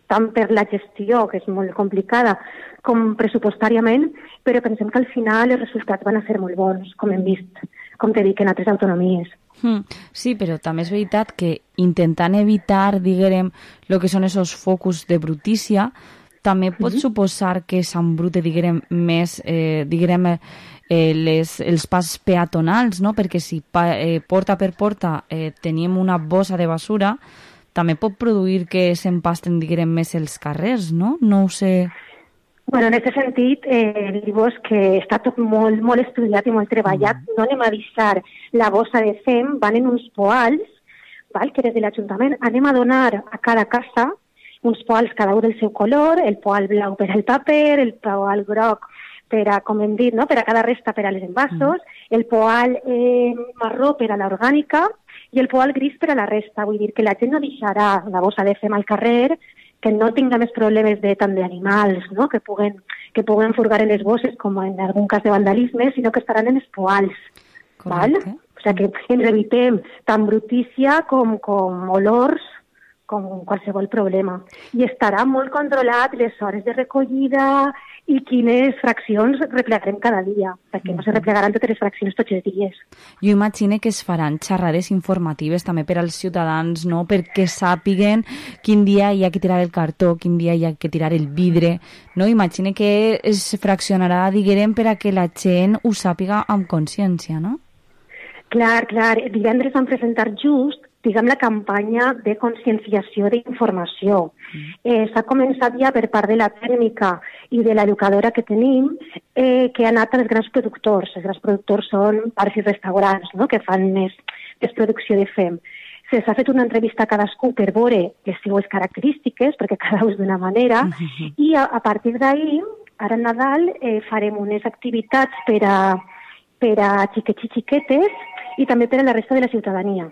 tant per la gestió, que és molt complicada, com pressupostàriament, però pensem que al final els resultats van a ser molt bons, com hem vist, com t'he dit, en altres autonomies. Mm, sí, però també és veritat que intentant evitar, diguem, el que són esos focus de brutícia, també pot mm-hmm. suposar que s'embrute, diguem, més, eh, diguem, eh, les, els pas peatonals, no? Perquè si pa, eh, porta per porta eh, tenim una bossa de basura, també pot produir que s'empasten, diguem, més els carrers, no? No ho sé... Bueno, en aquest sentit, eh, dir-vos que està tot molt, molt estudiat i molt treballat. Mm. No anem a deixar la bossa de fem, van en uns poals, val? Que des de l'Ajuntament anem a donar a cada casa uns poals cada un del seu color, el poal blau per al paper, el poal groc per a, com hem dit, no? Per a cada resta per a les envasos, mm. el poal eh, marró per a l'orgànica i el poal gris per a la resta. Vull dir que la gent no deixarà la bossa de fem al carrer, que no tinga més problemes de tant d'animals, no? que, puguen, que puguen furgar en les bosses, com en algun cas de vandalisme, sinó que estaran en els poals. Val? O sigui que ens evitem tant brutícia com, com olors, com qualsevol problema. I estarà molt controlat les hores de recollida i quines fraccions replegarem cada dia, perquè no se replegaran totes les fraccions tots els dies. Jo imagino que es faran xerrades informatives també per als ciutadans, no?, perquè sàpiguen quin dia hi ha que tirar el cartó, quin dia hi ha que tirar el vidre, no? Imagino que es fraccionarà, diguem, per a que la gent ho sàpiga amb consciència, no? Clar, clar. Divendres vam presentar just diguem, la campanya de conscienciació d'informació. Mm. Eh, S'ha començat ja per part de la tècnica i de l'educadora que tenim, eh, que ha anat als grans productors. Els grans productors són bars i restaurants, no?, que fan més, més producció de fem. Se s'ha fet una entrevista a cadascú per veure les seues característiques, perquè cada un és d'una manera, mm-hmm. i a, a partir d'ahir, ara a Nadal, eh, farem unes activitats per a, per a xiquets i xiquetes i també per a la resta de la ciutadania.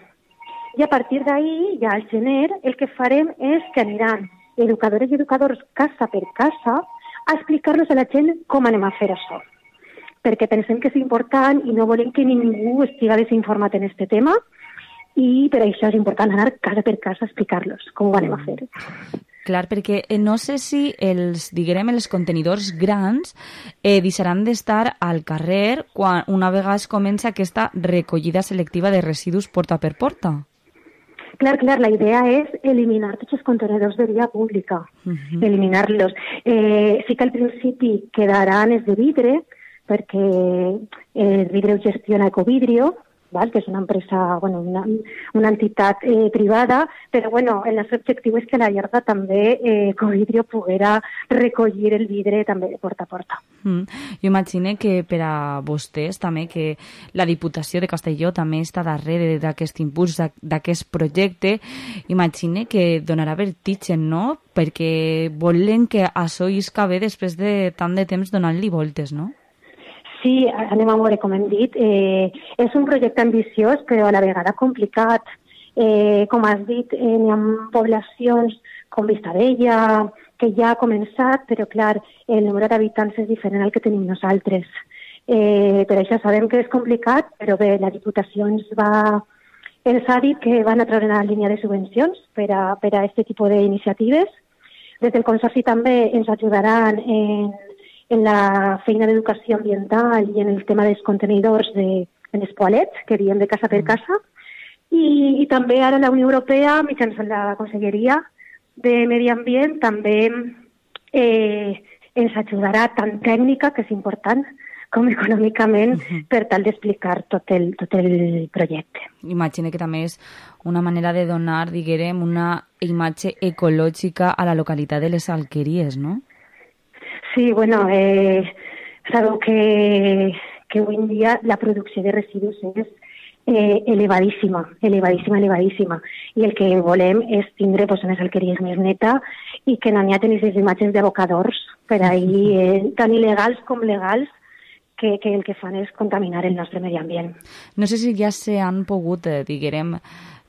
I a partir d'ahir, ja al gener, el que farem és que aniran educadores i educadors casa per casa a explicar-nos a la gent com anem a fer això. perquè pensem que és important i no volem que ningú estiga desinformat en este tema, i per això és important anar casa per casa a explicar-los com ho anem a fer. Clar, perquè no sé si els, diguem, els contenidors grans eh, deixaran d'estar al carrer quan una vegada es comença aquesta recollida selectiva de residus porta per porta. Clar, clar, la idea és eliminar tots els contenidors de via pública, uh-huh. eliminar-los. Eh, sí que al principi quedaran els de vidre, perquè el vidre ho gestiona Ecovidrio, val? Que és una empresa, bueno, una, una entitat eh, privada, però bueno, el nostre objectiu és que a la llarga també eh, Ecovidrio poguera recollir el vidre també de porta a porta. Mm. Jo imagino que per a vostès també que la Diputació de Castelló també està darrere d'aquest impuls, d'aquest projecte, imagino que donarà vertigen, no? Perquè volen que això isca bé després de tant de temps donant-li voltes, no? Sí, anem a veure, com hem dit, eh, és un projecte ambiciós, però a la vegada complicat. Eh, com has dit, eh, hi ha poblacions com Vistabella, que ja ha començat, però clar, el nombre d'habitants és diferent al que tenim nosaltres. Eh, per això sabem que és complicat, però bé, la Diputació ens va... ens ha dit que van a treure una línia de subvencions per a, per a aquest tipus d'iniciatives. Des del Consorci també ens ajudaran en en la feina d'educació ambiental i en el tema dels contenidors de, en els poalets, que diem de casa per casa, i, i també ara la Unió Europea, mitjançant la Conselleria de Medi Ambient, també eh, ens ajudarà tant tècnica, que és important, com econòmicament, uh-huh. per tal d'explicar tot el, tot el projecte. Imagina que també és una manera de donar, diguem, una imatge ecològica a la localitat de les Alqueries, no? Sí, bueno, eh, sabeu que, que avui en dia la producció de residus és eh, elevadíssima, elevadíssima, elevadíssima. I el que volem és tindre pues, unes alqueries més neta i que no n'hi ha tenir les imatges d'abocadors per ahir, eh, tan il·legals com legals, que, que el que fan és contaminar el nostre medi ambient. No sé si ja s'han pogut, eh, diguem,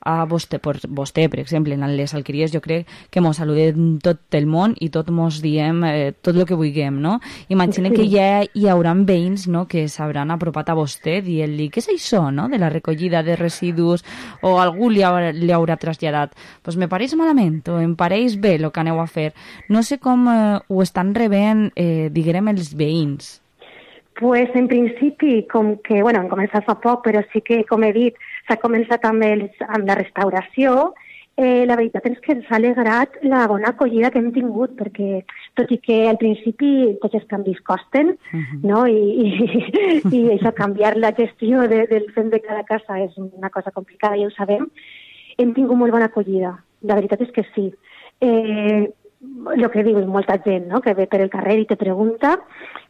a vostè, per, vostè, per exemple, en les alqueries, jo crec que mos saludem tot el món i tot mos diem eh, tot el que vulguem, no? Imagina sí. que ja hi haurà veïns, no?, que s'hauran apropat a vostè dient-li què és això, no?, de la recollida de residus, o algú li haurà, li haurà traslladat. Pues me pareix malament, o em pareix bé el que aneu a fer. No sé com eh, ho estan rebent, eh, diguem, els veïns. Pues en principi, com que, bueno, hem començat fa poc, però sí que, com he dit, s'ha començat també amb la restauració. Eh, la veritat és que ens ha alegrat la bona acollida que hem tingut, perquè tot i que al principi tots els canvis costen, uh-huh. no? I, i, i això, canviar la gestió de, del fem de cada casa és una cosa complicada, ja ho sabem, hem tingut molt bona acollida. La veritat és que sí. Eh, el que diu molta gent, no?, que ve per el carrer i te pregunta,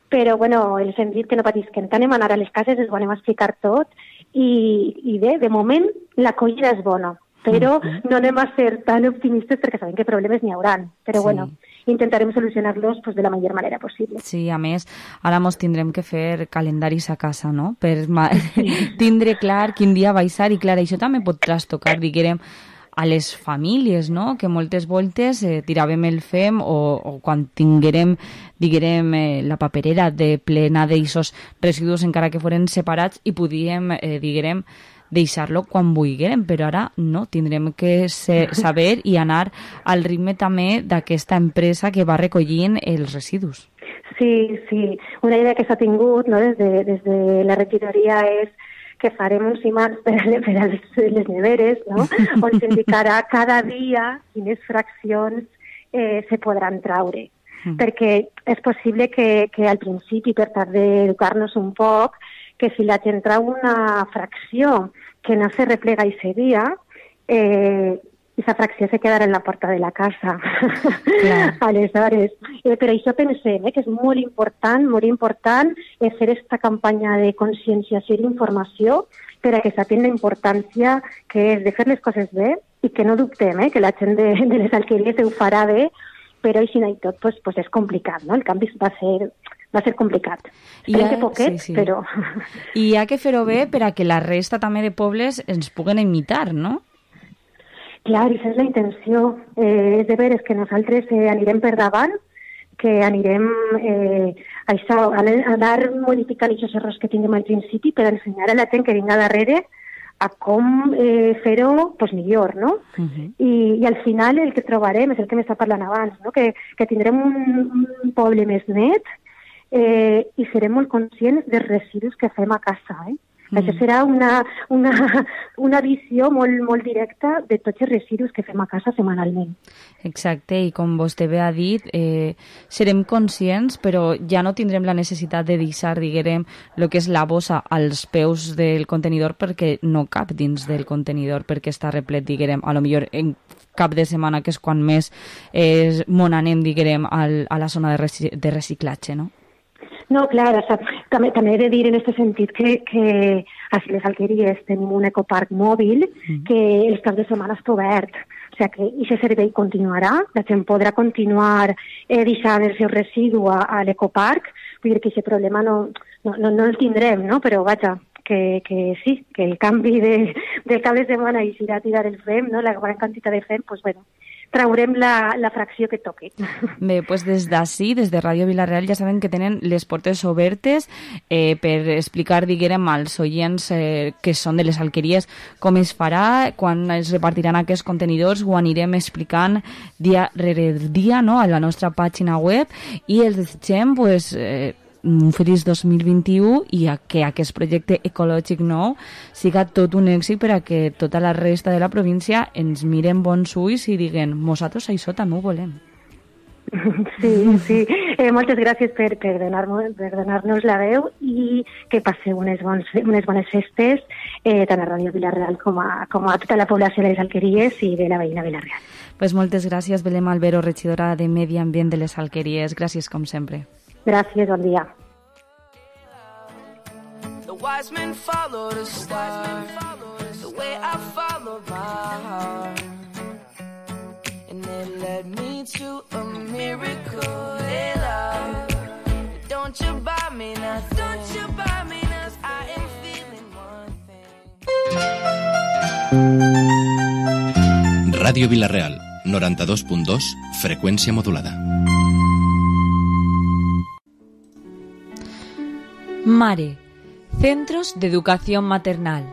però bueno, els hem dit que no patisquen, que anem a anar a les cases, ens ho anem a explicar tot, i, i bé, de moment l'acollida és bona, però no anem a ser tan optimistes perquè sabem que problemes n'hi hauran, però sí. bueno, intentarem solucionar-los pues, de la millor manera possible. Sí, a més, ara mos tindrem que fer calendaris a casa, no?, per sí. tindre clar quin dia va ser, i clar, això també pot trastocar, diguem, a les famílies, no?, que moltes voltes eh, tiràvem el fem o, o quan tinguérem, diguem, eh, la paperera de plena d'eixos residus encara que foren separats i podíem, eh, diguem, deixar-lo quan vulguérem, però ara no, tindrem que ser, saber i anar al ritme també d'aquesta empresa que va recollint els residus. Sí, sí, una idea que s'ha tingut, no?, des de, des de la regidoria és que farem uns imants per, per a les, les neveres, no?, on s'indicarà cada dia quines fraccions eh, se podran traure. Mm. Perquè és possible que, que al principi, per tal d'educar-nos un poc, que si la gent trau una fracció que no se replega i dia, eh, aquesta fracció se quedarà en la porta de la casa. Aleshores, eh, per això pensem eh, que és molt important, molt important eh, fer aquesta campanya de conscienciació i informació per a que sapien la importància que és de fer les coses bé i que no dubtem eh, que la gent de, de les alqueries ho farà bé, però així i tot pues, pues és complicat, no? El canvi va ser, va ser complicat. Esperem que poquet, sí, sí. però... I hi ha que fer-ho bé per a que la resta també de pobles ens puguen imitar, no? Clar, i és la intenció. Eh, és de veres que nosaltres eh, anirem per davant, que anirem eh, a, això, a anar modificant aquests errors que tinguem al principi per ensenyar a la gent que vinga darrere a com eh, fer-ho pues, millor, no? Uh-huh. I, I al final el que trobarem és el que m'està parlant abans, no? que, que tindrem un, un poble més net eh, i serem molt conscients dels residus que fem a casa, eh? Mm. Això serà una, una, una visió molt, molt directa de tots els residus que fem a casa setmanalment. Exacte, i com vostè bé ha dit, eh, serem conscients, però ja no tindrem la necessitat de deixar, diguem, el que és la bossa als peus del contenidor perquè no cap dins del contenidor, perquè està replet, diguem, a lo millor en cap de setmana, que és quan més eh, mon anem, diguem, al, a la zona de, reci de reciclatge, no? No, clar, o sea, també, també he de dir en aquest sentit que, que a les alqueries tenim un ecoparc mòbil mm. que els caps de setmana està obert. O sigui que aquest servei continuarà, la gent podrà continuar eh, deixant el seu residu a, a l'ecoparc, vull dir que aquest problema no, no, no, no el tindrem, no? Però vaja, que, que sí, que el canvi de, del cap de setmana i si irà a tirar el fem, no? La gran quantitat de fem, doncs bueno, traurem la, la fracció que toqui. Bé, doncs des d'ací, des de Ràdio Vila-real, ja saben que tenen les portes obertes eh, per explicar, diguem, als oients eh, que són de les alqueries com es farà, quan es repartiran aquests contenidors, ho anirem explicant dia rere dia, no?, a la nostra pàgina web, i els desitgem, pues, eh, un feliç dos mil vint-i-u i a que aquest projecte ecològic nou siga tot un èxit per a que tota la resta de la província ens miren bons ulls i diguen, nosaltres això també ho volem. Sí, sí. Eh, moltes gràcies per, per donar-nos per donar-nos la veu i que passeu unes, bons, unes bones festes eh, tant a Ràdio Vila-real com a, com a tota la població de les alqueries i de la veïna Vila-real. Pues moltes gràcies, Belém Albero, regidora de Medi Ambient de les alqueries. Gràcies, com sempre. Gràcies, bon dia. The wise men follow the star, the way I follow my heart, and it led me to a miracle, hey love. Don't you buy me nothing, don't you buy me nothing, I am feeling one thing. Ràdio Vila-real, noranta-dos punt dos, freqüència modulada. Mare, Centros de Educación Maternal.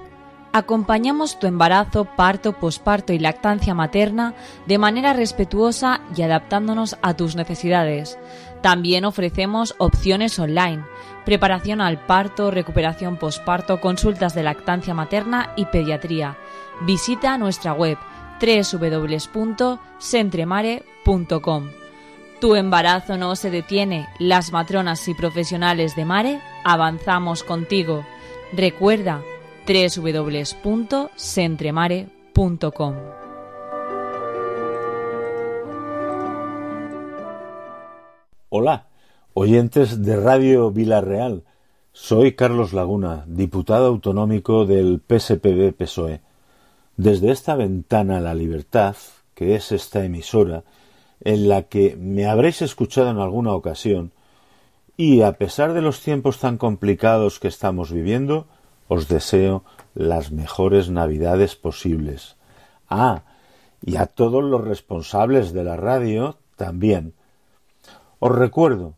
Acompañamos tu embarazo, parto, posparto y lactancia materna de manera respetuosa y adaptándonos a tus necesidades. También ofrecemos opciones online, preparación al parto, recuperación posparto, consultas de lactancia materna y pediatría. Visita nuestra web doble u doble u doble u punto centremare punto com. Tu embarazo no se detiene. Las matronas y profesionales de Mare avanzamos contigo. Recuerda doble u doble u doble u punto centremare punto com. Hola, oyentes de Radio Vila-real. Soy Carlos Laguna, diputado autonómico del P S P B P S O E. Desde esta ventana a la libertad, que es esta emisora, en la que me habréis escuchado en alguna ocasión, y a pesar de los tiempos tan complicados que estamos viviendo, os deseo las mejores Navidades posibles. Ah, y a todos los responsables de la radio también. Os recuerdo,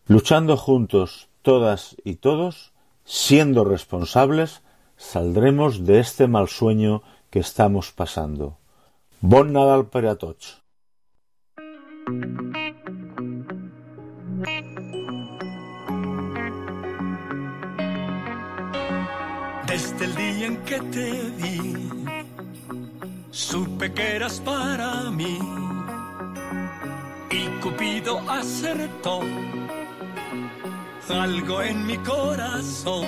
luchando juntos, todas y todos, siendo responsables, saldremos de este mal sueño que estamos pasando. Bon Nadal per a tots. Desde el día en que te vi, supe que eras para mí, y Cupido acertó algo en mi corazón.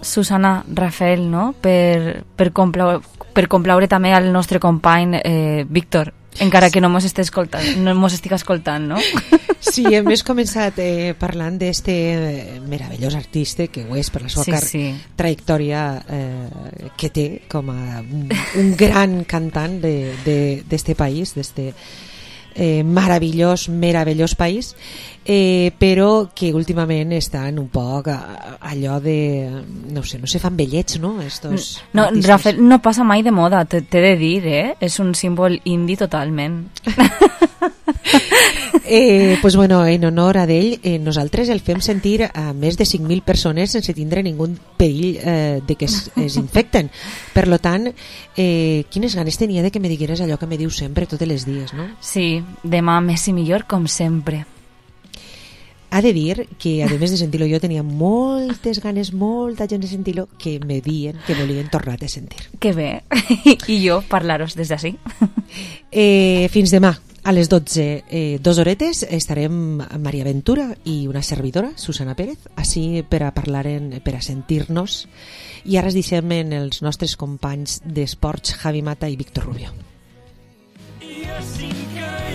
Susana, Rafael, no? Per, per, complaure, per complaure també al nostre company eh, Víctor, encara que no mos estigui escoltant, no mos estigui escoltant, no? Sí, hem començat eh, parlant d'este eh, meravellós artista que ho és per la seva sí, sí. trajectòria eh, que té com a un, un gran cantant d'este país, d'este eh, meravellós, meravellós país, eh, però que últimament estan un poc a, a allò de, no sé, no se fan vellets, no? Estos no, artistes. Rafael no passa mai de moda, t'he de dir, eh? És un símbol indi totalment. Eh, pues bueno, en honor a d'ell, eh, nosaltres el fem sentir a més de cinc mil persones sense tindre ningú perill eh, de que es, es infecten. Per lo tant, eh, quines ganes tenia de que me digueres allò que me dius sempre, tots els dies, no? Sí, demà més i millor, com sempre. Ha de dir que, a més de sentir-lo jo, tenia moltes ganes, molta gent de sentir-lo, que me dien que volien tornar a sentir. Que bé. I jo parlar-vos des d'ací. Eh, fins demà. A les dotze, eh, dos horetes, estarem Maria Ventura i una servidora, Susana Pérez, així per a parlar, en, per a sentir-nos. I ara es deixem en els nostres companys d'esports, Javi Mata i Víctor Rubio. I sin caer